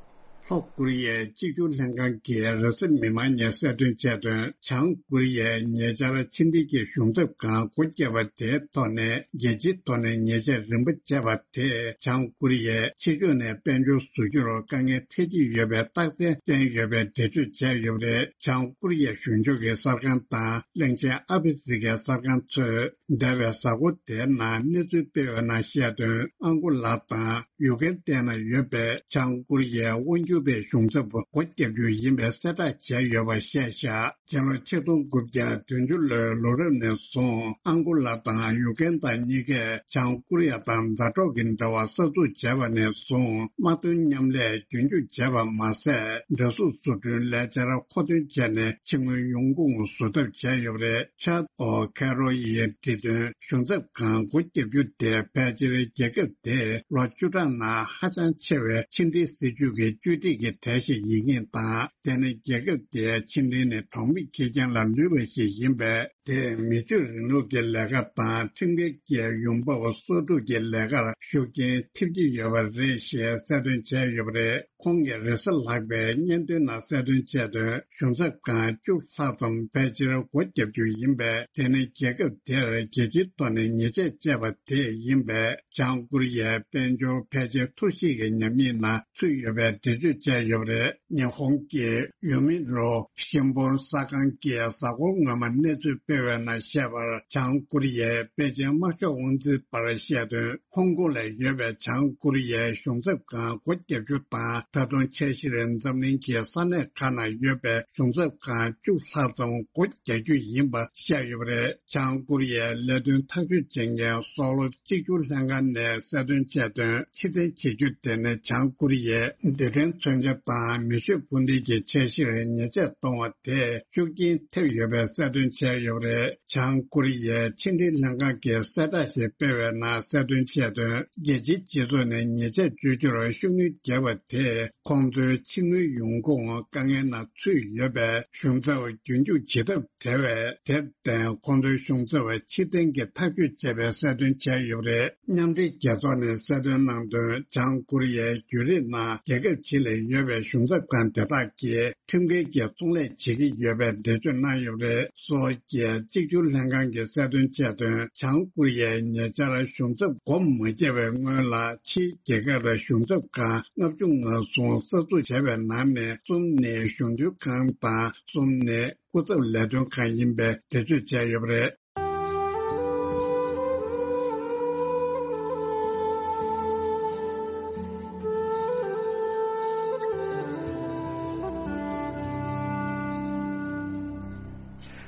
ལྷོ་ཀོ་རི་ཡའི་གཅིག་གྱུར་ལྷན་ཁང་གིས་རེས་གཟའ་མིག་དམར་ཉིན་གསལ་སྟོན་བྱས་དོན། བྱང་ཀོ་རི་ཡས་ཉེ་ཆར་ཕྱི་འབྲེལ་གྱི་གཞུང་ཚབ་ཁང་སྒོ་བརྒྱབ་པ་དེའི་ཐོག་ནས་རྒྱལ་སྤྱིའི་ཐོག་ནས་ཉེས་ཆད་རིམ་པ་བཅད་པ་དེས་བྱང་ཀོ་རི་ཡའི་ཕྱི་ཕྱོགས་ནས་དཔལ་འབྱོར་བཟོ་རྒྱུར་དཀའ་ངལ་འཕྲད་ཀྱི་ཡོད་པའི་རྟགས་མཚན་བསྟན་ཡོད་པའི་འགྲེལ་བརྗོད་བྱས་ཡོད་པ་རེད། བྱང་ཀོ་རི་ཡའི་གཞུང་ཕྱོགས་ཀྱི་གསར་ཁང་དང་གླེང་ཆེན་ཨ་ཧྥེ་རི་ཁའི་གསར་ཁང་ཚོས། འདས་པའི་གཟའ་འཁོར་དེའི་ནང་གནས་ཚུལ་སྤེལ་བའི་ནང་བཤད་དོན། ཨང་གོ་ལ་དང་ཡུ་གན་ཏན་ན་ཡོད་པའི་བྱང་ཀོ་རི་ཡའི་དབང་སྒྱུར་བའི་གཞུང་ཚབ་སྒོ་བརྒྱབ་རྒྱུ་ཡིན་པའི་གསལ་བསྒྲགས་བྱས་ཡོད་པ་བཤད་བཞག་རྒྱལ་ལོ་ཆིག་སྟོང་དགུ་བརྒྱ་བདུན་ཅུ་ལོའི་ལོ་རབས་ནས་བཟུང་ཨང་གོ་ལ་དང་ཡུ་གན་ཏན་གཉིས་ཀས་བྱང་ཀོ་རི་ཡ་དང་མཛའ་གྲོགས་ཀྱི་འབྲེལ་བ་གསར་འཛུགས་བྱས་པ་ནས་བཟུང་དམག་དོན་མཉམ་ལས་རྒྱུན་འཁྱོངས་བྱས་པ་མ་ཟད། འདྲ་གཟུགས་བཟོ་སྐྲུན་ལས་འཆར་མཁོ་འདོན་བྱས་ནས་ཕྱི་དངུལ་ཡོང་ཁུངས་བཟོ་ཐབས་བྱས་ཡོད་པ་རེད། ཆཱད་ཨོ་ཁེ་རོ་ཡིས་བྲིས་དོན། གཞུང་ཚབ་ཁང་སྒོ་བརྒྱབ་རྒྱུ་དེ་ཕལ་ཆེར་རྒྱལ་ཁབ་དེའི་ལོ་བཅུ་ཕྲག་ནང་ཧ་ཅང་ཆེ་བའི་ཕྱི་འབྲེལ་སྲིད་ཇུས་ཀྱི་བཅོས་སྒྲིག་གི་གྲས་ཤིག་ཡིན་མཁན་དང་། དེ་ནི་རྒྱལ་ཁབ་དེའི་ཕྱི་འབྲེལ་ནི་གྲོང་མི་ཁེར་རྐྱང་ལ་ལུས་པ་ཞིག་ཡིན་པས། དེས་མི་ཆོས་རིང་ལུགས་ཀྱི་ལས་ཀ་དང་ཁྲིམས་འགལ་གྱི་ཡོང་འབབ་གསོག་སྒྲུབ་ཀྱི་ལས་ཀར་ཤུགས་རྐྱེན་ཐེབས་ཀྱི་ཡོད་པ་རེད་ཞེས་གསལ་སྟོན་བྱས་ཡོད་པ་རེད། ཁོང་གིས་རེས་གཟའ་ལྷག་པའི་སྙན་ཐོའི་ནང་གསལ་སྟོན་བྱས་དོན། གཞུང་ཚབ་ཁང་བཅུ་ལྷག་ཙམ་ཕལ་ཆེར་སྒོ་བརྒྱབ་རྒྱུ་ཡིན་པས། དེ་ནི་རྒྱལ་ཁབ་དེར་རྒྱལ་སྤྱིའི་ཐོག་ནས་ཉེས་ཆད་བཅད་པ་དེ་ཡིན་པས། བྱང་ཀོ་རི་ཡའི་དཔལ་འབྱོར་ཕལ་ཆེར་འཐོར་བཤིག་གི་ཉམས་ཉེས་ནང་ཚུད་ཡོད་པའི་འགྲེལ་བརྗོད་བྱས་ཡོད་པ་རེད། ཉི་ཧོང་གི་ཡུ་མི་རོ་ཤིན་པོན་གསར་ཁང་གིས་གཟའ་འཁོར་སྔོན་མ་གནས་ཚུལ་སྤེལ་བའི་ནང་བཤད་པར། བྱང་ཀོ་རི་ཡའི་པེ་ཅིན་དམག་ཤོག་དབང་འཛིན་པར་བཤད་དོན། ཧོང་ཀོང་ལ་ཡོད་པའི་བྱང་ཀོ་རི་ཡའི་གཞུང་ཚབ་ཁང་སྒོ་བརྒྱབ་རྒྱུ་དང་། ད་དུང་འཆར་གཞིར་འཛམ་གླིང་གི་ས་གནས་ཁག་ནང་ཡོད་པའི་གཞུང་ཚབ་ཁང་བཅུ་ལྷག་ཙམ་སྒོ་རྒྱག་རྒྱུ་ཡིན་པ་བཤད་ཡོད་པ་རེད། བྱང་ཀོ་རི་ཡའི་ལས་དོན་ཐག་གཅོད་བྱེད་མཁན་སོག་ལོ་གཅིག་གྱུར་ལྷན་ཁང་ནས་གསལ་སྟོན་བྱས་དོན། ཕྱིར་འཐེན་བྱེད་རྒྱུ་དེ་ནི་བྱང་ཀོ་རི་ཡའི་རྡུལ་ཕྲན་མཚོན་ཆ་དང་མེ་ཤུགས་འཕུར་མདེལ་གྱི་འཆར་གཞིར་ཉེས་ཆད་གཏོང་བ་དེས་ཤུགས་རྐྱེན་ཐེབས་ཡོད་པའི་གསལ་སྟོན་བྱས་ཡོད་པ་རེད། བྱང་ཀོ་རི་ཡའི་ཕྱི་འབྲེལ་ལྷན་ཁང་གིས་གསལ་བསྒྲགས་ཤིག་སྤེལ་བའི་ནང་གསལ་སྟོན་བྱས་དོན། རྒྱལ་སྤྱིའི་སྤྱི་ཚོགས་ནས་ཉེས་ཆད་གཅོད་རྒྱུར་ཤུགས་སྣོན་བརྒྱབ་པ་དེས་ཁོང་ཚོའི་ཕྱི་དངུལ་ཡོང་ཁུངས་དཀའ་ངལ་ནང་ཚུད་ཡོད་པས། གཞུང་ཚབ་རྒྱུན་འཁྱོངས་བྱེད་ཐབས་བྲལ་བས། དེར་བརྟེན་ཁོང་ཚོའི་གཞུང་ཚབ་ཕྱིར་འཐེན་གྱི་ཐག་གཅོད་བྱས་པའི་གསལ་སྟོན་བྱས་ཡོད་པ་རེད། མཉམ་འབྲེལ་རྒྱལ་ཚོགས་ནས་གསལ་སྟོན་གནང་དོན། བྱང་ཀོ་རི་ཡའི་བརྒྱུད་རིམ་ནང་རྒྱལ་ཁབ་ཕྱི་ལ་ཡོད་པའི་གཞུང་ཚབ་ཁང་དེ་དག་གིས་ཁྲིམས་འགལ་གྱི་ཚོང་ལས་བྱེད་ཀྱི་ཡོད་པའི་འགྲེལ་བརྗོད་གནང་ཡོད་པ་རེད། སོལ་གྱི་གཅིག་གྱུར་ལྷན་ཁང་གིས་གསལ་སྟོན་བྱས་དོན། བྱང་ཀོ་རི་ཡས་ཉེ་ཆར་གཞུང་ཚབ་སྒོ་མ་བརྒྱབ་པའི་སྔོན་ལ་ཕྱིའི་རྒྱལ་ཁབ་ལ་གཞུང་ཚབ་ཁང་ལྔ་བཅུ་ང་གསུམ་གསར་འཛུགས་བྱས་པའི་ནང་ནས་གསུམ་ནི་གཞུང་དོན་ཁང་དང་གསུམ་ནི་སྐུ་ཚབ་ལས་དོན་ཁང་ཡིན་པའི་འགྲེལ་བརྗོད་བྱས་ཡོད་པ་རེད།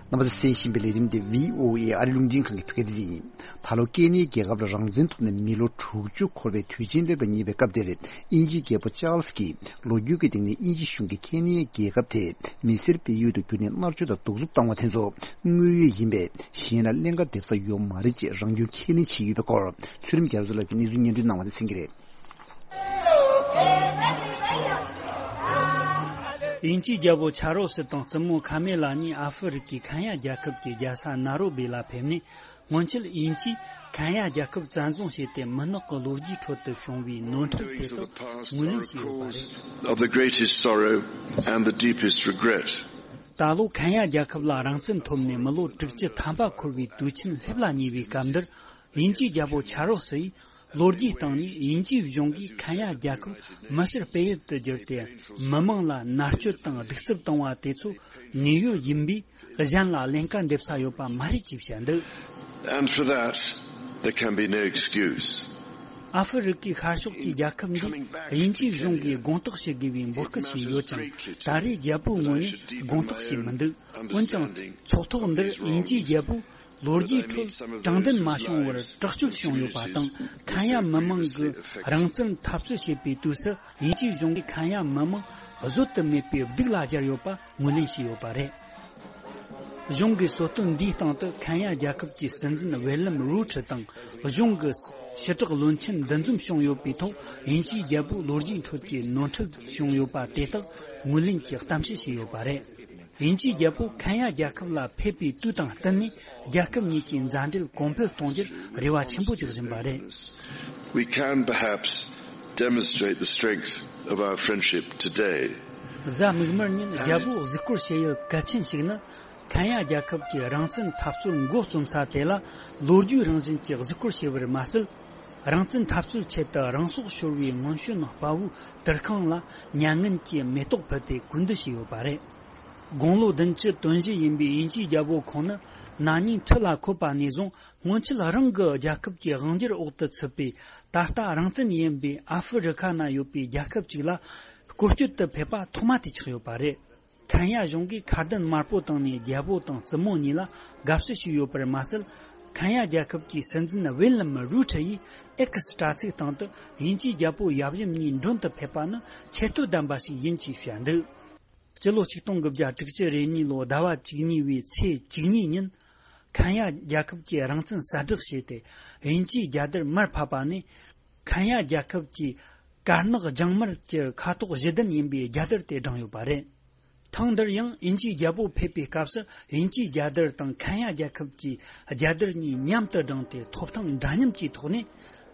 རྣམ་པ་ཚོས་གསན་བཞིན་པའི་ལས་རིམ་དེ་བྷི་ཨོ་ཨེ་ཨ་རི་རླུང་འཕྲིན་ཁང་གི་བོད་སྐད་སྡེ་ཚན་ཡིན། ད་ལོ་ཀེ་ནི་ཡའི་རྒྱལ་ཁབ་ལ་རང་བཙན་ཐོབ་ནས་མི་ལོ་དྲུག་ཅུ་འཁོར་བའི་དུས་ཆེན་སླེབས་ལ་ཉེ་བའི་སྐབས་འདིར། དབྱིན་ཇིའི་རྒྱལ་པོ་ཅཱལ་སི་ཀྱིས་ལོ་རྒྱུས་ཀྱི་སྟེང་ནས་དབྱིན་ཇི་གཞུང་གིས་ཀེ་ནི་ཡའི་རྒྱལ་ཁབ་དེ་མི་སེར་སྤེལ་ཡུལ་དུ་བསྒྱུར་ནས་མནར་གཅོད་དང་གདུག་རྩུབ་བཏང་བ་དེ་ཚོ་དངོས་ཡོད་ཡིན་པས། གཞན་ལ་ཀླན་ཀ་འདེབས་ས་ཡོད་མ་རེད་ཅེས་རང་སྐྱོན་ཁས་ལེན་བྱས་ཡོད་པའི་སྐོར། ཚུལ་ཁྲིམས་རྒྱ་མཚོ་ལགས་ཀྱིས་གནས་ཚུལ་སྙན་སྒྲོན་གནང་བ་དེ་གསན་གྱི་རེད། དབྱིན་ཇིའི་རྒྱལ་པོ་ཆཱ་རོ་སི་དང་བཙུན་མོ་ཁ་མེ་ལ་གཉིས་ཨ་ཧྥེ་རི་ཁའི་ཁེན་ཡ་རྒྱལ་ཁབ་ཀྱི་རྒྱལ་ས་ནཱ་རོ་བི་ལ་ཕེབས་ནས། སྔོན་ཆད་དབྱིན་ཇིས་ཁེན་ཡ་རྒྱལ་ཁབ་བཙན་བཟུང་བྱས་ཏེ། མི་ནག་གི་ལོ་རྒྱུས་ཁྲོད་དུ་བྱུང་བའི་ནོར་འཁྲུལ་དེ་དག་ངོས་ལེན་བྱས་ཡོད་པ་རེད། Of the greatest sorrow and the deepest regret. ད་ལོ་ཁེན་ཡ་རྒྱལ་ཁབ་ལ་རང་བཙན་ཐོབ་ནས་མི་ལོ་དྲུག་ཅུ་ཐམ་པ་འཁོར་བའི་དུས་ཆེན་སླེབས་ལ་ཉེ་བའི་སྐབས་འདིར། དབྱིན་ཇིའི་རྒྱལ་པོ་ཆཱ་རོ་སི་ཡིས་ལོ་རྒྱུས་སྟེང་ནས་དབྱིན་ཇིའི་གཞུང་གིས་ཁེན་ཡ་རྒྱལ་ཁབ་མི་སེར་སྤེལ་ཡུལ་དུ་བསྒྱུར་ཏེ། མི་མང་ལ་མནར་གཅོད་དང་གདུག་རྩུབ་བཏང་བ་དེ་ཚོ་དངོས་ཡོད་ཡིན་པས། གཞན་ལ་ཀླན་ཀ་འདེབས་ས་ཡོད་པ་མ་རེད་ཅེས་བཤད་འདུག And for that, there can be no excuse. ཨ་ཧྥེ་རི་ཁའི་ཤར་ཕྱོགས་ཀྱི་རྒྱལ་ཁབ་འདིས་དབྱིན་ཇིའི་གཞུང་གིས་དགོངས་དག་བྱེད་དགོས་པའི་འབོད་སྐུལ་བྱས་ཡོད་ཀྱང་། ད་རེས་རྒྱལ་པོའི་ངོས་ནས་དགོངས་དག་བྱས་མི་འདུག་འོན་ཀྱང་། ཚོགས་ཐོག་འདིར་དབྱིན་ཇིའི་རྒྱལ་པོས་ལོ་རྒྱུས་ཁྲོད་དྲང་བདེན་མ་བྱུང་བར་དྲག་སྤྱོད་བྱུང་ཡོད་པ་དང་། ཁེན་ཡ་མི་མང་གིས་རང་བཙན་འཐབ་རྩོད་བྱེད་པའི་དུས་སུ། དབྱིན་ཇིའི་གཞུང་གིས་ཁེན་ཡ་མི་མང་བཟོད་དུ་མེད་པའི་སྡུག་ལ་སྦྱར་ཡོད་པ་ངོས་ལེན་བྱས་ཡོད་པ་རེད། གཞུང་གི་གསོལ་སྟོན་འདིའི་སྟེང་དུ་ཁེན་ཡ་རྒྱལ་ཁབ་ཀྱི་སྲིད་འཛིན་ཝེ་ལམ་རུའུ་ཁྲི་དང་། གཞུང་གི་ཕྱི་དྲག་བློན་ཆེན་འདུ་འཛོམས་བྱུང་ཡོད་པའི་ཐོག། དབྱིན་ཇིའི་རྒྱལ་པོའི་ལོ་རྒྱུས་ཁྲོད་ཀྱི་ནོར་འཁྲུལ་བྱུང་ཡོད་པ་དེ་དག་ངོས་ལེན་གྱིས་གཏམ་བཤད་བྱས་ཡོད་པ་རེད། དབྱིན་ཇིའི་རྒྱལ་པོ་ཁེན་ཡ་རྒྱལ་ཁབ་ལ་ཕེབས་པའི་དུས་དང་བསྟུན་ནས། རྒྱལ་ཁབ་གཉིས་ཀྱི་མཛའ་འབྲེལ་གོང་འཕེལ་གཏོང་རྒྱུར་རེ་བ་ཆེན་པོ་རྒྱག་བཞིན་པ་རེད། We can perhaps demonstrate the strength of our friendship today. གཟའ་མིག་དམར་ཉིན་རྒྱལ་པོས་གཟིགས་སྐོར་བྱེད་ཡུལ་གལ་ཆེན་ཞིག་ནི། ཁེན་ཡ་རྒྱལ་ཁབ་ཀྱི་རང་བཙན་འཐབ་རྩོད་འགོ་རྩོམ་ས་དེ་ལ་ལོ་རྒྱུས་རང་བཞིན་གྱི་གཟིགས་སྐོར་བྱེད་པར་མ་ཟད། རང་བཙན་འཐབ་རྩོད་ཆེད་དུ་རང་སྲོག་ཤོར་བའི་སྔོན་བྱོན་དཔའ་བོའི་དུར་ཁང་ལ་མྱ་ངན་གྱི་མེ་ཏོག་ཕུལ་ཏེ་གུས་འདུད་བྱས་ཡོད་པ་རེད། དགུང་ལོ་བདུན་ཅུ་དོན་བཞི་ཡིན་པའི་དབྱིན་ཇིའི་རྒྱལ་པོ་ཁོང་ནི། ན་ནིང་ཁྲི་ལ་འཁོད་པ་ནས་བཟུང་། སྔོན་ཆད་རང་གི་རྒྱལ་ཁབ་ཀྱི་དབང་སྒྱུར་འོག་ཏུ་ཚུད་པའི། ད་ལྟ་རང་བཙན་ཡིན་པའི་ཨ་ཧྥེ་རི་ཁ་ན་ཡོད་པའི་རྒྱལ་ཁབ་ཅིག་ལ་སྐོར་སྐྱོད་དུ་ཕེབས་པ་ཐོག་མ་དེ་ཆགས་ཡོད་པ་རེད། ཁེན་ཡ་གཞུང་གིས་ཁ་དན་དམར་པོ་བཏང་ནས་རྒྱལ་པོ་དང་བཙུན་མོ་གཉིས་ལ་དགའ་བསུ་ཞུས་ཡོད་པར་མ་ཟད། ཁེན་ཡ་རྒྱལ་ཁབ་ཀྱི་སྲིད་འཛིན་ཝེ་ལམ་རུའུ་ཁྲི་ཡིས་ཨེག་སི་དྲ་ཚིགས་སྟེང་དུ། དབྱིན་ཇིའི་རྒྱལ་པོ་ཡབ་ཡུམ་གཉིས་མགྲོན་དུ་ཕེབས་པ་ནི་ཆེ་བསྟོད་ལྡན་པ་ཞིག་ཡིན་ཅེས་བཤད་འདུག་སྤྱི་ལོ་ཆིག་སྟོང་དགུ་བརྒྱ་དྲུག་ཅུ་རེ་གཉིས་ལོའི་ཟླ་བ་བཅུ་གཉིས་པའི་ཚེས་བཅུ་གཉིས་ཉིན། ཁེན་ཡ་རྒྱལ་ཁབ་ཀྱི་རང་བཙན་གསལ་བསྒྲགས་བྱས་ཏེ། དབྱིན་ཇིའི་རྒྱལ་དར་མར་ཕབ་པ་ནས། ཁེན་ཡ་རྒྱལ་ཁབ་ཀྱི་དཀར་ནག་ལྗང་དམར་གྱི་ཁ་དོག་བཞི་ལྡན་ཡིན་པའི་རྒྱལ་དར་དེ་བསྒྲེངས་ཡོད་པ་རེད། ཐེངས་འདིར་ཡང་དབྱིན་ཇིའི་རྒྱལ་པོ་ཕེབས་པའི་སྐབས་སུ། དབྱིན་ཇིའི་རྒྱལ་དར་དང་ཁེན་ཡ་རྒྱལ་ཁབ་ཀྱི་རྒྱལ་དར་གཉིས་མཉམ་དུ་བསྒྲེངས་ཏེ། ཐོབ་ཐང་འདྲ་མཉམ་གྱི་ཐོག་ནས།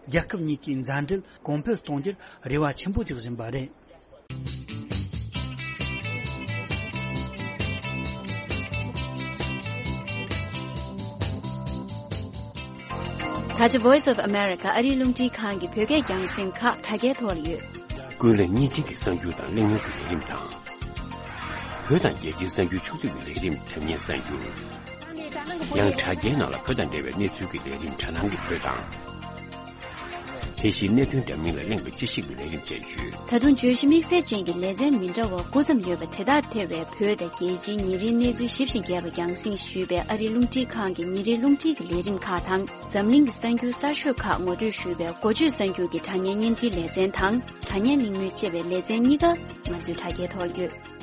རྒྱལ་ཁབ་གཉིས་ཀྱི་མཛའ་འབྲེལ་གོང་འཕེལ་གཏོང་རྒྱུར་རེ་བ་ཆེན་པོ་རྒྱག་བཞིན་པ་རེད། ད་ཆ་Voice of America ཨ་རིའི་རླུང་འཕྲིན་ཁང་གི་བོད་སྐད་རྒྱང་སྲིང་ཁག་དྲ་རྒྱའི་ཐོག་ལ་ཡོད། ཀུན་གླེང་བརྙན་འཕྲིན་གྱི་གསར་འགྱུར་དང་གླེང་མོལ་གྱི་ལས་རིམ་དང་། བོད་དང་རྒྱལ་སྤྱིའི་གསར་འགྱུར་ཕྱོགས་བསྡུས་ཀྱི་ལས་རིམ། དྲ་བརྙན་གསར་འགྱུར། ཡང་དྲ་རྒྱའི་ནང་ལ་བོད་དང་འབྲེལ་བའི་གནས་ཚུལ་གྱི་ལས་རིམ་དྲ་སྣང་གི་བོད་དང་། དེ་བཞིན་གནད་དོན་འདྲ་མིན་ལ་གླེང་བའི་དཔྱད་ཞིབ་ཀྱི་ལས་རིམ་བཅས་ཡོད། ད་དུང་བརྗོད་གཞི་དམིགས་བསལ་ཅན་གྱི་ལེ་ཚན་མི་འདྲ་བ་དགུ་ཙམ་ཡོད་པ་དེ་དག་ཐེ་བའི་བོད་དང་རྒྱལ་སྤྱིའི་ཉིན་རེའི་གནས་ཚུལ་ཞིབ་ཅིང་རྒྱས་པ་རྒྱང་སྲིང་ཞུས་པའི་ཨ་རིའི་རླུང་འཕྲིན་ཁང་གི་ཉིན་རེའི་རླུང་འཕྲིན་གྱི་ལས་རིམ་ཁག་དང་། འཛམ་གླིང་གི་གསར་འགྱུར་གསར་ཤོས་ཁག་ངོ་སྤྲོད་ཞུས་པའི་འགོ་བརྗོད་གསར་འགྱུར་གྱི་དྲ་བརྙན་བརྙན་འཕྲིན་ལེ་ཚན་དང་། དྲ་བརྙན་གླེང་མོལ་ཅེས་པའི་ལེ་ཚན་གཉིས་ཀ་ང་ཚོའི་དྲ་རྒྱའི་ཐོག་ཡོད།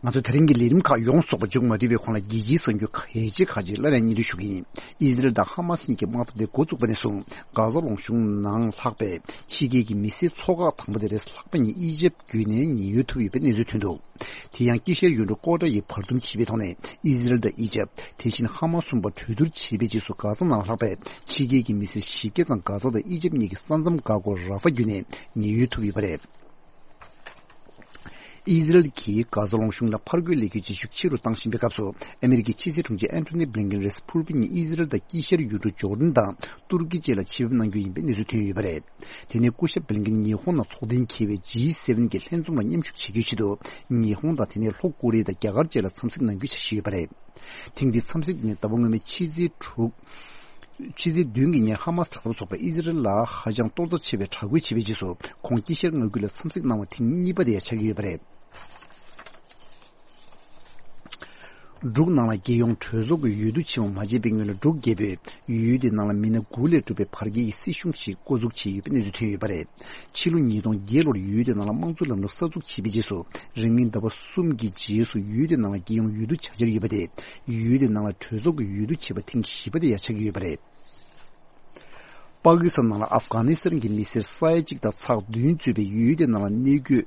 ང་ཚོ་དེ་རིང་གི་ལས་རིམ་ཁག་ཡོངས་རྫོགས་པ་མཇུག་མ་སྒྲིལ་བའི་གོང་ལ། རྒྱལ་སྤྱིའི་གསར་འགྱུར་གལ་ཆེ་ཁག་ཅིག་སླར་ཡང་སྙན་སྒྲོན་ཞུ་གི་ཡིན། ཨི་ཟི་རལ་དང་ཧ་མ་སི་གཉིས་ཀྱི་དམག་འཐབ་དེ་འགོ་བཙུགས་པ་ནས་བཟུང་། གྷ་ཟ་ལུང་གཤོང་ནང་ལྷགས་པའི་ཕྱི་རྒྱལ་གྱི་མི་སེར་ཚོ་ཁག་དང་པོ་དེ་རེས་ལྷག་པ་ཉིད་ཨི་ཇེབ་བརྒྱུད་ནས་ཉེན་གཡོལ་ཐུབ་ཡོད་པའི་གནས་ཚུལ་ཐོན་འདུག་དེ་ཡང་དཀྱིལ་ཤར་ཡུལ་གྲུ་ཀོ་ཏྲ་ཡི་བར་འདུམ་བྱས་པའི་ཐོག་ནས། ཨི་ཟི་རལ་དང་ཨི་ཇེབ། དེ་བཞིན་ཧ་མ་སི་གསུམ་པོ་གྲོས་བསྡུར་བྱས་པའི་རྗེས་སུ། གྷ་ཟ་ནང་ལྷགས་པའི་ཕྱི་རྒྱལ་གྱི་མི་སེར་བཞི་བརྒྱ་ཙམ་གྷ་ཟ་དང་ཨི་ཇེབ་གཉིས་ཀྱི་ས་མཚམས་འགག་སྒོ་ར་ཧྥ་བརྒྱུད་ནས་ཉེན་གཡོལ་ཐུབ་ཡོད་པ་རེད། ཨི་ཟི་རལ་གྱིས་གྷ་ཟ་ལུང་གཤོང་ལ་ཕར་རྒོལ་ལས་འགུལ་བྱེད་ཤུགས་ཆེ་རུ་བཏང་བཞིན་པའི་སྐབས་སུ། ཨ་མེ་རི་ཀའི་ཕྱི་སྲིད་དྲུང་ཆེ་ཨན་ཐོ་ནི་བྷི་ལིན་ཀེན་རེས་ཕུར་བུ་ཉིན་ཨི་ཟི་རལ་དང་དཀྱིལ་ཤར་ཡུལ་གྲུ་ཇོར་ཌན་དང་ཏུར་ཀི་བཅས་ལ་ཆེད་ཕེབས་གནང་རྒྱུ་ཡིན་པའི་གནས་ཚུལ་ཐོན་ཡོད་པ་རེད། དེ་ནས་སྐུ་ཞབས་བྷི་ལིན་ཀེན་ཉི་ཧོང་ནང་ཚོགས་གཏན་འཁེལ་བའི་ཇི་སེ་ཝེན་གྱི་ལྷན་འཛོམས་ལ་མཉམ་ཞུགས་བྱེད་རྒྱུའི་ཆེད་དུ། ཉི་ཧོང་དང་དེ་ནས་ལྷོ་ཀོ་རི་ཡ་དང་རྒྱ་གར་བཅས་ལ་འཚམས་གཟིགས་གནང་རྒྱུའི་འཆར་གཞི་ཡོད་པ་རེད། ཐེངས་འདིའི་འཚམས་གཟིགས་ནི་ཟླ་བ་སྔོན་མའི་ཕྱི་ཚེས་དྲུག་ཕྱི་ཚེས་བདུན་གྱི་ཉིན་ཧ་མ་སི་དྲག་འཐབ་ཚོགས་པས་ཨི་ཟི་རལ་ལ་ཧ་ཅང་གཏོར་ཚབས་ཆེ་བའི་དྲག་རྒོལ་བྱས་པའི་རྗེས་སུ། ཁོང་དཀྱིལ་ཤར་མངའ་ཁུལ་ལ་འཚམས་གཟིགས་གནང་བ་ཐེངས་གཉིས་པ་དེ་ཡང་ཆགས་ཀྱི་ཡོད་པ་རེད། འབྲུག་ནང་ལ་རྒྱལ་ཡོངས་གྲོས་ཚོགས་ཀྱི་འོས་བསྡུ་ཆེན་མོ་མ་བྱས་པའི་སྔོན་ལ། འབྲུག་རྒྱལ་པོས་ཡུལ་དེའི་ནང་ལ་མི་སྣ་དགུ་ལས་གྲུབ་པའི་བར་བརྒལ་གྱི་སྲིད་གཞུང་ཞིག་བསྐོ་འཛུགས་བྱས་ཡོད་པའི་གནས་ཚུལ་ཐོན་ཡོད་པ་རེད། ཕྱི་ལོ་ཉིས་སྟོང་བརྒྱད་ལོར་ཡུལ་དེའི་ནང་ལ་དམངས་གཙོའི་ལམ་ལུགས་གསར་འཛུགས་བྱས་པའི་རྗེས་སུ། རིང་མིན་ཟླ་བ་གསུམ་གྱི་རྗེས་སུ་ཡུལ་དེའི་ནང་ལ་རྒྱལ་ཡོངས་འོས་བསྡུ་བྱ་འཆར་ཡོད་པ་དེ། ཡུལ་དེའི་ནང་ལ་གྲོས་ཚོགས་ཀྱི་འོས་བསྡུ་བྱས་པ་ཐེངས་བཞི་པ་དེ་ཡང་ཆགས་ཀྱི་ཡོད་པ་རེད། པ་ཀི་སི་ཐན་ནང་ལ་ཨབ་གྷ་ནི་སི་ཐན་གྱི་མི་སེར་ས་ཡ་གཅིག་དང་ཚེག་བདུན་གཙོས་པའི་ཡུལ་དེའི་ནང་ལ་གནས་འཁོད་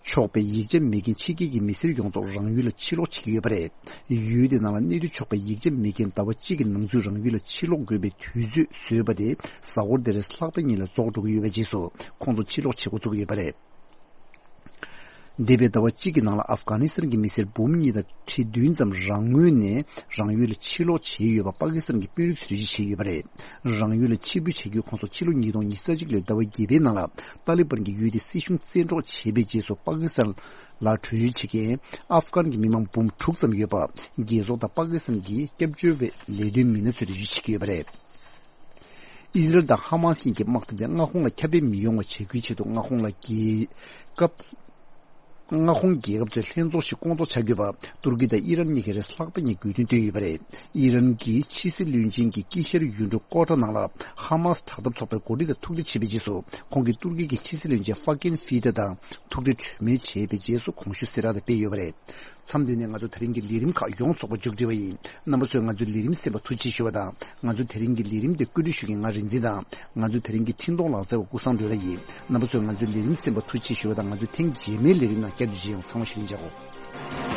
ཆོག་པའི་ཡིག་ཆ་མེད་མཁན་ཕྱི་རྒྱལ་གྱི་མི་སེར་ཡོངས་རྫོགས་རང་ཡུལ་ལ་ཕྱིར་ལོག་བྱེད་ཀྱི་ཡོད་པ་རེད། ཡུལ་དེའི་ནང་ལ་གནས་སྡོད་ཆོག་པའི་ཡིག་ཆ་མེད་མཁན་ཟླ་བ་གཅིག་གི་ནང་ཚུད་རང་ཡུལ་ལ་ཕྱིར་ལོག་དགོས་པའི་དུས་ཚོད་བཟོས་པ་དེ་གཟའ་འཁོར་འདིར་ལྷག་པའི་ཉིན་ལ་རྫོགས་འགྲོ་གི་ཡོད་པའི་རྗེས་སུ། ཁོང་ཚོ་ཕྱིར་ལོག་བྱེད་འགོ་བཙུགས་ཡོད་པ་རེད། འདས་པའི་ཟླ་བ་གཅིག་གི་ནང་ལ་ཨབ་གྷ་ནི་སི་ཐན་གྱི་མི་སེར་འབུམ་གཉིས་དང་ཁྲི་བདུན་ཙམ་རང་ངོས་ནས་རང་ཡུལ་ལ་ཕྱིར་ལོག་བྱས་ཡོད་པ་པ་ཀི་སི་ཐན་གྱི་དཔོན་རིགས་ཚོས་འགྲེལ་བརྗོད་བྱས་ཡོད་པ་རེད། རང་ཡུལ་ལ་ཕྱིར་འབུད་བྱ་རྒྱུའི་ཁོངས་སུ་ཕྱི་ལོ་ཉིས་སྟོང་ཉི་ཤུ་རྩ་གཅིག་ལོའི་ཟླ་བ་བརྒྱད་པའི་ནང་ལ་ཏཱ་ལི་བན་གྱི་ཡུལ་དེ་སྲིད་གཞུང་བཙན་འཕྲོག་བྱས་པའི་རྗེས་སུ་པ་ཀི་སི་ཐན་ལ་བྲོས་བྱོལ་བྱེད་མཁན་ཨབ་གྷན་གྱི་མི་མང་འབུམ་དྲུག་ཙམ་ཡོད་པ་རྒྱལ་ཚོགས་དང་པ་ཀི་སི་ཐན་གྱི་སྐྱབས་བཅོལ་བའི་ལས་དོན་མི་སྣ་ཚོས་འགྲེལ་བརྗོད་བྱེད་ཀྱི་ཡོད་པ་རེད། ཨི་ཟི་རལ་དང་ཧ་མ་སི་གཉིས་ཀྱི་དམག་འཐབ་དེ་མངའ་ཁོངས་ལ་ཁྱབ་སྤེལ་མི་ཡོང་བ་བྱ་རྒྱུའི་ཆེད་དུ་མངའ་ཁོངས་ལ་རྒྱལ་ཁབ་མངའ་ཁོངས་རྒྱལ་ཁབ་ཚོའི་ལྷན་ཚོགས་ཤིག་སྐོང་ཚོགས་བྱ་དགོས་པ་ཏུར་ཀི་དང་ཨི་རན་གཉིས་ཀས་རེས་ལྷག་པ་གཉིས་དགོས་འདུན་བཏོན་ཡོད་པ་རེད། ཨི་རན་གྱི་ཕྱི་སྲིད་བློན་ཆེན་གྱིས་དཀྱིལ་ཤར་ཡུལ་གྲུ་ཀོ་ཊ་ནང་ལ་ཧ་མ་སི་དྲག་འཐབ་ཚོགས་པའི་འགོ་ཁྲིད་དང་ཐུག་འཕྲད་བྱས་པའི་རྗེས་སུ་ཁོང་གིས་ཏུར་ཀི་གི་ཕྱི་སྲིད་བློན་ཆེན་ཧྥ་ཀིན་ཧྥི་ཏེ་དང་ཐུག་འཕྲད་གྲོས་མོལ་བྱས་པའི་རྗེས་སུ་གོང་ཞུས་གསལ་བསྒྲགས་དེ་སྤེལ་ཡོད་པ་རེད། མཚམས་འདི་ནས་ང་ཚོ་དེ་རིང་གི་ལས་རིམ་ཁག་ཡོངས་རྫོགས་པ་མཇུག་སྒྲིལ་བ་ཡིན། རྣམ་པ་ཚོས་ང་ཚོའི་ལས་རིམ་གསན་པར་ཐུགས་རྗེ་ཆེ་ཞུ་བ་དང་། ང་ཚོའི་དེ་རིང་གི་ལས་རིམ་དེ་བཀོད་སྒྲིག་ཞུ་མཁན་ང་རིག་འཛིན་དང་། ང་ཚོའི་དེ་རིང་གི་འཕྲིན་གཏོང་ལག་རྩལ་བ་ཀུན་བཟང་སྒྲོལ་ལགས་ཡིན། རྣམ་པ་ཚོས་ང་ཚོའི་ལས་རིམ་གསན་པར་ཐུགས་རྗེ་ཆེ་ཞུ་བ་དང་། ང་ཚོའི་ཐེངས་རྗེས་མའི་ལས་རིམ་ནང་བསྐྱར་དུ་མཇལ་ཡོང་། ཚང་མ་བཞུགས་རིན་ཆེ་གོ།